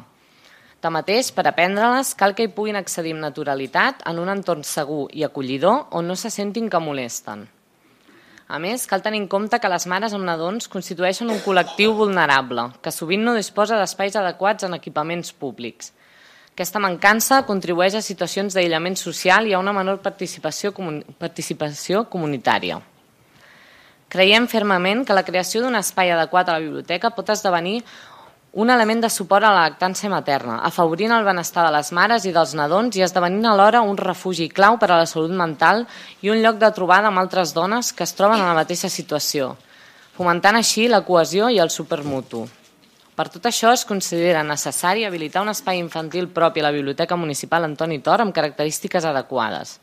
Tanmateix, per aprendre-les, cal que hi puguin accedir amb naturalitat en un entorn segur i acollidor on no se sentin que molesten. A més, cal tenir en compte que les mares amb nadons constitueixen un col·lectiu vulnerable, que sovint no disposa d'espais adequats en equipaments públics. Aquesta mancança contribueix a situacions d'aïllament social i a una menor participació comunitària. Creiem fermament que la creació d'un espai adequat a la biblioteca pot esdevenir un element de suport a la lactància materna, afavorint el benestar de les mares i dels nadons i esdevenint alhora un refugi clau per a la salut mental i un lloc de trobada amb altres dones que es troben en la mateixa situació, fomentant així la cohesió i el supermutu. Per tot això, es considera necessari habilitar un espai infantil propi a la Biblioteca Municipal Antoni Tor amb característiques adequades,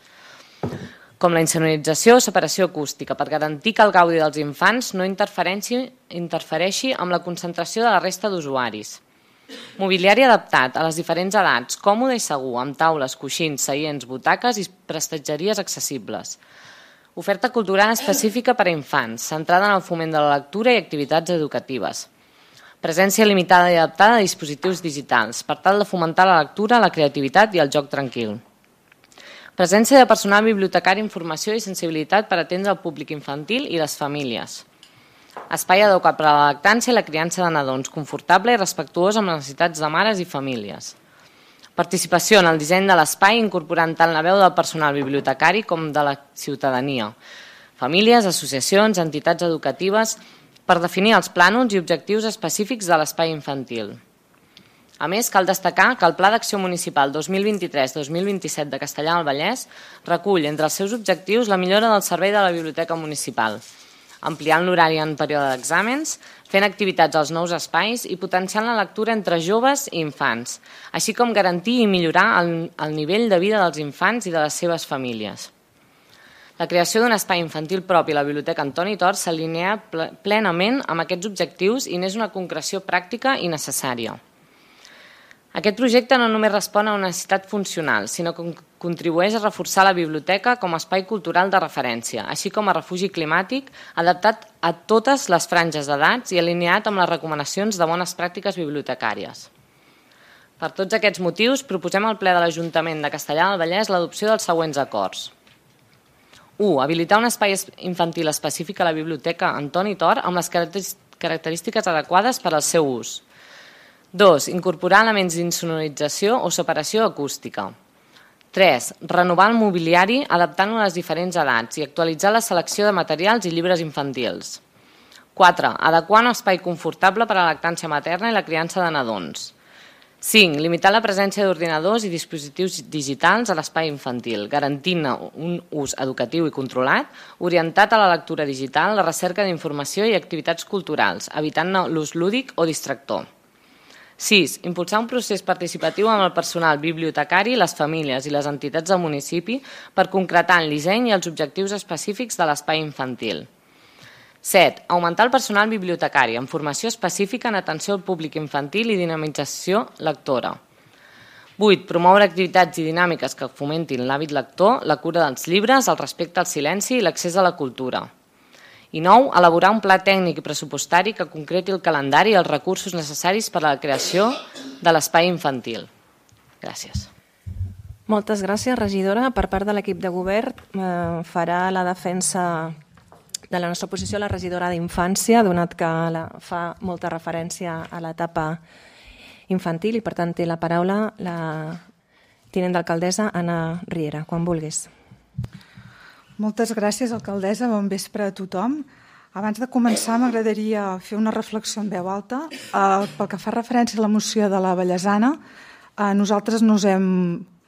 com la insonorització o separació acústica, per garantir que el gaudi dels infants no interfereixi amb la concentració de la resta d'usuaris. Mobiliari adaptat a les diferents edats, còmode i segur, amb taules, coixins, seients, butaques i prestatgeries accessibles. Oferta cultural específica per a infants, centrada en el foment de la lectura i activitats educatives. Presència limitada i adaptada a dispositius digitals, per tal de fomentar la lectura, la creativitat i el joc tranquil. Presència de personal bibliotecari, informació i sensibilitat per atendre el públic infantil i les famílies. Espai adequat per a la lactància i la criança de nadons, confortable i respectuós amb les necessitats de mares i famílies. Participació en el disseny de l'espai, incorporant tant la veu del personal bibliotecari com de la ciutadania. Famílies, associacions, entitats educatives, per definir els plànols i objectius específics de l'espai infantil. A més, cal destacar que el Pla d'Acció Municipal 2023-2027 de Castellar del Vallès recull entre els seus objectius la millora del servei de la Biblioteca Municipal, ampliant l'horari en període d'exàmens, fent activitats als nous espais i potenciant la lectura entre joves i infants, així com garantir i millorar el nivell de vida dels infants i de les seves famílies. La creació d'un espai infantil propi a la Biblioteca Antoni Tor s'alinea plenament amb aquests objectius i n'és una concreció pràctica i necessària. Aquest projecte no només respon a una necessitat funcional, sinó que contribueix a reforçar la biblioteca com a espai cultural de referència, així com a refugi climàtic adaptat a totes les franges d'edats i alineat amb les recomanacions de bones pràctiques bibliotecàries. Per tots aquests motius, proposem al ple de l'Ajuntament de Castellar del Vallès l'adopció dels següents acords. 1. Habilitar un espai infantil específic a la Biblioteca Antoni Tor amb les característiques adequades per al seu ús. 2. Incorporar elements d'insonorització o separació acústica. 3. Renovar el mobiliari adaptant-lo a les diferents edats i actualitzar la selecció de materials i llibres infantils. 4. Adequar un espai confortable per a la lactància materna i la criança de nadons. 5. Limitar la presència d'ordinadors i dispositius digitals a l'espai infantil, garantint un ús educatiu i controlat, orientat a la lectura digital, la recerca d'informació i activitats culturals, evitant l'ús lúdic o distractor. 6. Impulsar un procés participatiu amb el personal bibliotecari, les famílies i les entitats del municipi per concretar el disseny i els objectius específics de l'espai infantil. 7. Augmentar el personal bibliotecari amb formació específica en atenció al públic infantil i dinamització lectora. 8. Promoure activitats i dinàmiques que fomentin l'hàbit lector, la cura dels llibres, el respecte al silenci i l'accés a la cultura. I 9. Elaborar un pla tècnic i pressupostari que concreti el calendari i els recursos necessaris per a la creació de l'espai infantil. Gràcies. Moltes gràcies, regidora. Per part de l'equip de govern farà la defensa de la nostra posició la regidora d'Infància, donat que fa molta referència a l'etapa infantil i per tant té la paraula la tinent d'alcaldessa Anna Riera, quan vulguis. Moltes gràcies, alcaldessa. Bon vespre a tothom. Abans de començar m'agradaria fer una reflexió en veu alta. Pel que fa referència a la moció de la Vallesana, nosaltres no us hem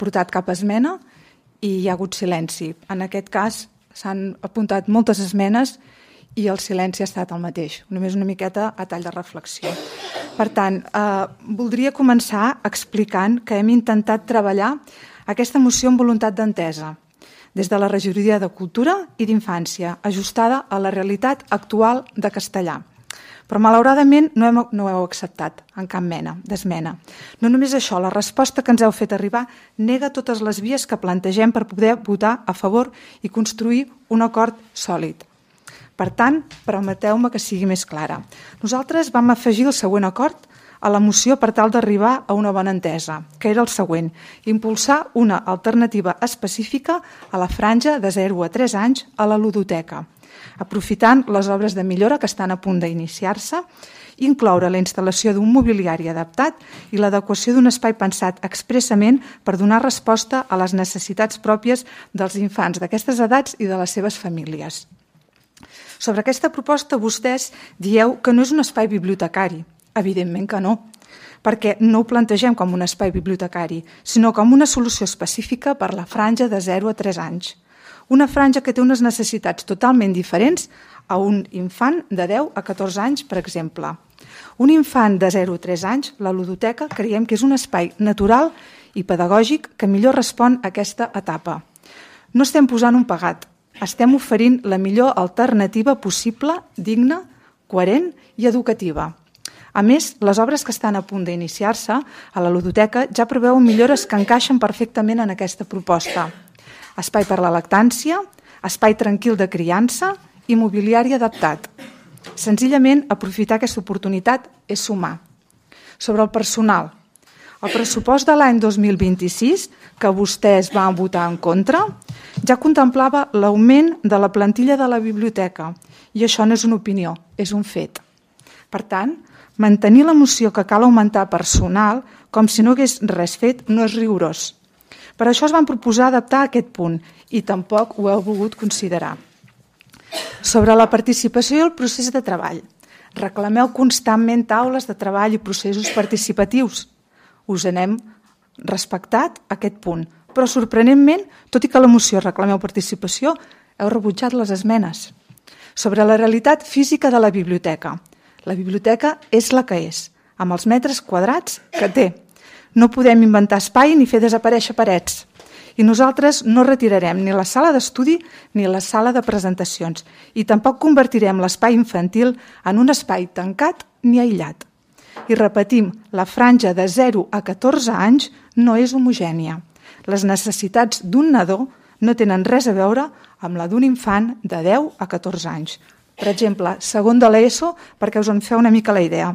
portat cap esmena i hi ha hagut silenci. En aquest cas s'han apuntat moltes esmenes i el silenci ha estat el mateix, només una miqueta a tall de reflexió. Per tant, voldria començar explicant que hem intentat treballar aquesta moció amb voluntat d'entesa, des de la Regidoria de Cultura i d'Infància, ajustada a la realitat actual de castellà. Però malauradament no heu acceptat en cap mena d'esmena. No només això, la resposta que ens heu fet arribar nega totes les vies que plantegem per poder votar a favor i construir un acord sòlid. Per tant, permeteu-me que sigui més clara. Nosaltres vam afegir el següent acord a la moció per tal d'arribar a una bona entesa, que era el següent: impulsar una alternativa específica a la franja de 0 a 3 anys a la ludoteca, aprofitant les obres de millora que estan a punt d'iniciar-se, incloure la instal·lació d'un mobiliari adaptat i l'adequació d'un espai pensat expressament per donar resposta a les necessitats pròpies dels infants d'aquestes edats i de les seves famílies. Sobre aquesta proposta vostès dieu que no és un espai bibliotecari. Evidentment que no, perquè no ho plantegem com un espai bibliotecari, sinó com una solució específica per la franja de 0 a 3 anys. Una franja que té unes necessitats totalment diferents a un infant de 10 a 14 anys, per exemple. Un infant de 0 a 3 anys, la ludoteca, creiem que és un espai natural i pedagògic que millor respon a aquesta etapa. No estem posant un pegat, estem oferint la millor alternativa possible, digna, coherent i educativa. A més, les obres que estan a punt d'iniciar-se a la ludoteca ja preveuen millores que encaixen perfectament en aquesta proposta. Espai per la lactància, espai tranquil de criança i mobiliari adaptat. Senzillament, aprofitar aquesta oportunitat és sumar. Sobre el personal, el pressupost de l'any 2026, que vostès van votar en contra, ja contemplava l'augment de la plantilla de la biblioteca, i això no és una opinió, és un fet. Per tant, mantenir la moció que cal augmentar personal com si no hagués res fet no és rigorós. Per això es van proposar adaptar aquest punt i tampoc ho heu volgut considerar. Sobre la participació i el procés de treball. Reclameu constantment taules de treball i processos participatius. Us n'hem respectat aquest punt, però sorprenentment, tot i que a la moció reclameu participació, heu rebutjat les esmenes. Sobre la realitat física de la biblioteca. La biblioteca és la que és, amb els metres quadrats que té. No podem inventar espai ni fer desaparèixer parets. I nosaltres no retirarem ni la sala d'estudi ni la sala de presentacions i tampoc convertirem l'espai infantil en un espai tancat ni aïllat. I repetim, la franja de 0 a 14 anys no és homogènia. Les necessitats d'un nadó no tenen res a veure amb la d'un infant de 10 a 14 anys. Per exemple, segon de l'ESO, perquè us en feu una mica la idea.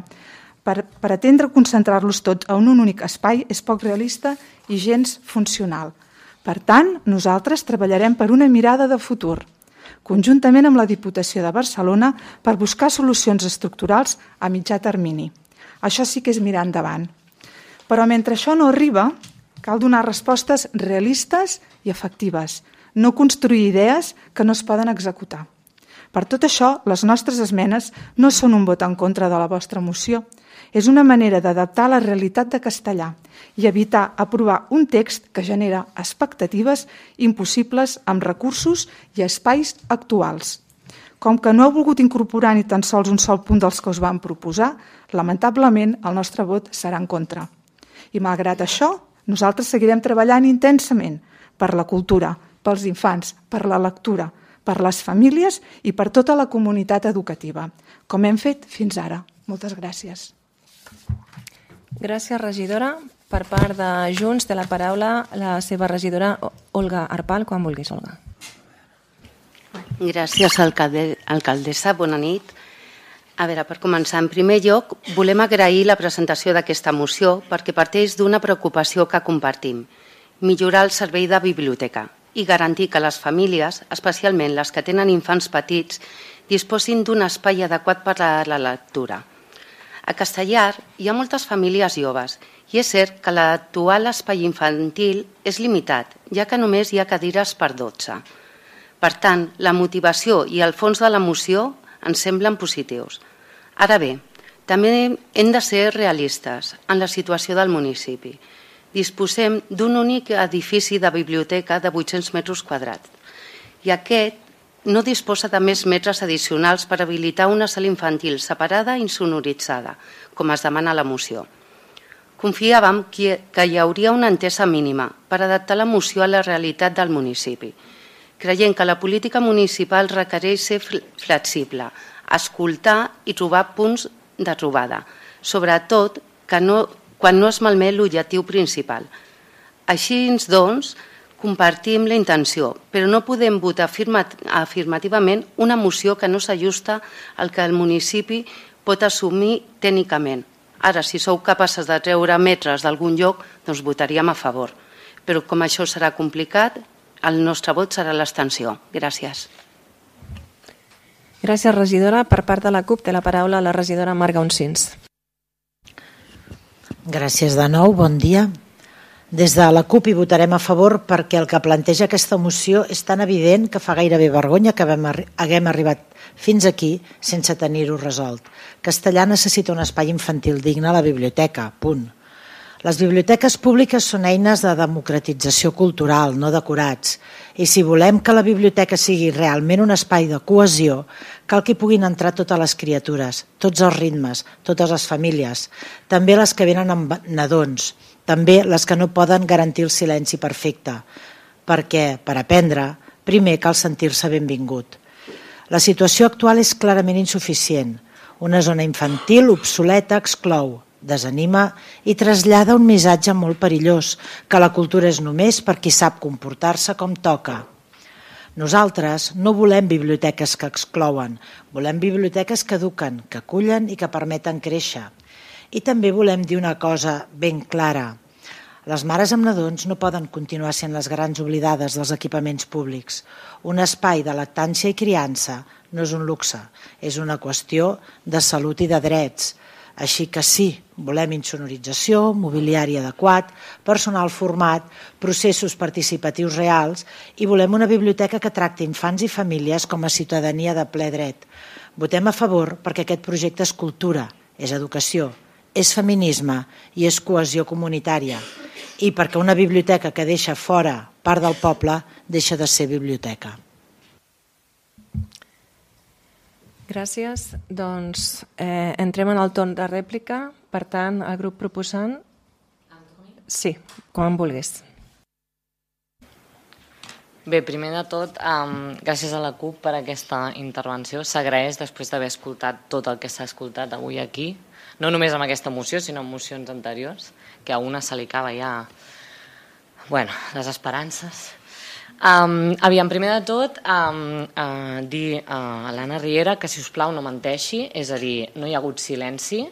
Per atendre concentrar-los tots en un únic espai és poc realista i gens funcional. Per tant, nosaltres treballarem per una mirada de futur, conjuntament amb la Diputació de Barcelona per buscar solucions estructurals a mitjà termini. Això sí que és mirar endavant. Però mentre això no arriba, cal donar respostes realistes i efectives, no construir idees que no es poden executar. Per tot això, les nostres esmenes no són un vot en contra de la vostra moció. És una manera d'adaptar la realitat de castellà i evitar aprovar un text que genera expectatives impossibles amb recursos i espais actuals. Com que no heu volgut incorporar ni tan sols un sol punt dels que us vam proposar, lamentablement el nostre vot serà en contra. I malgrat això, nosaltres seguirem treballant intensament per la cultura, pels infants, per la lectura, per les famílies i per tota la comunitat educativa, com hem fet fins ara. Moltes gràcies. Gràcies, regidora. Per part de Junts té la paraula la seva regidora Olga Arpal. Quan vulguis, Olga. Gràcies, alcaldessa. Bona nit. A veure, per començar, en primer lloc, volem agrair la presentació d'aquesta moció perquè parteix d'una preocupació que compartim: millorar el servei de biblioteca i garantir que les famílies, especialment les que tenen infants petits, disposin d'un espai adequat per a la lectura. A Castellar hi ha moltes famílies joves i és cert que l'actual espai infantil és limitat, ja que només hi ha cadires per 12. Per tant, la motivació i el fons de la moció ens semblen positius. Ara bé, també hem de ser realistes en la situació del municipi. Disposem d'un únic edifici de biblioteca de 800 metres quadrats i aquest no disposa de més metres addicionals per habilitar una sala infantil separada i insonoritzada, com es demana a la moció. Confiàvem que hi hauria una entesa mínima per adaptar la moció a la realitat del municipi. creient que la política municipal requereix ser flexible, escoltar i trobar punts de trobada, sobretot quan no es malmet l'objectiu principal. Així, doncs, compartim la intenció, però no podem votar afirmativament una moció que no s'ajusta al que el municipi pot assumir tècnicament. Ara, si sou capaces de treure metres d'algun lloc, doncs votaríem a favor. Però com això serà complicat, el nostre vot serà l'abstenció. Gràcies. Gràcies, regidora. Per part de la CUP té la paraula la regidora Marga Uncins. Gràcies de nou, bon dia. Des de la CUP hi votarem a favor perquè el que planteja aquesta moció és tan evident que fa gairebé vergonya que haguem arribat fins aquí sense tenir-ho resolt. Castellà necessita un espai infantil digne a la biblioteca, punt. Les biblioteques públiques són eines de democratització cultural, no decorats. I si volem que la biblioteca sigui realment un espai de cohesió, cal que hi puguin entrar totes les criatures, tots els ritmes, totes les famílies, també les que venen amb nadons, també les que no poden garantir el silenci perfecte, perquè, per aprendre, primer cal sentir-se benvingut. La situació actual és clarament insuficient. Una zona infantil obsoleta exclou, desanima i trasllada un missatge molt perillós, que la cultura és només per qui sap comportar-se com toca. Nosaltres no volem biblioteques que exclouen, volem biblioteques que eduquen, que acullen i que permeten créixer. I també volem dir una cosa ben clara. Les mares amb nadons no poden continuar sent les grans oblidades dels equipaments públics. Un espai de lactància i criança no és un luxe, és una qüestió de salut i de drets. Així que sí, volem insonorització, mobiliari adequat, personal format, processos participatius reals i volem una biblioteca que tracti infants i famílies com a ciutadania de ple dret. Votem a favor perquè aquest projecte és cultura, és educació, és feminisme i és cohesió comunitària. I perquè una biblioteca que deixa fora part del poble deixa de ser biblioteca. Gràcies. Doncs entrem en el torn de rèplica. Per tant, el grup proposant... Sí, quan vulguis. Bé, primer de tot, gràcies a la CUP per aquesta intervenció. S'agraeix després d'haver escoltat tot el que s'ha escoltat avui aquí, no només amb aquesta moció, sinó en mocions anteriors, que a una se li acaba ja les esperances. Aviam, primer de tot, dir a l'Anna Riera que, si us plau, no menteixi, és a dir, no hi ha hagut silenci,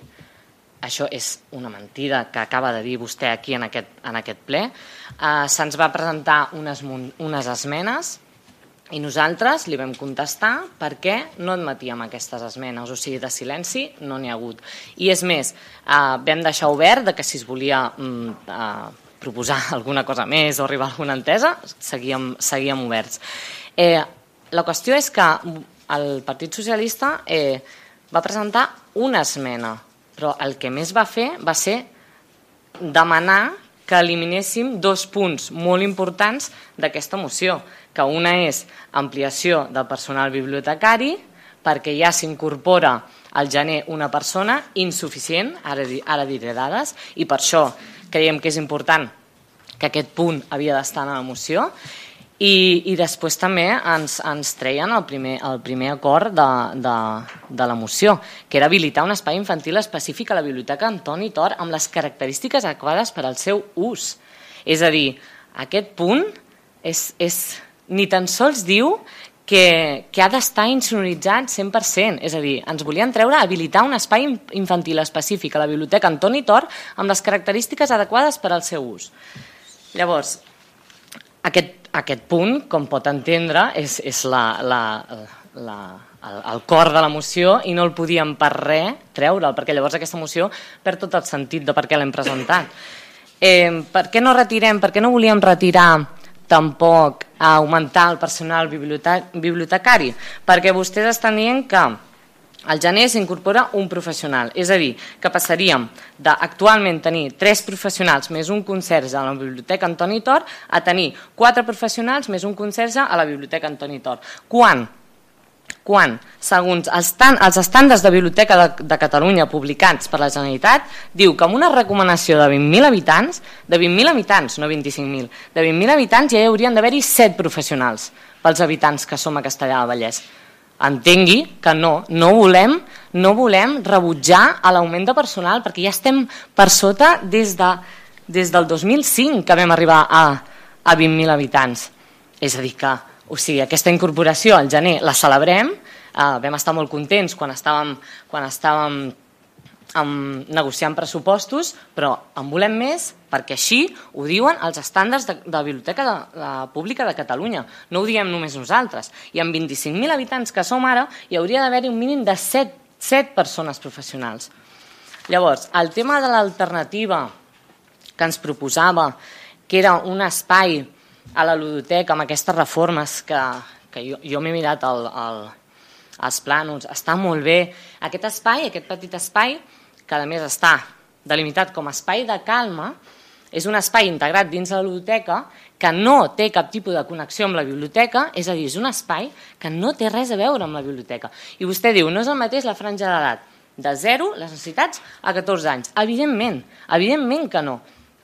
això és una mentida que acaba de dir vostè aquí en aquest ple. Se'ns va presentar unes esmenes i nosaltres li vam contestar per què no admetíem aquestes esmenes, o sigui, de silenci no n'hi ha hagut. I és més, vam deixar obert que si es volia proposar alguna cosa més o arribar a alguna entesa, seguíem oberts. La qüestió és que el Partit Socialista va presentar una esmena, però el que més va fer va ser demanar que eliminéssim 2 punts molt importants d'aquesta moció, que una és ampliació del personal bibliotecari, perquè ja s'incorpora al gener una persona insuficient, ara diré dades, i per això creiem que és important que aquest punt havia d'estar en la moció, i després també ens treien el primer acord de la moció, que era habilitar un espai infantil específic a la Biblioteca Antoni Tor amb les característiques adequades per al seu ús. És a dir, aquest punt ni tan sols diu que ha d'estar insonoritzat 100%, és a dir, ens volien treure a habilitar un espai infantil específic a la Biblioteca Antoni Tor amb les característiques adequades per al seu ús. Llavors, aquest punt, com pot entendre, és el cor de la moció i no el podíem per res treure'l, perquè llavors aquesta moció perd tot el sentit de per què l'hem presentat. Per què no retirem? Per què no volíem retirar tampoc augmentar el personal bibliotecari? Perquè vostès estan dient que al gener s'incorpora un professional, és a dir, que passaríem d'actualment tenir 3 professionals més un conserge a la Biblioteca Antoni Tor a tenir 4 professionals més un conserge a la Biblioteca Antoni Tor. Quan, segons els estàndards de Biblioteca de Catalunya publicats per la Generalitat, diu que amb una recomanació de 20.000 habitants, no 25.000, de 20.000 habitants ja hi haurien d'haver-hi 7 professionals pels habitants que som a Castellar del Vallès. Entengui que no volem rebutjar l'augment de personal, perquè ja estem per sota des del 2005 que vam arribar a 20.000 habitants. És a dir que, aquesta incorporació al gener la celebrem, vam estar molt contents quan estàvem negociant pressupostos, però en volem més perquè així ho diuen els estàndards de la Biblioteca Pública de Catalunya. No ho diem només nosaltres. I amb 25.000 habitants que som ara, hi hauria d'haver-hi un mínim de 7 persones professionals. Llavors, el tema de l'alternativa que ens proposava, que era un espai a la ludoteca amb aquestes reformes que jo m'he mirat els plànols, està molt bé. Aquest espai, aquest petit espai, que a més està delimitat com a espai de calma, és un espai integrat dins la ludoteca que no té cap tipus de connexió amb la biblioteca, és a dir, és un espai que no té res a veure amb la biblioteca. I vostè diu, no és el mateix la franja d'edat de 0, les necessitats, a 14 anys. Evidentment que no.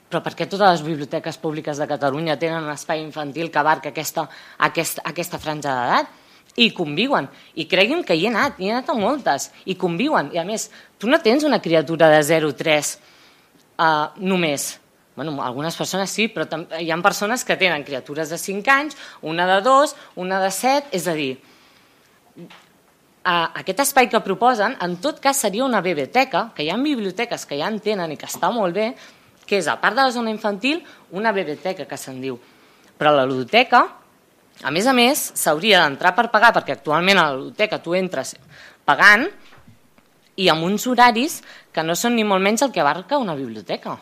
Però per què totes les biblioteques públiques de Catalunya tenen un espai infantil que abarca aquesta franja d'edat? I conviuen. I cregui'm que hi he anat a moltes, i conviuen. I a més, tu no tens una criatura de 0-3 només. Bueno, algunes persones sí, però hi ha persones que tenen criatures de 5 anys, una de 2, una de 7, és a dir, aquest espai que proposen, en tot cas seria una biblioteca, que hi ha biblioteques que ja en tenen i que està molt bé, que és, a part de la zona infantil, una biblioteca, que se'n diu. Però la ludoteca, a més, s'hauria d'entrar per pagar, perquè actualment a la ludoteca tu entres pagant i amb uns horaris que no són ni molt menys el que abarca una biblioteca.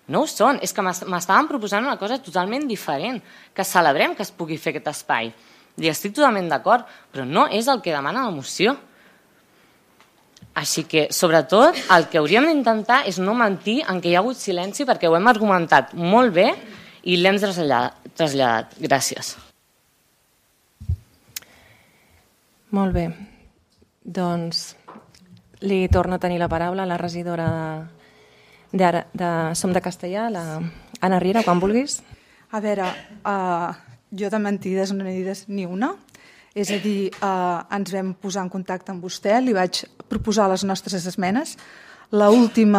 No ho són, és que m'estaven proposant una cosa totalment diferent, que celebrem que es pugui fer aquest espai. I estic totalment d'acord, però no és el que demana la moció. Així que, sobretot, el que hauríem d'intentar és no mentir en què hi ha hagut silenci, perquè ho hem argumentat molt bé i l'hem traslladat. Gràcies. Molt bé. Doncs li torna a tenir la paraula a la regidora de Som de Castellar, la Anna Riera, quan vulguis. A veure, jo de mentides no n'he dit ni una. És a dir, ens vam posar en contacte amb vostè, li vaig proposar les nostres esmenes. L'últim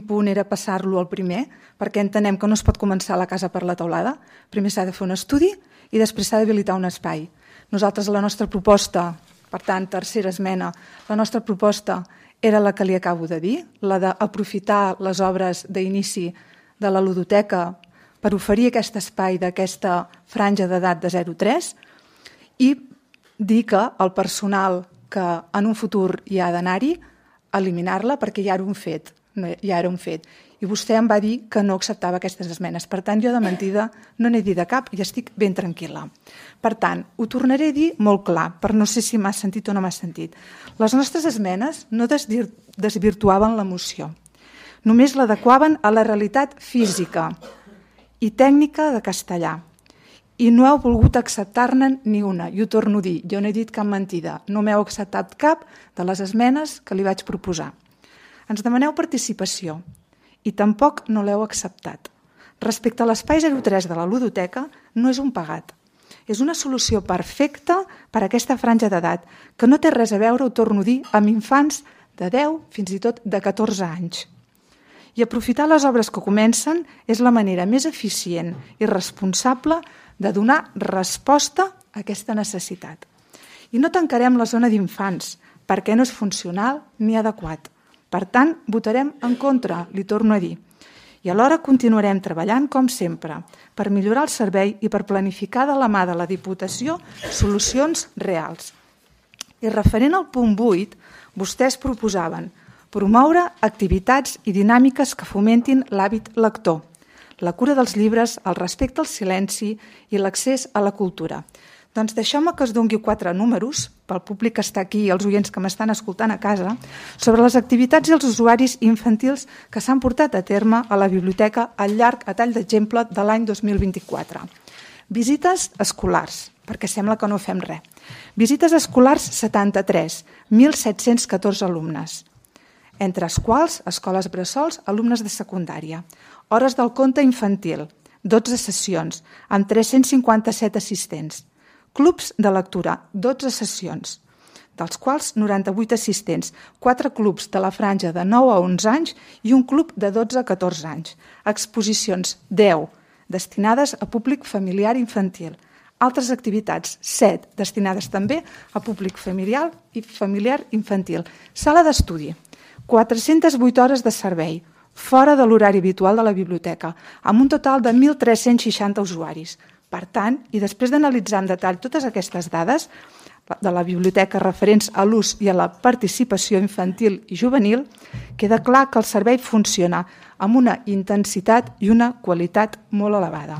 punt era passar-lo al primer, perquè entenem que no es pot començar la casa per la teulada. Primer s'ha de fer un estudi i després s'ha d'habilitar un espai. Nosaltres, la nostra proposta, per tant, tercera esmena, la nostra proposta era la que li acabo de dir, la d'aprofitar les obres d'inici de la ludoteca per oferir aquest espai d'aquesta franja d'edat de 0-3 i dir que el personal que en un futur hi ha d'anar-hi, eliminar-la perquè ja era un fet. I vostè em va dir que no acceptava aquestes esmenes. Per tant, jo de mentida no n'he dit de cap i estic ben tranquil·la. Per tant, ho tornaré a dir molt clar, per no sé si m'ha sentit o no m'ha sentit. Les nostres esmenes no desvirtuaven la moció. Només l'adequaven a la realitat física i tècnica de Castellar. I no heu volgut acceptar-ne ni una. I ho torno a dir, jo no he dit cap mentida. No m'heu acceptat cap de les esmenes que li vaig proposar. Ens demaneu participació i tampoc no l'heu acceptat. Respecte a l'espai 03 de la ludoteca, no és un pagat. És una solució perfecta per a aquesta franja d'edat, que no té res a veure, ho torno a dir, amb infants de 10 fins i tot de 14 anys. I aprofitar les obres que comencen és la manera més eficient i responsable de donar resposta a aquesta necessitat. I no tancarem la zona d'infants, perquè no és funcional ni adequat. Per tant, votarem en contra, li torno a dir. I alhora continuarem treballant, com sempre, per millorar el servei i per planificar de la mà de la Diputació solucions reals. I referent al punt 8, vostès proposaven promoure activitats i dinàmiques que fomentin l'hàbit lector, la cura dels llibres, el respecte al silenci i l'accés a la cultura. Doncs deixeu-me que us doni 4 números, pel públic que està aquí i els oients que m'estan escoltant a casa, sobre les activitats i els usuaris infantils que s'han portat a terme a la biblioteca al llarg, a tall d'exemple, de l'any 2024. Visites escolars, perquè sembla que no fem res. Visites escolars 73, 1.714 alumnes, entre els quals escoles bressols, alumnes de secundària. Hores del conte infantil, 12 sessions, amb 357 assistents. Clubs de lectura, 12 sessions, dels quals 98 assistents, 4 clubs de la franja de 9 a 11 anys i un club de 12 a 14 anys. Exposicions, 10, destinades a públic familiar i infantil. Altres activitats, 7, destinades també a públic familiar i infantil. Sala d'estudi, 408 hores de servei, fora de l'horari habitual de la biblioteca, amb un total de 1.360 usuaris. Per tant, i després d'analitzar en detall totes aquestes dades de la biblioteca referents a l'ús i a la participació infantil i juvenil, queda clar que el servei funciona amb una intensitat i una qualitat molt elevada.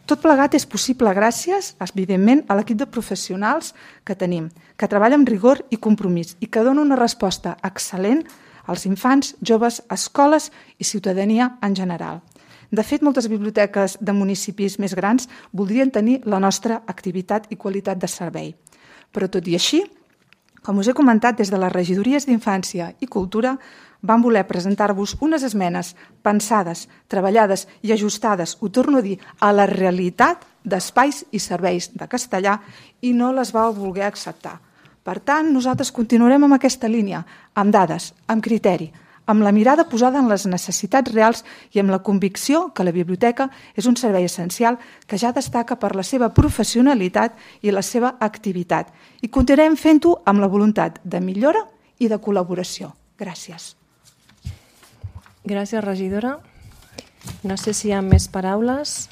Tot plegat és possible gràcies, evidentment, a l'equip de professionals que tenim, que treballa amb rigor i compromís i que dona una resposta excel·lent als infants, joves, escoles i ciutadania en general. De fet, moltes biblioteques de municipis més grans voldrien tenir la nostra activitat i qualitat de servei. Però tot i així, com us he comentat, des de les regidories d'Infància i Cultura vam voler presentar-vos unes esmenes pensades, treballades i ajustades, ho torno a dir, a la realitat d'espais i serveis de castellà i no les vau voler acceptar. Per tant, nosaltres continuarem amb aquesta línia, amb dades, amb criteri, amb la mirada posada en les necessitats reals i amb la convicció que la biblioteca és un servei essencial que ja destaca per la seva professionalitat i la seva activitat. I continuarem fent-ho amb la voluntat de millora i de col·laboració. Gràcies. Gràcies, regidora. No sé si hi ha més paraules.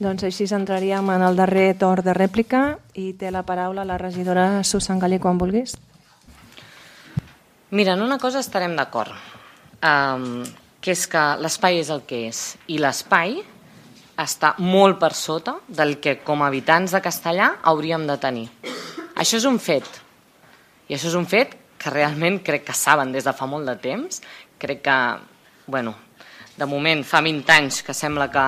Doncs així entraríem en el darrer torn de rèplica i té la paraula la regidora Susan Gallí quan vulguis. Mira, en una cosa estarem d'acord, que és que l'espai és el que és i l'espai està molt per sota del que com a habitants de Castellà hauríem de tenir. Això és un fet i això és un fet que realment crec que saben des de fa molt de temps. Crec que, bueno, de moment fa 20 anys que sembla que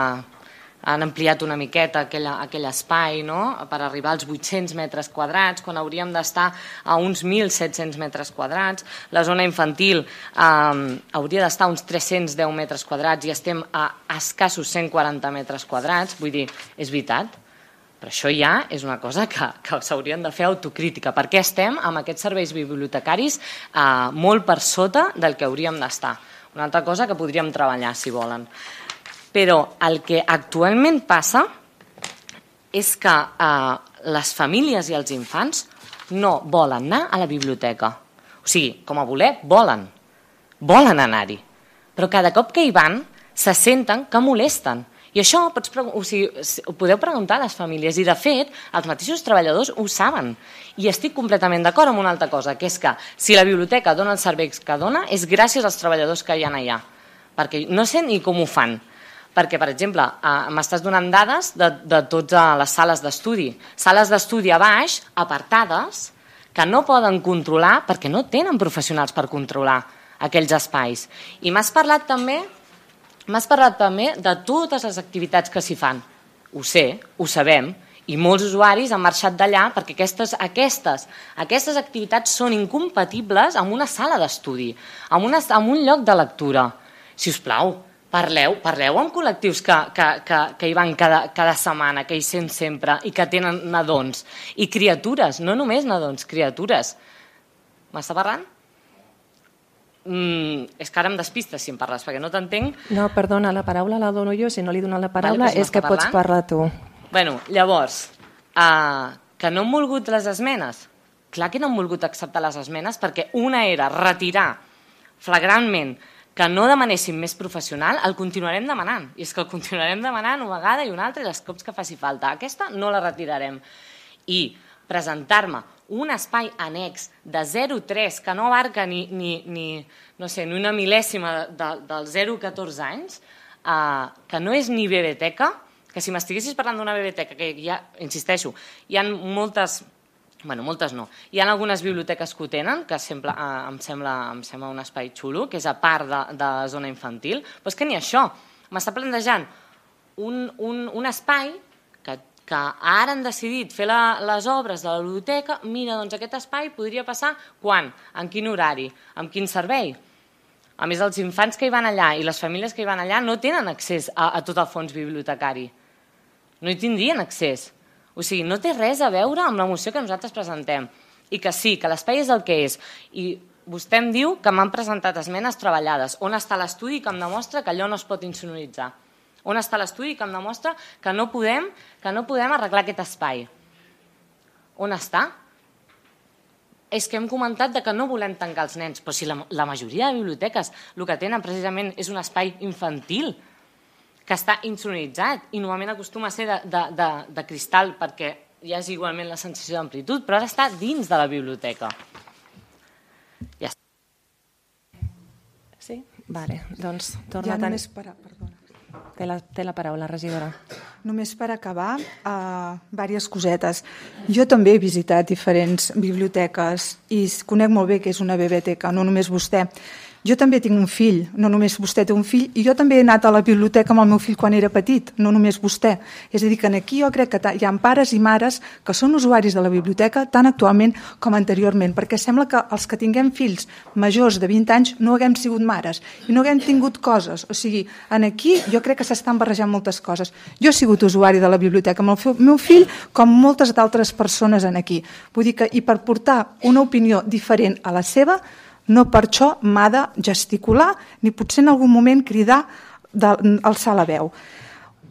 han ampliat una miqueta aquell espai, no?, per arribar als 800 metres quadrats, quan hauríem d'estar a uns 1.700 metres quadrats. La zona infantil hauria d'estar a uns 310 metres quadrats i estem a escassos 140 metres quadrats. Vull dir, és veritat, però això ja és una cosa que s'haurien de fer autocrítica. Per què estem amb aquests serveis bibliotecaris molt per sota del que hauríem d'estar? Una altra cosa que podríem treballar, si volen. Però el que actualment passa és que les famílies i els infants no volen anar a la biblioteca. O sigui, com a voler, volen anar-hi. Però cada cop que hi van se senten que molesten. I això ho podeu preguntar a les famílies i, de fet, els mateixos treballadors ho saben. I estic completament d'acord amb una altra cosa, que és que si la biblioteca dona els serveis que dona és gràcies als treballadors que hi ha allà. Perquè no sé ni com ho fan. Perquè, per exemple, m'estàs donant dades de totes les sales d'estudi. Sales d'estudi a baix, apartades, que no poden controlar perquè no tenen professionals per controlar aquells espais. I m'has parlat també de totes les activitats que s'hi fan. Ho sé, ho sabem, i molts usuaris han marxat d'allà perquè aquestes activitats són incompatibles amb una sala d'estudi, amb un lloc de lectura. Si us plau, Parleu amb col·lectius que hi van cada setmana, que hi sent sempre i que tenen nadons i criatures, no només nadons, criatures. M'està parlant? És que ara em despistes si em parles, perquè no t'entenc. No, perdona, la paraula la dono jo, si no li dono la paraula és que pots parlar tu. Bueno, llavors, que no han volgut les esmenes? Clar que no han volgut acceptar les esmenes perquè una era retirar flagrantment que no demanéssim més professional, el continuarem demanant. I és que el continuarem demanant una vegada i una altra i els cops que faci falta. Aquesta no la retirarem. I presentar-me un espai annex de 0,3 que no abarca ni una mil·lèsima dels 0,14 anys, que no és ni biblioteca, que si m'estiguessis parlant d'una biblioteca, que ja, insisteixo, hi ha moltes... Bueno, moltes no. Hi ha algunes biblioteques que ho tenen, que em sembla un espai xulo, que és a part de zona infantil, però és que ni això. M'està plantejant un espai que ara han decidit fer les obres de la biblioteca. Mira, doncs aquest espai podria passar quan? En quin horari? Amb quin servei? A més, els infants que hi van allà i les famílies que hi van allà no tenen accés a tot el fons bibliotecari. No hi tindrien accés. O sigui, no té res a veure amb la moció que nosaltres presentem. I que sí, que l'espai és el que és. I vostè em diu que m'han presentat esmenes treballades. On està l'estudi que em demostra que allò no es pot insonoritzar? On està l'estudi que em demostra que no podem arreglar aquest espai? On està? És que hem comentat que no volem tancar els nens, però si la majoria de biblioteques el que tenen precisament és un espai infantil que està insonoritzat i normalment acostuma a ser de cristal perquè hi ha igualment la sensació d'amplitud, però ara està dins de la biblioteca. Ja està. Sí? Vale, doncs torna a tenir... Té la paraula, regidora. Només per acabar, diverses cosetes. Jo també he visitat diferents biblioteques i conec molt bé què és una biblioteca, no només vostè. Jo també tinc un fill, no només vostè té un fill, i jo també he anat a la biblioteca amb el meu fill quan era petit, no només vostè. És a dir, que aquí jo crec que hi ha pares i mares que són usuaris de la biblioteca tant actualment com anteriorment, perquè sembla que els que tinguem fills majors de 20 anys no haguem sigut mares i no haguem tingut coses. O sigui, aquí jo crec que s'estan barrejant moltes coses. Jo he sigut usuari de la biblioteca amb el meu fill com moltes d'altres persones aquí. Vull dir que, i per portar una opinió diferent a la seva, no per això m'ha de gesticular ni potser en algun moment cridar, alçar la veu.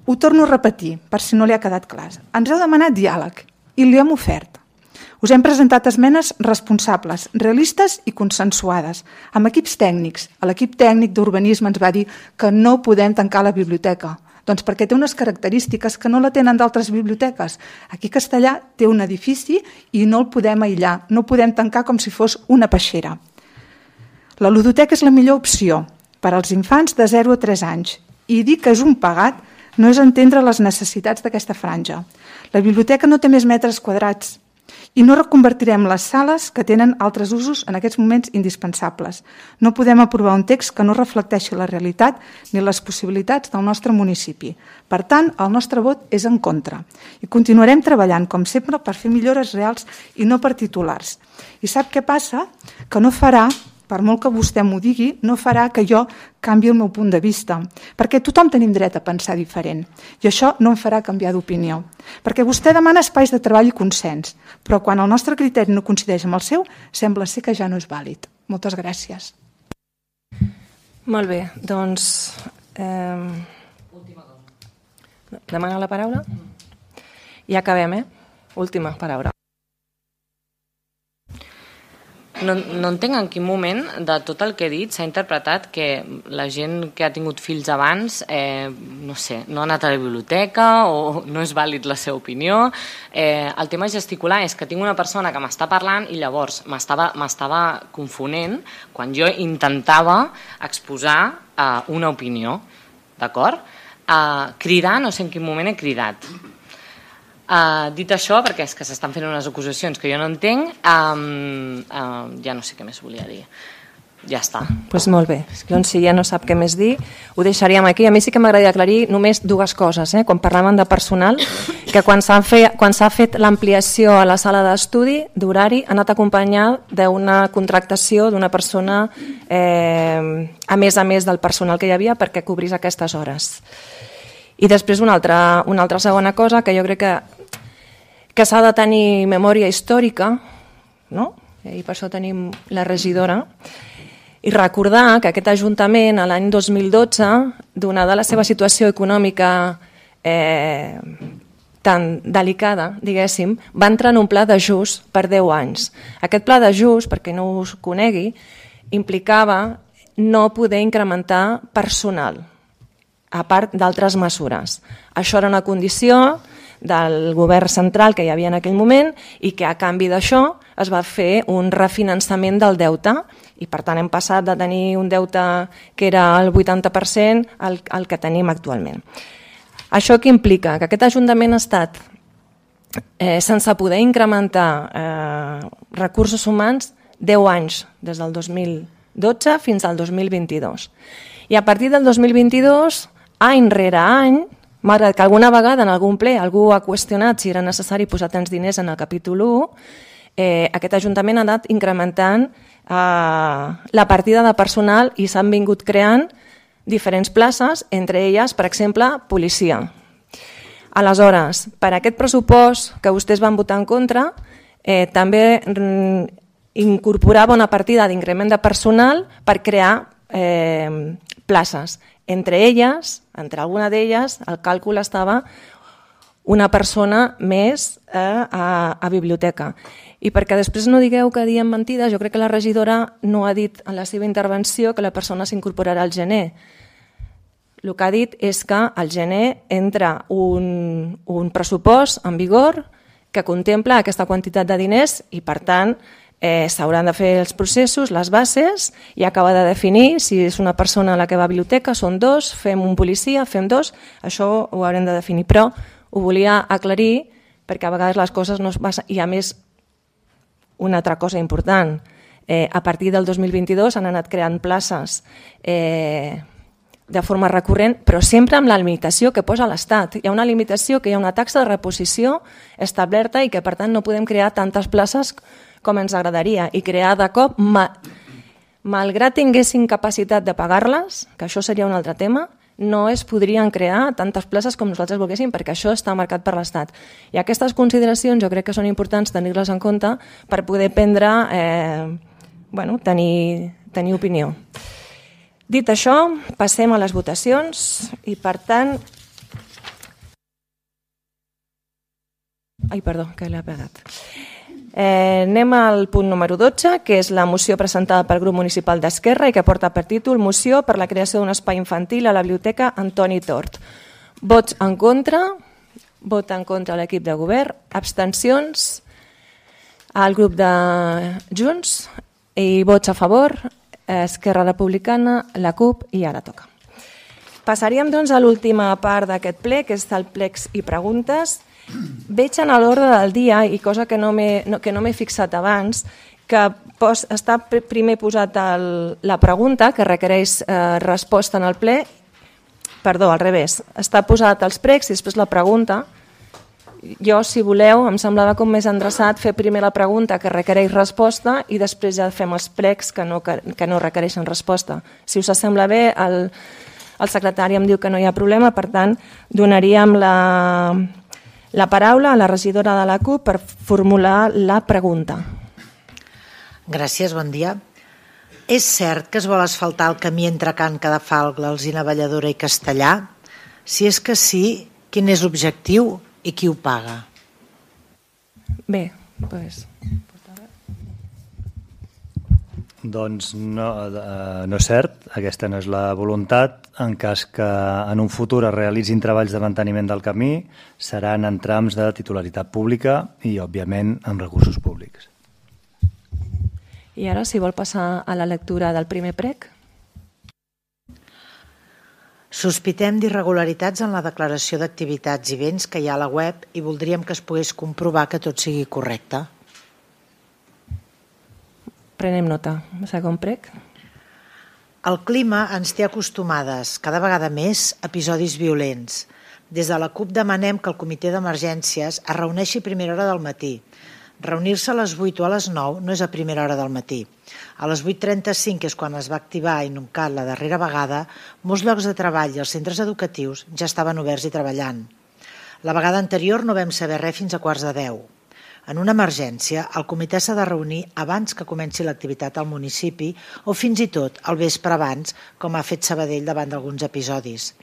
Ho torno a repetir, per si no li ha quedat clar. Ens heu demanat diàleg i li hem ofert. Us hem presentat esmenes responsables, realistes i consensuades, amb equips tècnics. L'equip tècnic d'urbanisme ens va dir que no podem tancar la biblioteca, doncs perquè té unes característiques que no la tenen d'altres biblioteques. Aquí a Castellà té un edifici i no el podem aïllar, no podem tancar com si fos una peixera. La ludoteca és la millor opció per als infants de 0 a 3 anys i dir que és un pagat no és entendre les necessitats d'aquesta franja. La biblioteca no té més metres quadrats i no reconvertirem les sales que tenen altres usos en aquests moments indispensables. No podem aprovar un text que no reflecteixi la realitat ni les possibilitats del nostre municipi. Per tant, el nostre vot és en contra i continuarem treballant, com sempre, per fer millores reals i no per titulars. I sap què passa? Que no farà, per molt que vostè m'ho digui, no farà que jo canvi el meu punt de vista, perquè tothom tenim dret a pensar diferent, i això no em farà canviar d'opinió. Perquè vostè demana espais de treball i consens, però quan el nostre criteri no coincideix amb el seu, sembla ser que ja no és vàlid. Moltes gràcies. Molt bé, doncs... Demana la paraula? I acabem, Última paraula. No entenc en quin moment de tot el que he dit s'ha interpretat que la gent que ha tingut fills abans no ha anat a la biblioteca o no és vàlid la seva opinió. El tema gesticular és que tinc una persona que m'està parlant i llavors m'estava confonent quan jo intentava exposar una opinió, d'acord? Cridar, no sé en quin moment he cridat. Dit això, perquè és que s'estan fent unes acusacions que jo no entenc, ja no sé què més volia dir. Ja està. Doncs molt bé. Doncs si ja no sap què més dir, ho deixaríem aquí. A mi sí que m'agradaria aclarir només dues coses. Quan parlàvem de personal, que quan s'ha fet l'ampliació a la sala d'estudi d'horari ha anat acompanyat d'una contractació d'una persona a més del personal que hi havia perquè cobrís aquestes hores. I després una altra segona cosa que jo crec que s'ha de tenir memòria històrica, no? I per això tenim la regidora, i recordar que aquest Ajuntament a l'any 2012, donada la seva situació econòmica tan delicada, diguéssim, va entrar en un pla d'ajust per 10 anys. Aquest pla d'ajust, perquè no us conegui, implicava no poder incrementar personal, a part d'altres mesures. Això era una condició del govern central que hi havia en aquell moment i que a canvi d'això es va fer un refinançament del deute i per tant hem passat de tenir un deute que era el 80% al que tenim actualment. Això què implica? Que aquest Ajuntament ha estat sense poder incrementar recursos humans 10 anys, des del 2012 fins al 2022. I a partir del 2022, any rere any, malgrat que alguna vegada en algun ple algú ha qüestionat si era necessari posar tants diners en el capítol 1, aquest Ajuntament ha anat incrementant la partida de personal i s'han vingut creant diferents places, entre elles, per exemple, policia. Aleshores, per aquest pressupost que vostès van votar en contra, també incorporava una partida d'increment de personal per crear places. Entre alguna d'elles, el càlcul estava una persona més a biblioteca. I perquè després no digueu que diem mentides, jo crec que la regidora no ha dit en la seva intervenció que la persona s'incorporarà al gener. El que ha dit és que al gener entra un pressupost en vigor que contempla aquesta quantitat de diners i, per tant, s'hauran de fer els processos, les bases, i acabar de definir si és una persona a la que va a biblioteca, són 2, fem un policia, fem 2, això ho haurem de definir. Però ho volia aclarir perquè a vegades les coses no es passen. I a més, una altra cosa important, a partir del 2022 han anat creant places de forma recurrent, però sempre amb la limitació que posa l'Estat. Hi ha una limitació, que hi ha una taxa de reposició establerta i que per tant no podem crear tantes places com ens agradaria, i crear de cop, malgrat tinguessin capacitat de pagar-les, que això seria un altre tema, no es podrien crear tantes places com nosaltres volguéssim, perquè això està marcat per l'Estat. I aquestes consideracions jo crec que són importants tenir-les en compte per poder prendre, tenir opinió. Dit això, passem a les votacions i, per tant... Ai, perdó, que l'he pegat. Anem al punt número 12, que és la moció presentada pel grup municipal d'Esquerra i que porta per títol Moció per la creació d'un espai infantil a la biblioteca Antoni Tort. Vots en contra, vot en contra l'equip de govern, abstencions al grup de Junts i vots a favor, Esquerra Republicana, la CUP i ara toca. Passaríem doncs a l'última part d'aquest ple, que és el plecs i preguntes. Veig en l'ordre del dia, i cosa que no m'he fixat abans, que està primer posat la pregunta, que requereix resposta en el ple, perdó, al revés, està posat els pregs i després la pregunta. Jo, si voleu, em semblava com més endreçat fer primer la pregunta que requereix resposta i després ja fem els pregs que no requereixen resposta. Si us sembla bé, el secretari em diu que no hi ha problema, per tant, donaríem la paraula a la regidora de la CUP per formular la pregunta. Gràcies, bon dia. És cert que es vol asfaltar el camí entre Can Cadafalc, l'Alzina Valladora i Castellà? Si és que sí, quin és l'objectiu i qui ho paga? Bé, doncs... Doncs no és cert, aquesta no és la voluntat. En cas que en un futur es realitzin treballs de manteniment del camí, seran en trams de titularitat pública i, òbviament, amb recursos públics. I ara, si vol passar a la lectura del primer prec. Sospitem d'irregularitats en la declaració d'activitats i béns que hi ha a la web i voldríem que es pogués comprovar que tot sigui correcte. Prenem nota. Segon prec. El clima ens té acostumades, cada vegada més, a episodis violents. Des de la CUP demanem que el comitè d'emergències es reuneixi a primera hora del matí. Reunir-se a les 8 o a les 9 no és a primera hora del matí. A les 8:35, que és quan es va activar INUCAT la darrera vegada, molts llocs de treball i els centres educatius ja estaven oberts i treballant. La vegada anterior no vam saber res fins a 9:45. En una emergència, el comitè s'ha de reunir abans que comenci l'activitat al municipi o fins i tot al vespre abans, com ha fet Sabadell davant d'alguns episodis.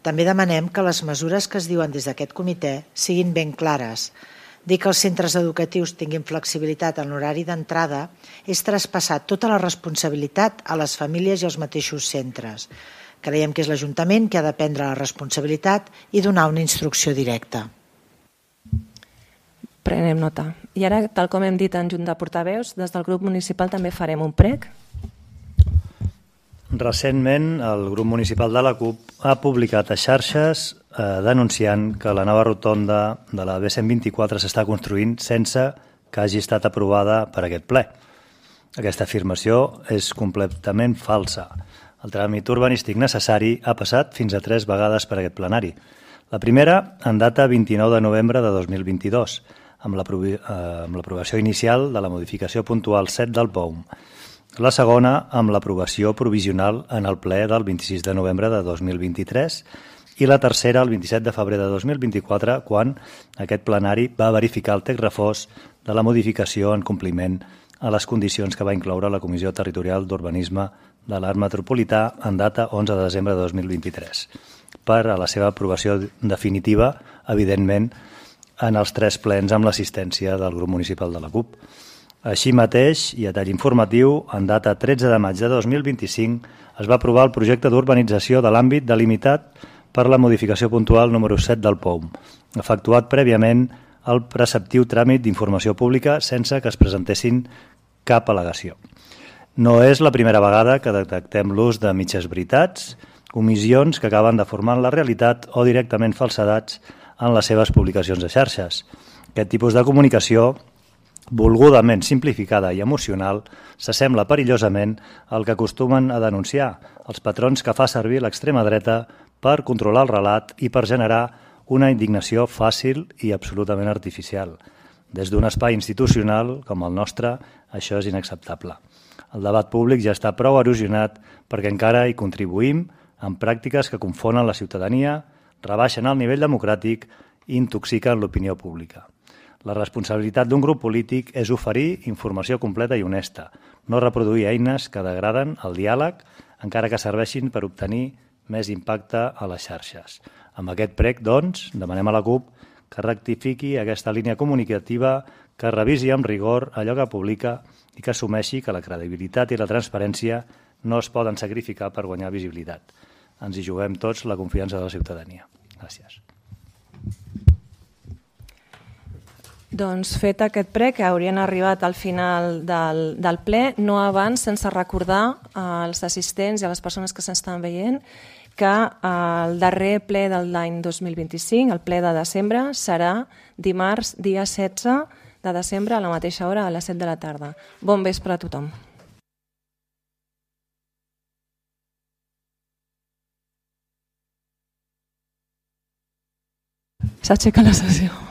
També demanem que les mesures que es diuen des d'aquest comitè siguin ben clares. Dir que els centres educatius tinguin flexibilitat en l'horari d'entrada és traspassar tota la responsabilitat a les famílies i als mateixos centres. Creiem que és l'Ajuntament que ha de prendre la responsabilitat i donar una instrucció directa. Prenem nota. I ara, tal com hem dit en Junta de Portaveus, des del grup municipal també farem un prec. Recentment, el grup municipal de la CUP ha publicat a xarxes denunciant que la nova rotonda de la B124 s'està construint sense que hagi estat aprovada per aquest ple. Aquesta afirmació és completament falsa. El tràmit urbanístic necessari ha passat fins a 3 vegades per aquest plenari. La primera, en data 29 de novembre de 2022, amb l'aprovació inicial de la modificació puntual 7 del POUM. La segona, amb l'aprovació provisional en el ple del 26 de novembre de 2023 i la tercera el 27 de febrer de 2024, quan aquest plenari va verificar el text refós de la modificació en compliment a les condicions que va incloure la Comissió Territorial d'Urbanisme de l'Art Metropolità en data 11 de desembre de 2023, per a la seva aprovació definitiva, evidentment, en els 3 plens amb l'assistència del grup municipal de la CUP. Així mateix, i a tall informatiu, en data 13 de maig de 2025 es va aprovar el projecte d'urbanització de l'àmbit delimitat per la modificació puntual número 7 del POUM, efectuat prèviament el preceptiu tràmit d'informació pública sense que es presentessin cap al·legació. No és la primera vegada que detectem l'ús de mitges veritats, omissions que acaben deformant la realitat o directament falsedats en les seves publicacions de xarxes. Aquest tipus de comunicació, volgudament simplificada i emocional, s'assembla perillosament al que acostumen a denunciar els patrons que fa servir l'extrema dreta per controlar el relat i per generar una indignació fàcil i absolutament artificial. Des d'un espai institucional com el nostre, això és inacceptable. El debat públic ja està prou erosionat perquè encara hi contribuïm amb pràctiques que confonen la ciutadania, rebaixen el nivell democràtic i intoxiquen l'opinió pública. La responsabilitat d'un grup polític és oferir informació completa i honesta, no reproduir eines que degraden el diàleg, encara que serveixin per obtenir més impacte a les xarxes. Amb aquest prec, doncs, demanem a la CUP que rectifiqui aquesta línia comunicativa, que revisi amb rigor allò que publica i que assumeixi que la credibilitat i la transparència no es poden sacrificar per guanyar visibilitat. Ens hi juguem tots la confiança de la ciutadania. Gràcies. Doncs fet aquest prec, que haurien arribat al final del ple, no abans sense recordar als assistents i a les persones que s'estan veient que el darrer ple de l'any 2025, el ple de desembre, serà dimarts, dia 16 de desembre, a la mateixa hora, a les 7 de la tarda. Bon vespre a tothom. S'aixeca la sessió.